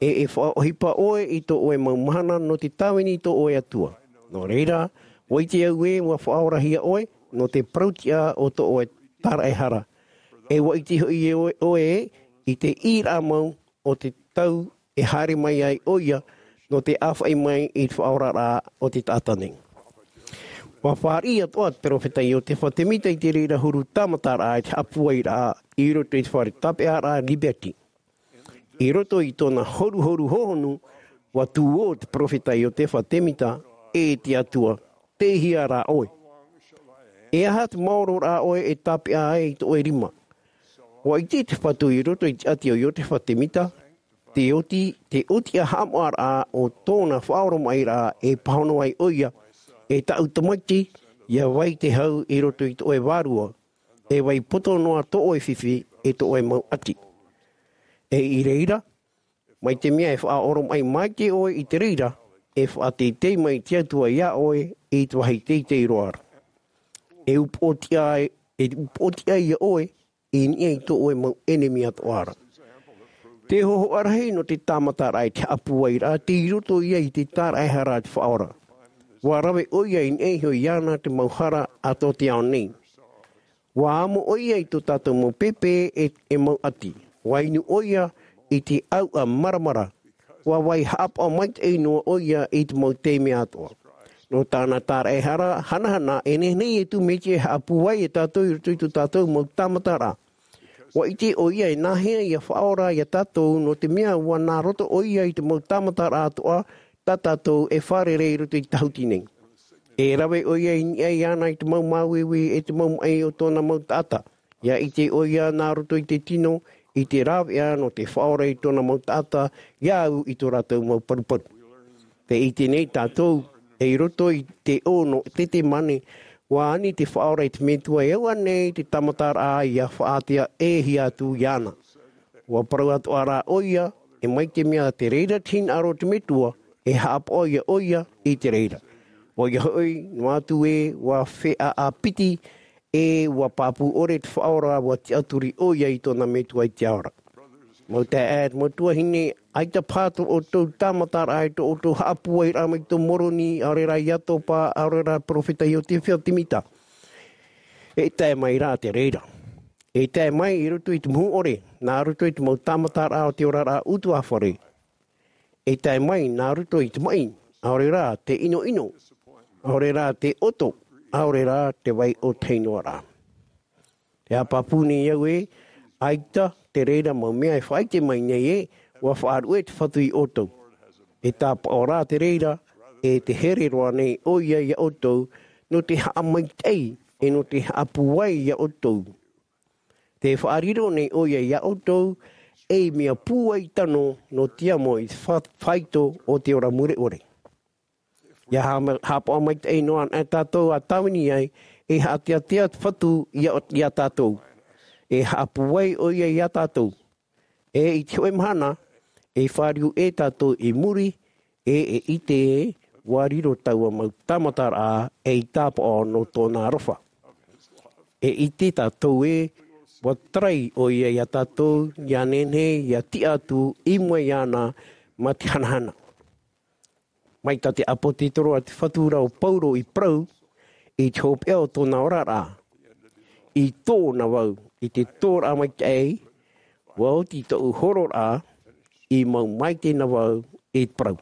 ʻE e faʻaʻohipa ʻoe i tō ʻoe mau mahana nō te tāvini i tō ʻoe Atua. Nō reira, ua ʻite au ē ua faʻaorahia ʻoe nō te parau-tiʻa o tō ʻoe tāraʻehara. ʻE ua ʻite hoʻi ʻoe, ʻoe ē, i te ʻīraʻa mau o te tau e haere mai ai ʻoia nō te ʻāfaʻi mai i te faʻaoraraʻa o te taʻata nei. Ua fāriʻi atoʻa te perofeta Iotefa Temita i te reira huru tāmataraʻa i te haʻapūairaʻa i roto i te fare tāpeʻaraʻa Liberty. I roto i tōna horuhoru hōhonu, ua tuō te perofeta Iotefa Temita, e te Atua, tei hea rā ʻoe? E aha te maororaʻa ʻoe e tāpeʻa ai i tō ʻoe rima? Ua ʻite te Fatu i roto i te ʻati o Iotefa Temita, te oti, te oti a haʻamoʻaraʻa o tōna faʻaoromaʻiraʻa e pāhono ai ʻoia, e tāʻu tamaiti, ʻia vai te hau i roto i tō ʻoe vārua, e vai poto noa tō ʻoe fifi, e tō ʻoe mau ʻati. ʻE i reira, mai te mea e faʻaoromaʻi maitaʻi ʻoe i te reira, e faʻateitei mai te Atua iā ʻoe i te vāhi teitei roa ra. E upoʻotiʻa, e upoʻotiʻa ia ʻoe i niʻa i tō ʻoe mau ʻenemi atoʻa ra. Te hōhoʻa rahi nō te tāmataraʻa i te haʻapūairaʻa, tei roto ia i te tāraʻehara a te Faʻaora. Ua rave ʻoia i niʻa iho iāna te mau hara a tō te ao nei. Ua amo ʻoia i tō tātou mau pēpē e, e mau ʻati. Ua inu ʻoia i te ʻauʻa maramara. Ua vai haʻapaʻo maitaʻi noa ʻoia i te mau taime atoʻa. Nō tāna tāraʻehara hanahana, e nehenehe Iesu Mesia e haʻapūai ia tātou i roto i tō tātou mau tāmataraʻa. Ua ʻite ʻoia e nāhea ʻia faʻaora ia tātou, nō te mea ua nā roto ʻoia i te mau tāmataraʻa atoʻa tā tātou e fārerei i roto i te tahuti nei. E rave ʻoia i niʻa iāna i te mau māuiui e te mau maʻi o tōna mau taʻata. ʻIa ʻite ʻoia nā roto i te tino, i te rāveʻa nō te faʻaora i tōna mau taʻata, ʻia au i tō rātou mau paruparu. Tē ʻite nei tātou, i roto i te ʻō nō Tetemane, ʻua ani te faʻaora i te Metua e au ānei te tāmataraʻa ʻia faʻaātea e hia atu iāna. ʻUa parau atoʻa rā ʻoia, e mai te mea te reira te hinaʻaro o te Metua, e haʻapaʻo ia ʻoia i te reira. ʻOia hoʻi, noa atu ē, ʻua feʻaʻa piti, e ʻua pāpū ʻore te faʻaora, ʻua tiʻaturi ʻoia i tōna Metua i te ao ra. Mau taeaʻe, mau tuahine, ʻaita paha tō ʻoutou tāmataraʻa, tō ʻoutou haʻapūairaʻa mai tō Moroni, ʻaore rā iā Topa, ʻaore rā perofeta Iosepha Semita. E tae mai rā te reira. E tae mai i roto i te muhu ʻore, nā roto i te mau tāmataraʻa o te oraraʻa ʻutuāfare. E tae mai nā roto i te maʻi, ʻaore rā te ʻinoʻino, ʻaore rā te ʻoto, ʻaore rā te vai ʻōtahi noa ra. Te haʻapāpū nei au ē, ʻaita te reira mau mea e faʻaʻite mai nei ē, ʻua faʻaruʻe te Fatu iā ʻoutou. E tāpaʻo rā te reira, e te here roa nei ʻoia iā ʻoutou, nō te haʻamaitaʻi, e nō te haʻapūai iā ʻoutou. Te faʻariro nei ʻoia iā ʻoutou, ei mea pūai tano nō te amo i te fa-, faito o te ora mure ʻore. ʻIa haʻama-, haʻapaʻo maitaʻi noa anaʻe tātou ʻa tāvini ai, e haʻateatea te Fatu iā, iā tātou. E haʻapūai ʻoia iā tātou. E i te hōʻē mahana, e fāriu ē tātou i muri, e, e ʻite ē, ʻua riro taua mau tāmataraʻa, ei tāpaʻo nō tōna aroha. E ʻite tātou ē, ʻua tarai ʻoia iā tātou, ʻia nehenehe, ʻia tiʻa atu, i mua iāna, mā te hanahana. Mai tā te ʻāpōsetolo a te Fatu ra ʻo Paulo i parau, i te hopeʻa o tōna oraraʻa. I tōna vau, i te tōraʻa maitaʻi, ʻua oti tōʻu hororaʻa, i mau maitaʻi na vau, i te parau.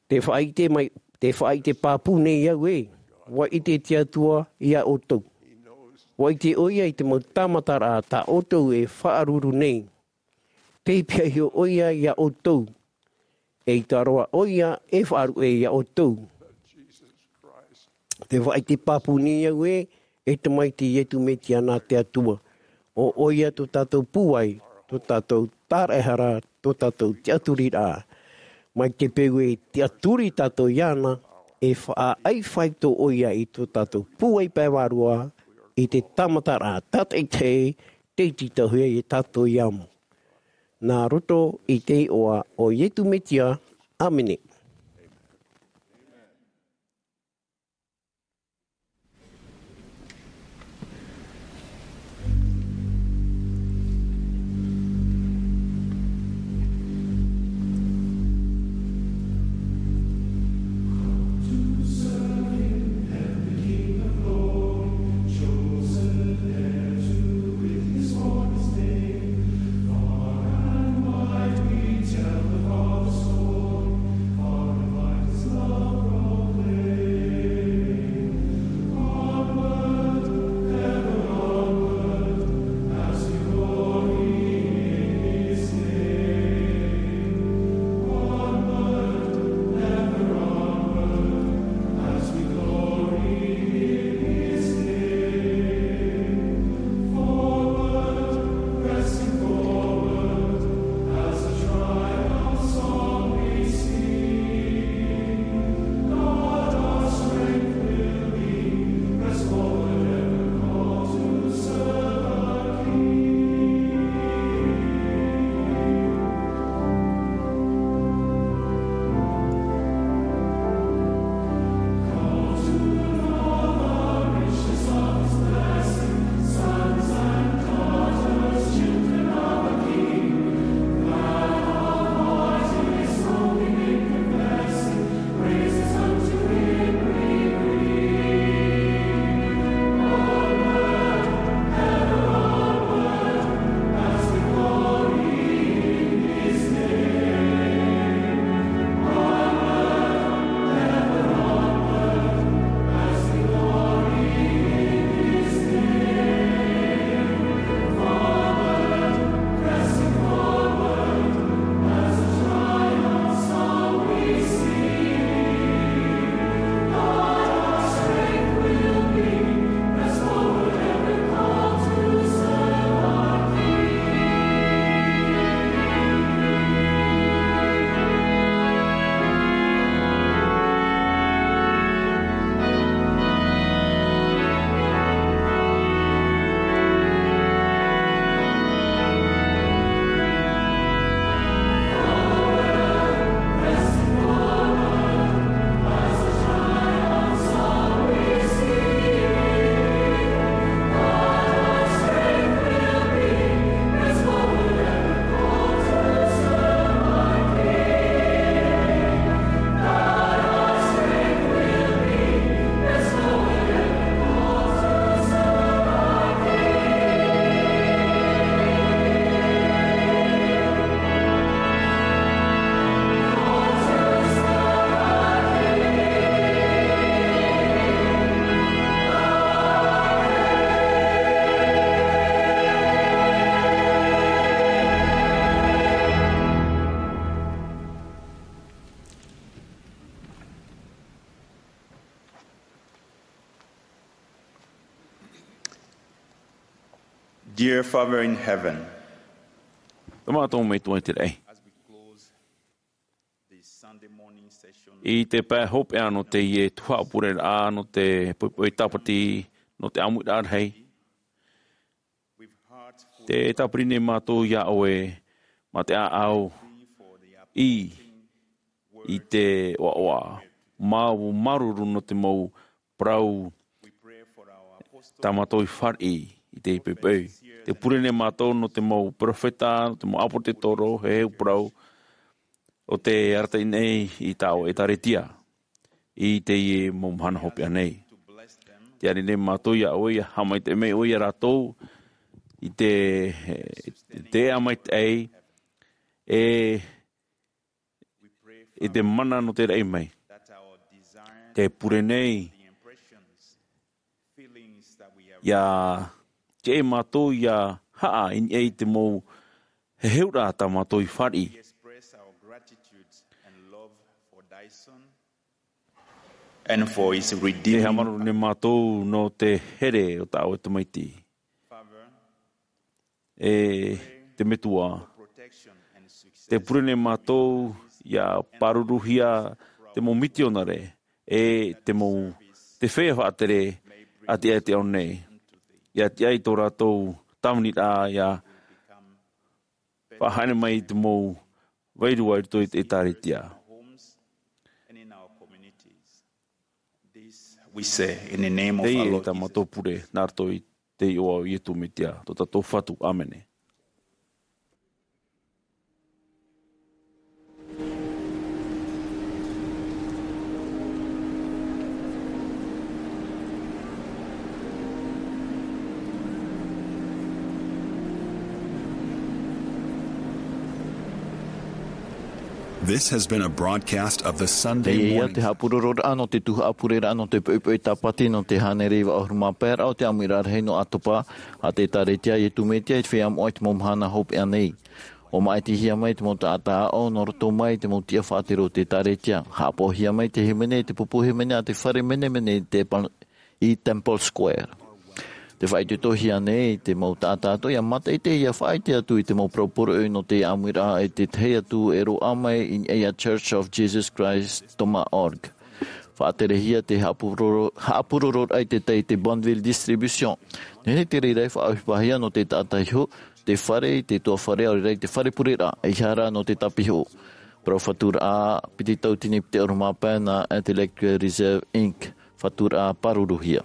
Te faʻaʻite mai, te faʻaʻite pāpū nei au ē, ʻua ʻite te Atua iā ʻoutou. ʻUa ʻite ʻoia i te mau tāmataraʻa tā ʻoutou e faʻaruru nei. Tei pihaʻi iho ʻoia iā ʻoutou. Eʻita roa ʻoia e faʻaruʻe iā ʻoutou. Te faʻaʻite pāpū nei au ē, e Tamaiti Iesu Mesia nā te Atua. ʻO ʻoia tō tātou pūai, tō tātou tāraʻehara, tō tātou tiʻaturiraʻa. Mai te peu e tiʻaturi tātou iāna, e faʻaʻai faito ʻoia i tō tātou pūai pae vārua, i te tāmataraʻa tātaʻitahi, tei tītauhia iā tātou i amo. Nā roto i te iʻoa o Iesu Mesia, ʻāmene. Dear Father in heaven, Tamatou Metua i te raʻi. As we close this Sunday morning session, I te pae hopeʻa nō teie tuhaʻa pureraʻa nō te poipoi tāpati nō te ʻāmuiraʻa rahi, we've heard full te tāpiri nei mātou iā ʻoe mā te ʻāʻau i i te ʻoaʻoa. Mau māuruuru nō te mau parau tā mātou i fāriʻi i te poipoi. Te pure nei mātou nō te mau peropheta, nō te mau ʻāpōsetolo, heheu parau, o te arataʻi nei i tāʻu ʻētāretia i teie mau mahana hopeʻa nei. Te ani nei mātou iā ʻoe, ia haʻamaitaʻi mai ʻoe iā rātou i te, te ʻā maitaʻi e i te mana nō te raʻi mai. Te pure nei, ia, te e mātou ia haʻa i niʻa i te mau heheuraʻa tā mātou i fāriʻi. And for his redeeming. Te haʻamāuruuru nei mātou nō te here o tāʻu tamaiti. E te Metua, te pure nei mātou ia pāruruhia te mau mitionare e te mau, te feiā faʻatere a te ao nei, ia tiʻa i tō rātou tāviniraʻa ia faʻahaere mai i te mau vairua i roto i te ʻētāretia. Teie tā mātou pure nā roto i te iʻoa o Iesu Mesia, tō tātou Fatu. ʻĀmene. This has been a broadcast of the Sunday Teie ia morning. Te haʻapurororaʻa nō te tuhaʻa pureraʻa nō te poipoi tāpati nō te hānere iva ʻahuru mā pae raʻa o te ʻāmuiraʻa rahi nō ʻAtopa, a te ʻētāretia a Iesu Mesia i te feiā moʻa i te mau mahana hopeʻa nei. ʻUa māʻitihia mai te mau taʻata aʻo nō roto mai i te mau tiʻa faʻatere o te ʻētāretia. Haʻapaʻohia mai te hīmene i te pupu hīmene a te fare menemene i te pa-, i Temple Square. Tē faʻaitoitohia nei te mau taʻata atoʻa ia mātaʻitaʻi ia faʻaʻite atu i te mau parau poroʻi nō te ʻāmuiraʻa e te tahi atu e roaʻa mai i niʻa iā Church of Jesus Christ dot org. Faʻaterehia te haʻapuroro-, haʻapurororaʻa i te tai i te Bonneville Distribution. Nehenehe te reira e faʻaʻohipahia nō te taʻata iho, te fare i te tuafare, ʻaore rā i te fare pureraʻa, ʻeiaha rā nō te tāpiho. Parau faturaʻa piti tauatini piti ʻahuru mā pae nā Intellectual Reserve Inc. Faturaʻa pāruruhia.